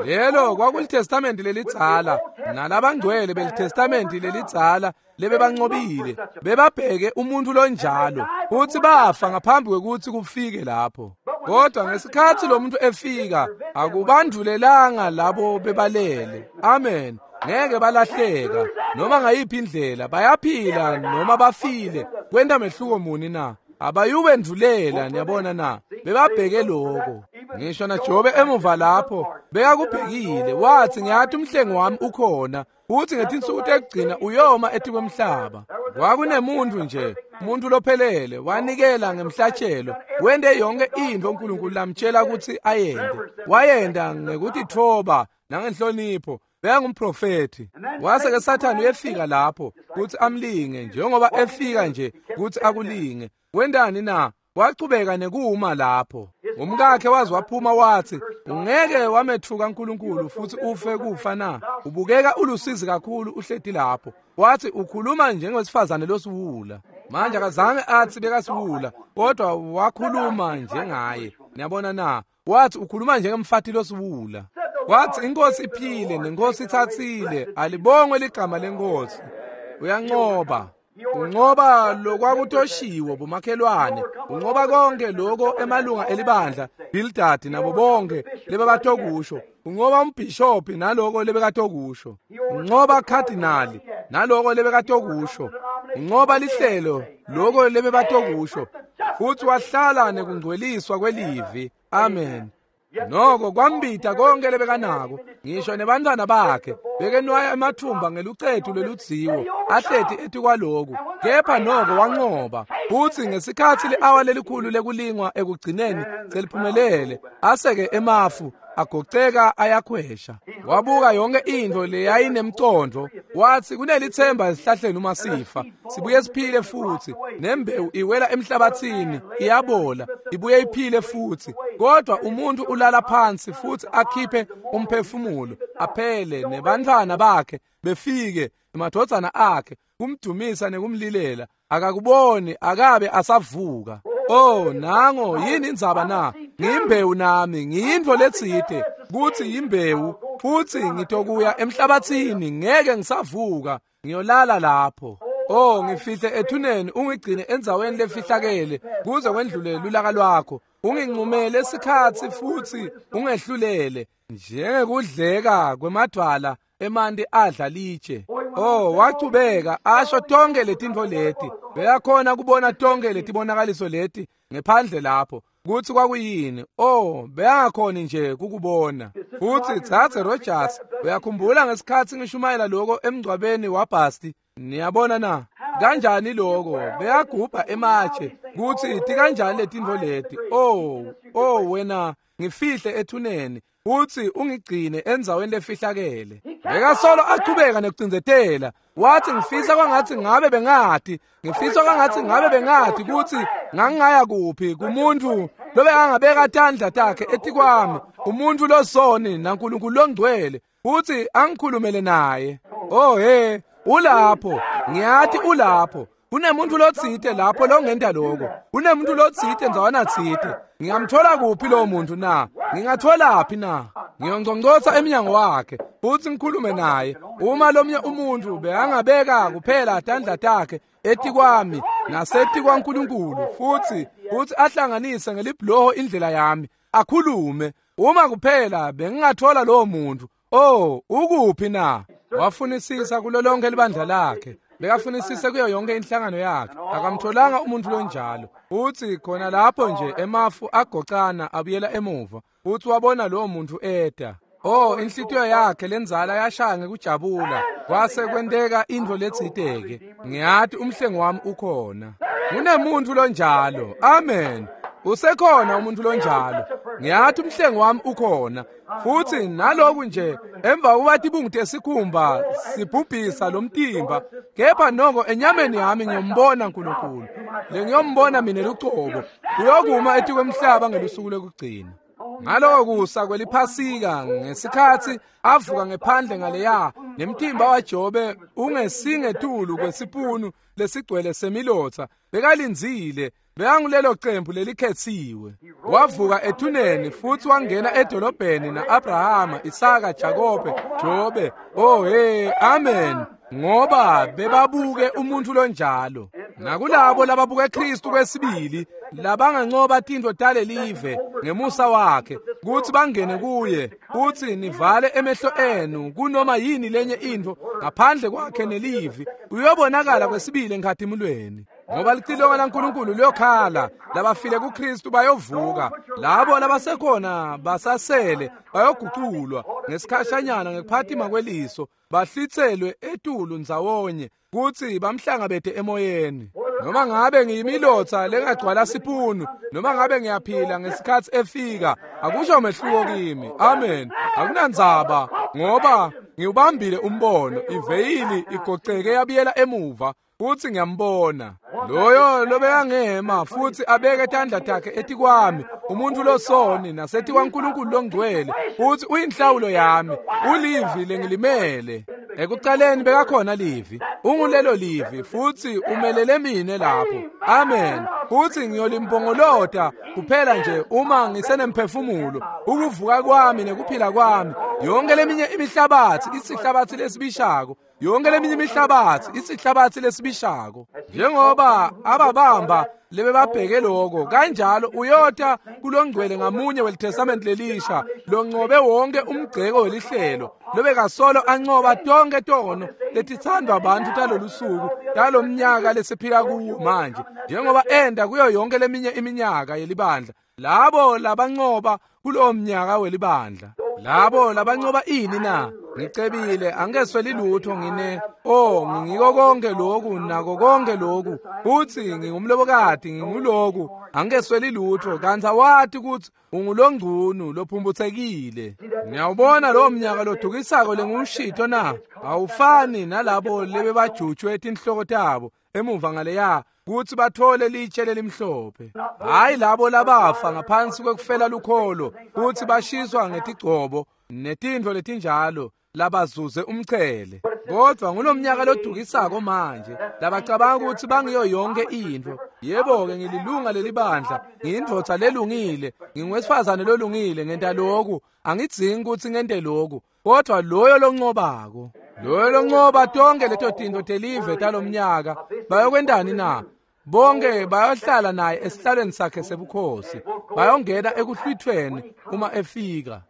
Speaker 1: Lelo kwakulitestamenti lelidzala, nalabangcwele belitestamenti lelidzala lebebanqobile, bebabheke umuntu lonjalo, futhi bafa ngaphambi kwekuthi kufike lapho. Kodwa ngesikhatsi lo muntu efika, akubandvulelanga labo bebalele. Amen. Ngeke balahleka noma ngayiphi indlela, bayaphila noma bafile. Kwenta mehluko muni na? Abayubendvulela, niyabona na? Bebabheke lokho. Ngisho naJobe emuva lapho bekakubhekile, wathi ngiyathi umhlengi wami ukhona, futhi ngetinsuku tekugcina uyoma etikwemhlaba. Kwakunemuntu nje, umuntu lophelele, wanikela ngemhlatshelo, wente yonke intfo uNkulunkulu lamtshela ukuthi ayente. Wayenta ngekutitfoba nangenhlonipho. Bekangumprofethi. Wase ke Sathane uyefika lapho kuthi amlinge, njengoba efika nje kuthi akulinge. Wentani na? Wachubeka nekuma lapho. Umkakhe waze waphuma wathi, ungeke wamethuka uNkulunkulu futhi ufe kufa na? Ubukeka ulusizi kakhulu uhleti lapho. Wathi ukhuluma njengowesifazane losiwula. Manje akazange athi bekasiwula, kodwa wakhuluma njengaye. Niyabona na? Wathi ukhuluma njengemfati losiwula. Wathi inkosi iphile nenkosi ithathile, alibongwe ligama lenkosi. Uyanqoba. Unqoba lokwakutoshiwo bomakhelwane, unqoba konke lokho emalunga elibandla, Bildad nabo bonke lebebatokusho. Unqoba umbhishophi naloko lebekatokusho. Unqoba cardinal naloko lebekatokusho. Unqoba lihlelo loko lebebatokusho. Futhi wahlala nekungcweliswa kwelivi. Amen. Noko kwambita konke lebekanako, ngisho nebantwana bakhe bekenwaya emathumba ngelucetu lweludziwo ahleti etikwaloku, kepha noko wanqoba. Futhi ngesikhatsi li-awa lelikhulu lekulingwa ekugcineni seliphumelele, aseke emafu agoceka ayakhwesha. Wabuka yonke intfo leyayinemcondvo, wathi kunelitsemba esihlahleni uma sifa sibuye siphile futhi, nembewu iwela emhlabathini iyabola ibuye iphile futhi, kodwa umuntu ulala phansi futhi akhiphe umphefumulo aphele, nebantwana bakhe befike emadvodzana akhe kumdumisa nekumlilela, akakuboni akabe asavuka. Oh, nango yini indzaba na? Ngiyimbewu nami, ngiyintfo letsite kuthi yimbewu, futhi ngitokuya emhlabathini, ngeke ngisavuka, ngiyolala lapho. Oh, ngifihle ethuneni, ungigcine endzaweni lefihlakele kuze kwendlule lulaka lwakho. Unginqumele isikhatsi futhi ungehlulele njengekudleka kwemadvwala emanti adla litshe. Oh, wachubeka asho tonke letintfo leti. Beyakhona kubona tonke letibonakaliso leti ngephandle lapho kutsi kwakuyini. Oh, beyangakhoni nje kukubona. Futhi Dzadze Rogers, uyakhumbula ngesikhatsi ngishumayela lokho emngcwabeni waBasti? Niyabona na? Kanjani lokho? Beyagubha ematshe kutsi tikanjani letintfo leti. Oh, oh wena ngifihle ethuneni futhi ungigcine endzaweni lefihlakele. Bekasolo achubeka nekucindzetela. Wathi ngifisa kwangathi ngabe bengati, ngifisa kwangathi ngabe bengati kutsi ngangingaya kuphi kumuntu lobekangabeka tandla takhe etikwami, umuntu losoni naNkulunkulu longcwele, futhi angikhulumele naye. Oh he, ulapho, ngiyathi ulapho. Kunemuntu lotsite lapho longenta lokho. Kunemuntu lotsite ndzawana tsite. Ngingamthola kuphi lo muntu na? Ngingatholaphi na? Ngiyongcongcotsa emnyango wakhe futhi ngikhulume naye. Uma lomnye umuntu bekangabeka kuphela tandla takhe etikwami nasetikwaNkulunkulu futhi futhi ahlanganise ngelibhuloho indlela yami, akhulume, uma kuphela bengingathola lowo muntu. Oh, ukuphi na? Wafunisisa kulo lonke libandla lakhe. Bekafunisise kuyo yonke inhlangano yakhe. Akamtholanga umuntu lonjalo. Uthi khona lapho nje emafu agocana abuyela emuva. Uthi wabona lowo muntu eda. Oh, inhlitiyo yakhe lenzala yashaya ngekujabula. Kwase kwenteka intfo letsiteke. Ngiyathi umhlengi wami ukhona. Kunemuntu lonjalo. Amen. Usekhona umuntu lonjalo. Ngiyathi umhlengi wami ukhona. Futhi naloku nje emva kuba tibungu tesikhumba sibhubhisa lomtimba, kepha noko enyameni yami ngiyombona uNkulunkulu. Lengiyombona mina lucobo. Uyokuma etikwemhlaba ngelusuku lokugcina. Ngaloko kusa kweliphasika ngesikhatsi avuka ngephandle ngaleya nemtimba waJobe ungesingetulu kwesipunu lesigcwele semilotsa, bekalindzile. Bekangulelo cembu lelikhetsiwe. Wavuka ethuneni futhi wangena edolobheni na-Abrahama, Isaka, Jakobe, Jobe. Oh hey, amen. Ngoba bebabuke umuntu lonjalo. Nakulabo lababuke Kristu kwesibili, labangancoba tintfo talelive ngemusa wakhe, kutsi bangene kuye, kutsi nivale emehlo enu kunoma yini lenye intfo ngaphandle kwakhe nelivi, uyobonakala kwesibili enkhatimulweni. Ngoba licilongo laNkulunkulu liyokhala, labafile kuKristu bayovuka, labo labasekhona basasele bayoguculwa ngesikhashanyana ngekuphatima kweliso, bahlitselwe etulu ndzawonye kutsi bamhlangabete emoyeni. Noma ngabe ngiyimilotsa lengagcwala sipunu, noma ngabe ngiyaphila ngesikhatsi efika, akusho mehluko kimi. Amen. Akunandzaba, ngoba ngiwubambile umbono. Iveyili igoceke yabuyela emuva, futhi ngiyambona loyo lobekangema futhi abeke tandla takhe etikwami, umuntu losoni nasetikwaNkulunkulu longcwele, futhi uyinhlawulo yami, ulivi lengilimele. Ekucaleni bekakhona livi, ungulelo livi, futhi umelele mine lapho. Amen. Futhi ngiyolimpongolota kuphela nje uma ngisenemphefumulo, ukuvuka kwami nekuphila kwami. Yonke leminye imihlabathi isihlabathi lesibishako, Yonke leminye imihlabatsi isihlabatsi lesibishako. Njengoba ababamba lebebabheke lokho, kanjalo uyota kulongcwele ngamunye weliTestament lelisha loncobe wonke umgceko welihlelo lobekasolo ancoba tonke tono letithandwa abantu talolusuku talomnyaka lesiphila kuwo manje, njengoba enda kuyo yonke leminye iminyaka yelibandla. Labo labancoba kulowo mnyaka welibandla, labo labancoba ini na? Ngicebile, angesweli lutho, ngine oh ngingiko konke lokhu nako konke lokhu, futhi ngingumlobokati, nginguloku, angesweli lutho. Kanti awati ukuthi ungulongcunu lophumbuthekile. Ngiyawubona lowo mnyaka lodukisako lengushito na? Awufani nalabo lebebajutshwe tinhloko tabo emuva ngaleya kuthi bathole litshe lelimhlophe. Hayi labo labafa ngaphansi kwekufela lukholo, kuthi bashiswa ngetigcobo netintfo letinjalo, labazuze umchele. Kodwa ngulomnyaka lodukisako manje labacabanga ukuthi bangiyo yonke intfo. Yebo-ke, ngililunga lelibandla, ngiyindvodza lelungile, nginguwesifazane lolungile, ngenta lokhu, angidzingi ukuthi ngente lokhu. Kodwa loyo loncobako, loyo loncoba tonke leto tintfo telive talomnyaka, bayokwentani na? Bonke bayohlala naye esihlalweni sakhe sebukhosi, bayongena ekuhlwithweni uma efika.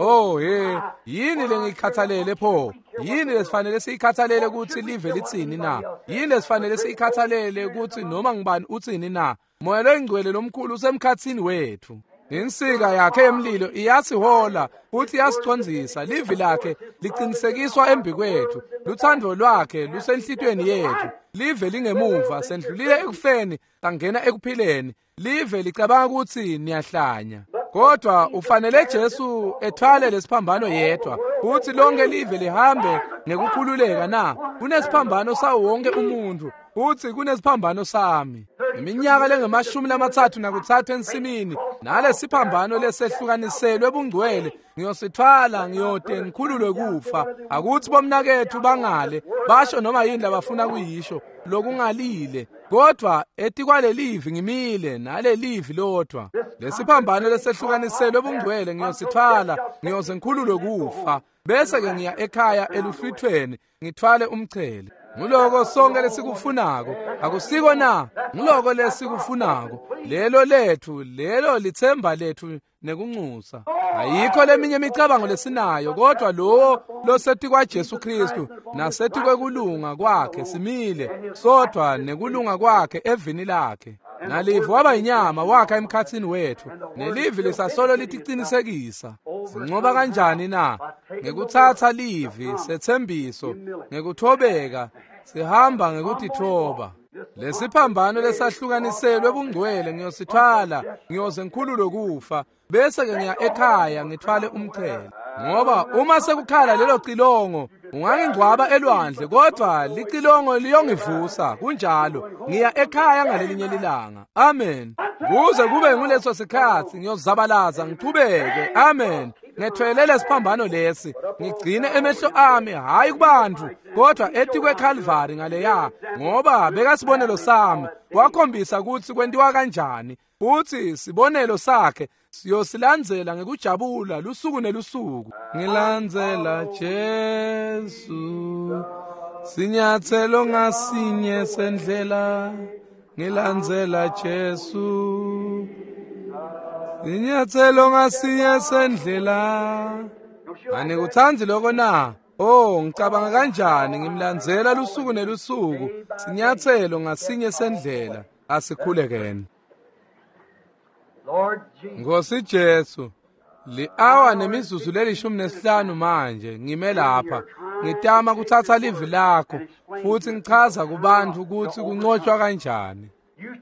Speaker 1: Oh he, yini lengikhathalele pho? Yini lesifanele siyikhathalele ukuthi live litsini na? Yini lesifanele siyikhathalele ukuthi noma ngibani utsini na? Moya loyingcwele lomkhulu usemkhatsini wethu. Insika yakhe yemlilo iyasihola futhi iyasicondzisa. Livi lakhe liqinisekiswa embikwethu, luthando lwakhe lusenhlitweni yethu. Live lingemuva, sendlulile ekufeni sangena ekuphileni. Live licabanga ukuthi niyahlanya, kodwa ufanele Jesu ethwale lesiphambano yedwa, futhi lonke live lihambe ngekukhululeka na? Kunesiphambano sawo wonke umuntu, futhi kunesiphambano sami. Iminyaka lengemashumi lamathathu nakuthathu ensimini, nalesiphambano lesehlukaniselwe bungcwele ngiyosithwala, ngiyote ngikhululwe kufa. Akuthi bomnakethu bangale basho noma yini labafuna kuyisho lokungalile, kodwa etikwalelivi ngimile nalelivi lodwa. Lesiphambano lesehlukaniselwe bungcwele ngiyosithwala, ngiyoze ngikhululwe kufa, bese ke ngiya ekhaya eluhlwithweni ngithwale umchele. Nguloko sonke lesikufunako, akusiko na? Nguloko lesikufunako, lelo lethu, lelo lithemba lethu nekunxusa. Ayikho leminye imicabango lesinayo, kodwa lowo losetikwa Jesu Kristu nasetikwekulunga kwakhe simile sodwa nekulunga kwakhe evini lakhe. Nalivi waba inyama wakha emkhathini wethu, nelivi lisasolo litiqinisekisa. Sincoba kanjani na? Ngekutsatsa livi sethembiso, ngekuthobeka sihamba ngekutithoba. Lesiphambano lesahlukaniselwe bungcwele ngiyosithwala, ngiyoze ngikhululwe kufa, bese ke ngiya ekhaya ngithwale umchele. Ngoba uma sekukhala lelo cilongo, ungangingcwaba elwandle, kodwa licilongo liyongivusa. Kunjalo, ngiya ekhaya ngalelinye lilanga. Amen. Kuze kube nguleso sikhathi ngiyozabalaza ngichubeke. Amen. Ngethwele lesiphambano lesi, ngigcine emehlo ami hayi kubantu, kodwa etikwe Calvary ngaleya, ngoba bekasibonelo sami, wakhombisa ukuthi kwentiwa kanjani, futhi sibonelo sakhe siyosilandzela ngekujabula lusuku nelusuku. Ngilandzela Jesu, sinyathelo ngasinye sendlela, ngilandzela Jesu, sinyathelo ngasinye sendlela. Anikuthandi lokho na? Oh, ngicabanga kanjani ngimlandzela lusuku nelusuku, sinyathelo ngasinye sendlela. Asikhulekeni. Nkosi Jesu, li-awa nemizuzu lelishumi nesihlanu manje ngime lapha ngitama kuthatha livi lakho futhi ngichaza kubantu ukuthi kunqotshwa kanjani.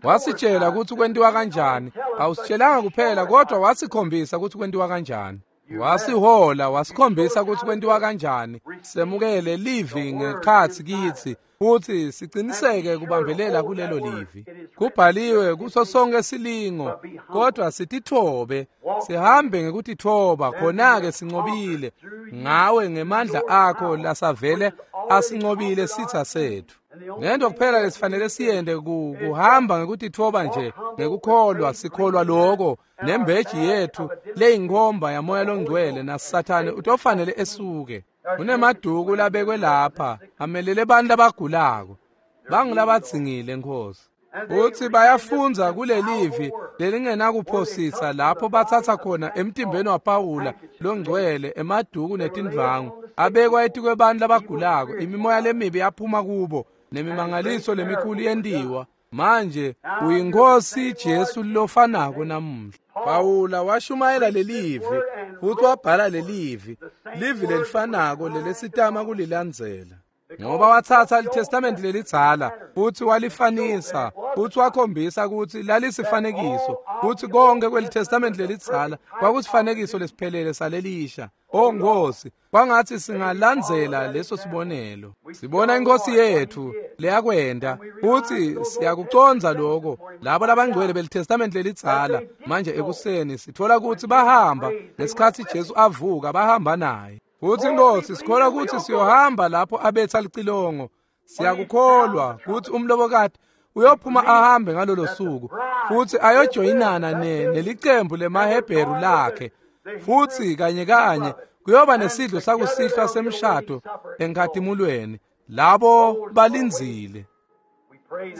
Speaker 1: Wasitshela ukuthi kwentiwa kanjani, awusitshelanga kuphela kodwa wasikhombisa ukuthi kwentiwa kanjani. Wasihola, wasikhombisa ukuthi kwentiwa kanjani. Semukele livi ngekhathi kithi futhi siqiniseke kubambelela kulelo livi. Kubhaliwe kuso sonke silingo, kodwa sitithobe, sihambe ngekutithoba, khona-ke sinqobile ngawe ngemandla akho lasavele asinqobile sitha sethu. Nento kuphela lesifanele siyende kuhamba ngekutithoba nje, ngekukholwa, sikholwa lokho nembeji yethu leyinkomba yamoya longcwele nasathane utofanele esuke. Kunemaduku labekwe lapha amelele bantu labagulako bangulabadzingile Nkosi. Futsi bayafundza kulelivi lelingenakuphosisa lapho batsatsa khona emtimbeni waPawula longcwele emaduku netindvangu abekwa etikwebantu labagulako, imimoya lemibi yaphuma kubo nemimangaliso lemikhulu yentiwa. Manje uyinkosi Jesu lofanako namuhla. Pawula washumayela lelivi futsi wabhala lelivi, livi lelifanako lelesitama kulilandzela. Ngoba watsatsa liTestamente lelidzala futsi walifanisa futsi wakhombisa kutsi lalisifanekiso, kutsi konke kweliTestamente lelidzala kwakusifanekiso lesiphelele salelisha. O Nkosi, kwangatsi singalandzela leso sibonelo. Sibona inkosi yetfu leyakwenta futsi siyakucondza lokho. Labo labangcwele beliTestamente lelidzala manje ekuseni sithola kutsi bahamba ngesikhatsi Jesu avuka, bahamba naye. Futsi Nkosi sikholwa kutsi siyohamba lapho abetha licilongo. Siyakukholwa kutsi umlobokati uyophuma ahambe ngalolo suku futsi ayojoyinana nelicembu lemaHebheru lakhe, futsi kanye kanye kuyoba nesidlo sakusihlwa semshado enkhatimulweni labo balindzile.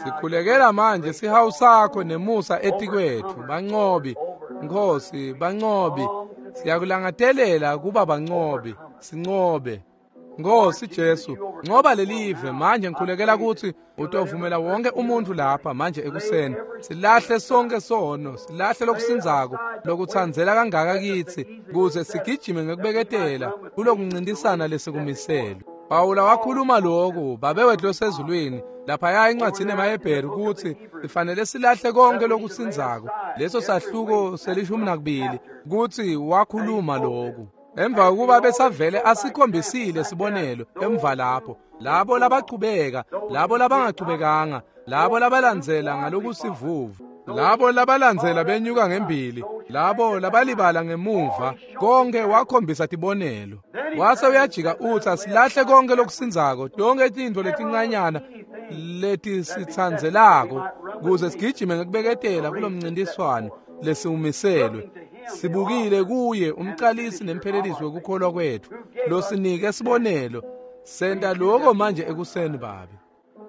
Speaker 1: Sikhulekela manje sihawu sakho nemusa etikwetfu, bancobi Nkosi, bancobi. Siyakulangatelela kuba bancobi, sincobe Nkosi Jesu. Ncoba lelive manje. Ngikhulekela kutsi utovumela wonke umuntu lapha manje ekuseni silahle sonke sono, silahle lokusindzako lokutsandzela kangaka kitsi, kuze sigijime ngekubeketela kulokuncintisana lesikumisele. Pawula wakhuluma lokhu, Babe wethu losezulwini, laphaya encwadzini yemaHebheru, kutsi sifanele silahle konke lokusindzako. Leso sahluko selishumi nakubili kutsi wakhuluma lokhu emva kokuba besavele asikhombisile sibonelo emva lapho. Labo labachubeka, labo labangachubekanga, labo labalandzela ngalokusivuvu, labo labalandzela benyuka ngembili, labo labalibala ngemuva, konke wakhombisa tibonelo. Wase uyajika utsi asilahle konke lokusindzako, tonke tintfo letincanyana letisitsandzelako, kuze sigijime ngekubeketela kulomncintiswano lesiwumiselwe. Sibukile kuye umcalisi nemphelelisi wekukholwa kwetfu, losinike sibonelo. Senta lokho manje ekuseni Babe.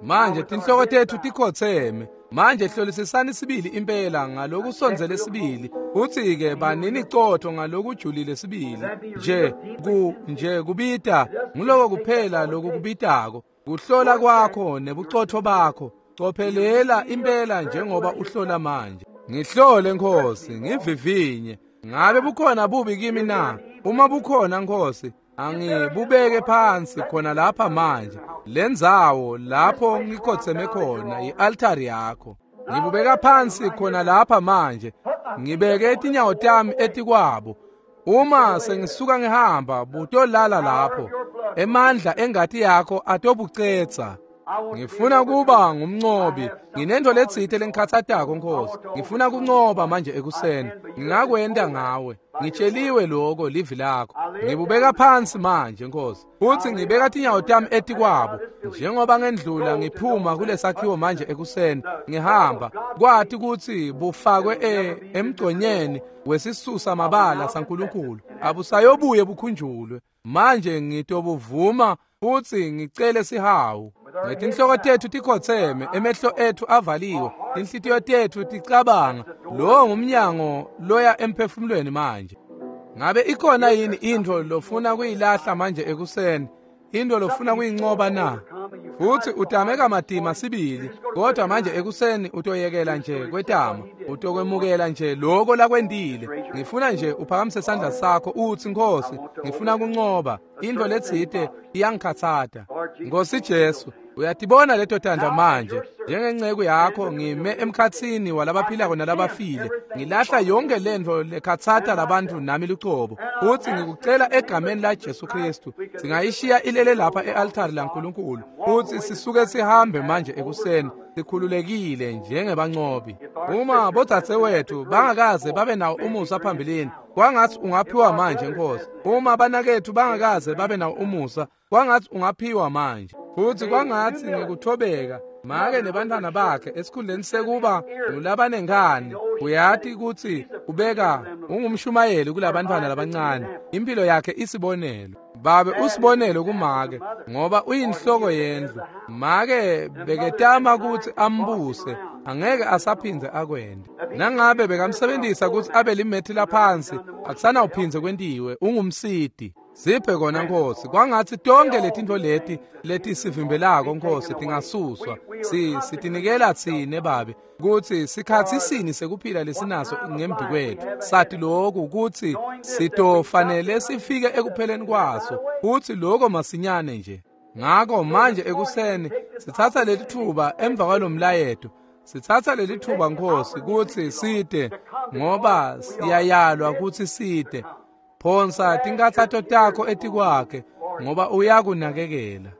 Speaker 1: Manje tinhloko tetfu tikhotseme. Manje hlolisisani sibili impela ngalokusondzele sibili, futsi-ke banini cotfo ngalokujulile sibili. Nje ku nje kubita nguloko kuphela lokukubitako, kuhlola kwakho nebucotfo bakho. Cophelela impela njengoba uhlola manje. Ngihlole Nkosi, ngivivinye. Ngabe bukhona bubi kimi na? Uma bukhona Nkosi, angibubeke phansi khona lapha manje. Lendzawo lapho ngikhotseme khona i-altari yakho. Ngibubeka phansi khona lapha manje. Ngibeke tinyawo tami etikwabo. Uma sengisuka ngihamba, butolala lapho. Emandla engati yakho atobucetsa. Ngifuna kuba ngumncobi. Nginento letsite lengikhatsatako Nkosi. Ngifuna kuncoba manje ekuseni. Ngingakwenta ngawe. Ngitsheliwe lokho livi lakho. Ngibubeka phansi manje Nkosi. Futsi ngibeka tinyawo tami etikwabo. Njengoba ngendlula ngiphuma kulesakhiwo manje ekuseni, ngihamba kwati kutsi bufakwe e emgconyeni wesisusa mabala saNkulunkulu. Abusayobuye bukhunjulwe. Manje ngitobuvuma futsi ngicele sihawu. Ngetinhloko tetfu tikhotseme, emehlo etfu avaliwe, tinhlitiyo tetfu ticabanga. Lo ngumnyango loya emphefumulweni manje. Ngabe ikhona yini intfo lofuna kuyilahla manje ekuseni? Intfo lofuna kuyincoba na? Futsi utame kamatima sibili, kodwa manje ekuseni utoyekela nje kwetama, utokwemukela nje lokho lakwentile. Ngifuna nje uphakamise sandla sakho utsi, Nkosi, ngifuna kuncoba. Intfo letsite iyangikhatsata. Nkosi Jesu, uyatibona leto tandla manje. Njengenceku yakho ngime emkhatsini walabaphilako nalabafile. Ngilahla yonke lentfo lekhatsata labantfu nami lucobo. Futsi ngikucela egameni la Jesu Kristu, singayishiya ilele lapha e-altari laNkulunkulu. Futsi sisuke sihambe manje ekuseni sikhululekile njengebancobi. Uma bodzadzewethu bangakaze babe nawo umusa phambilini, kwangatsi ungaphiwa manje Nkosi. Uma banaketfu bangakaze babe nawo umusa, kwangatsi ungaphiwa manje. Futsi kwangatsi ngekuthobeka make nebantfwana bakhe esikhundleni sekuba ngulabanengane, uyati kutsi ubeka ungumshumayeli kulabantfwana labancane. Impilo yakhe isibonelo. Babe usibonele kumake ngoba uyinhloko yendlu. Make beketama kutsi ambuse, angeke asaphindze akwende. Nangabe bekamsebenzisa kutsi abe limethi laphansi, akusanawuphindze kwentiwe, ungumsiti. Siphe kona Nkosi, kwangatsi tonke letintfo leti letisivimbelako Nkosi tingasuswa. Si sitinikela tsine Babe kutsi sikhatsi sini sekuphila lesinaso ngembi kwetfu. Sathi lokhu kutsi sitofanele sifike ekupheleni kwaso, kutsi lokho masinyane nje. Ngako manje ekuseni sitsatsa lelitfuba emva kwalomlayeto. Sitsatsa lelitfuba Nkosi kutsi site ngoba siyayalwa kutsi site. Phonsa tinkhatsato takho etikwakhe ngoba uyakunakekela.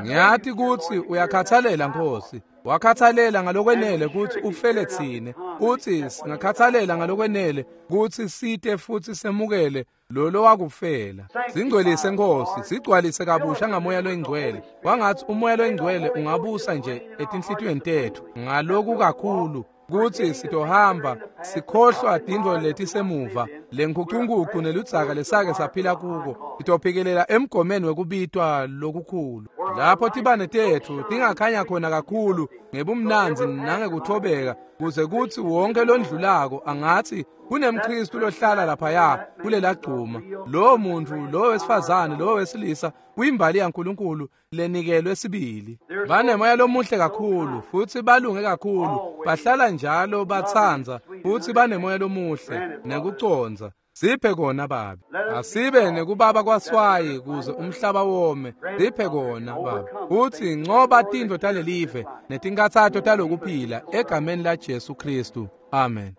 Speaker 1: Ngiyati kutsi uyakhathalela Nkosi. Wakhathalela ngalokwenele kutsi ufele tsine, kutsi singakhathalela ngalokwenele kutsi site futsi semukele lolo wakufela. Singcwelise Nkosi, sigcwalise kabusha ngamoya loyingcwele. Kwangatsi umoya loyingcwele ungabusa nje etinhlitiyweni tetfu ngaloku kakhulu kutsi sitohamba sikhohlwa tintfo letisemuva lenkhukhunkhukhu neludzaka lesake saphila kuko. Sitophikelela emgomeni wekubitwa lokukhulu lapho tibane tetfu tingakhanya khona kakhulu ngebumnandzi nangekuthobeka, kuze kutsi wonke londlulako angatsi kunemKhristu lohlala laphaya kulela gcuma. Lowo muntfu, lowo wesifazane, lowo wesilisa uyimbali yaNkulunkulu lenikelwe sibili. Banemoya lomuhle kakhulu futsi balunge kakhulu, bahlala njalo batsandza futsi banemoya lomuhle nekucondza. Siphe kona Babe. Asibe nekubaba kwaswayi kuze umhlaba wome. Siphe kona Babe. Futsi ncoba tintfo talelive netinkhatsato talokuphila egameni la Jesu Kristu. Amen.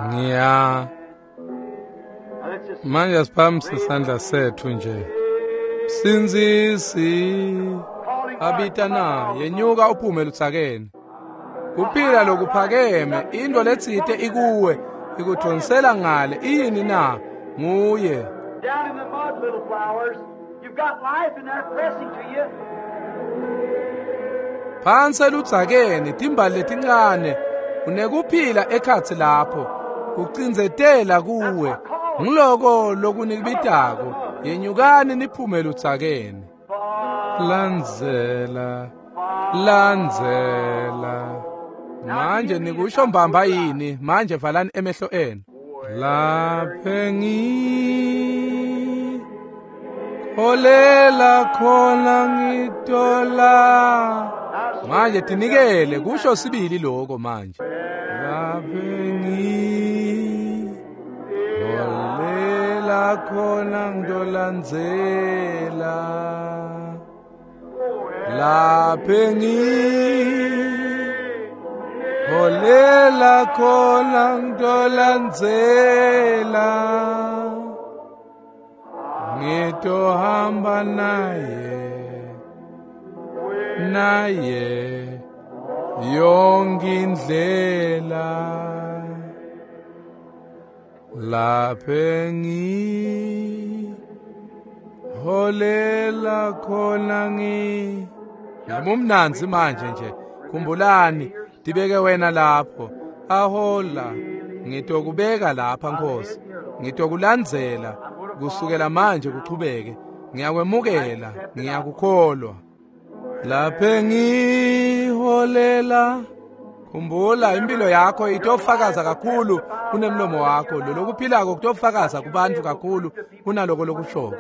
Speaker 1: Ngiya manje asiphakamise isandla sethu nje. Sindzisi abita na yenyuka uphume lutsakeni. Kuphila lokuphakeme, into letsite ikuwe ikuthonsela ngale yini na nguye.
Speaker 2: Down in the mud, little flowers, you've got life in there pressing to you.
Speaker 1: Phansi eludzakeni timbali letincane unekuphila ekhatsi lapho kucindzetela kuwe. Ngiloko lokunikibitako, yenyukani niphume ludzakeni. Landzela, landzela. Manje nikusho mbamba yini? Manje valani emehlo enu. Laphe ngiholela khona ngitola. Manje tinikele kusho sibili lokho manje. Laphe ngiholela khona ngitolandzela. Laphe ngiholela khona ngitolandzela. Ngitohamba naye, naye yonke indlela. Laphe ngiholela khona ngi. Ngimumnandzi manje nje. Khumbulani, tibeke wena lapho. Ahola, ngitokubeka lapha Nkosi. Ngitokulandzela kusukela manje kuchubeke. Ngiyakwemukela, ngiyakukholwa. Laphe ngiholela. Khumbula impilo yakho itofakaza kakhulu kunemlomo wakho. Lolokuphilako kutofakaza kubantu kakhulu kunaloko lokushoko.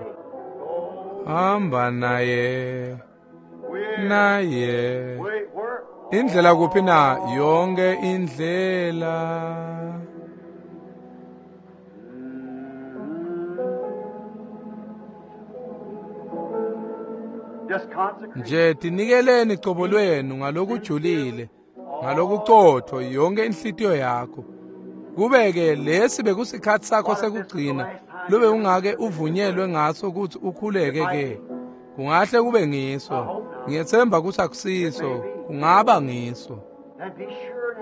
Speaker 1: Hamba naye, naye. Indlela kuphi na? Yonke indlela. Nje tinikeleni cobo lwenu ngalokujulile, ngalokucotho yonke inhlitiyo yakho. Kube-ke lesi bekusikhatsi sakho sekugcina lube ungake uvunyelwe ngaso kutsi ukhuleke ke. Kungahle kube ngiso. Ngiyethemba kutsi akusiso, kungaba ngiso.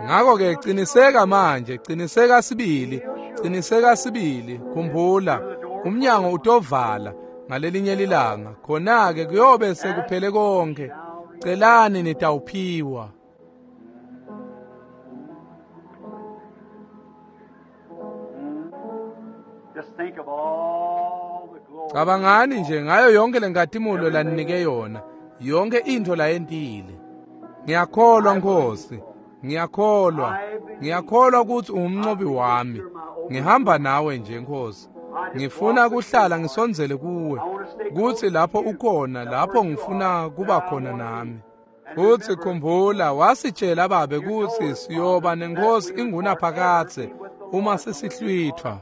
Speaker 1: Ngakho-ke qiniseka manje, qiniseka sibili, qiniseka sibili. Khumbula, umnyango utovala ngalelinye lilanga. Khona-ke kuyobe sekuphele konke. Celani nitawuphiwa.
Speaker 2: Just think of all the
Speaker 1: Cabangani nje ngayo yonke lenkatimulo laninike yona, yonke intfo layentile. Ngiyakholwa Nkosi, ngiyakholwa, ngiyakholwa kutsi ungumncobi wami. Ngihamba nawe nje Nkosi. Ngifuna kuhlala ngisondzele kuwe, kutsi lapho ukhona, lapho ngifuna kuba khona nami. Futsi khumbula, wasitshela Babe kutsi siyoba nenkosi ingunaphakadze uma sesihlwithwa.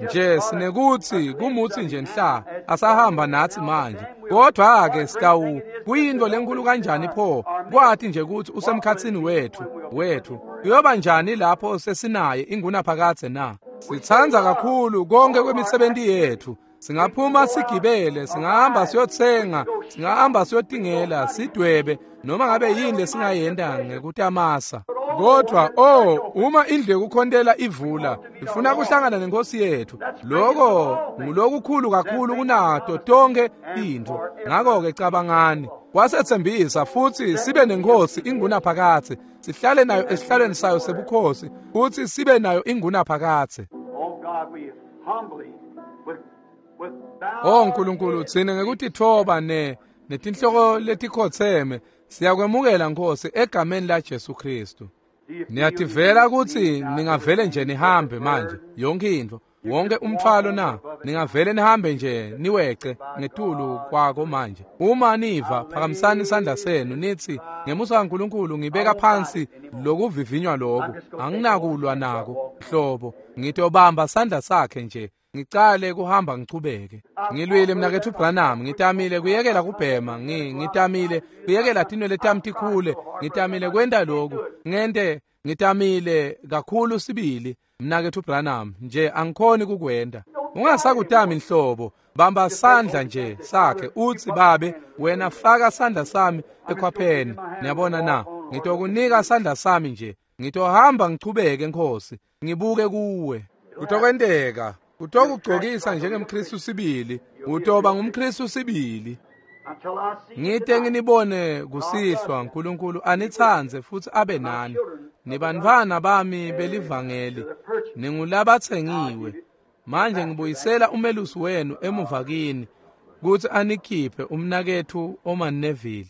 Speaker 1: Nje sinekutsi kumutsi nje nhla asahamba natsi manje, kodwa-ke sitawu kuyintfo lenkulu kanjani pho kwati nje kutsi usemkhatsini wetfu wetfu kuyoba njani lapho sesinaye ingunaphakadze na? Sitsandza kakhulu konke kwemisebenti yetfu. Singaphuma sigibele, singahamba siyotsenga, singahamba siyotingela, sidwebe noma ngabe yini lesingayenta ngekutamasa. Kodwa oh, uma indlu yekukhontela ivula, ifuna kuhlangana nenkosi yethu. Lokho ngulokukhulu kakhulu kunato tonke intfo. Ngakho-ke cabangani, wasetsembisa futsi sibe nenkosi ingunaphakadze, sihlale nayo esihlalweni sayo sebukhosi, futsi sibe nayo ingunaphakadze.
Speaker 2: Oh God, we humbly, with, with
Speaker 1: Oh Nkulunkulu, tsine ngekutitfoba ne netinhloko letikhotseme siyakwemukela Nkosi egameni la Jesu Kristu. Niyativela kutsi ningavele nje nihambe manje yonke intfo, wonke umthwalo na, ningavele nihambe nje niwece ngetulu kwako manje. Uma niva, phakamisani isandla senu nithi, ngemusa kaNkulunkulu ngibeka phansi lokuvivinywa loku, anginakulwa nako hlobo, ngitobamba sandla sakhe nje ngicale kuhamba ngichubeke. Ngilwile mnaketfu Branham, ngitamile kuyekela kubhema, ngi ngitamile kuyekela tinwele tami tikhule, ngitamile kwenta loku, ngente ngitamile kakhulu sibili mnaketfu Branham, nje angikhoni kukwenta. Ungasakutami nhlobo, bamba sandla nje sakhe utsi, Babe, wena faka sandla sami ekhwapheni. Niyabona na? Ngitokunika sandla sami nje, ngitohamba ngichubeke Nkosi, ngibuke kuwe. Kutokwenteka. Utokugcokisa njengemKristu sibili, utoba ngumKristu sibili.
Speaker 2: until I see you
Speaker 1: Ngite
Speaker 2: tonight.
Speaker 1: nginibone kusihlwa, Nkulunkulu anitsandze futsi abe nani. Nibantfwana bami belivangeli, ningulabatsengiwe. Manje ngibuyisela umelusi wenu emuva kini kutsi anikhiphe umnaketfu Oman Neville.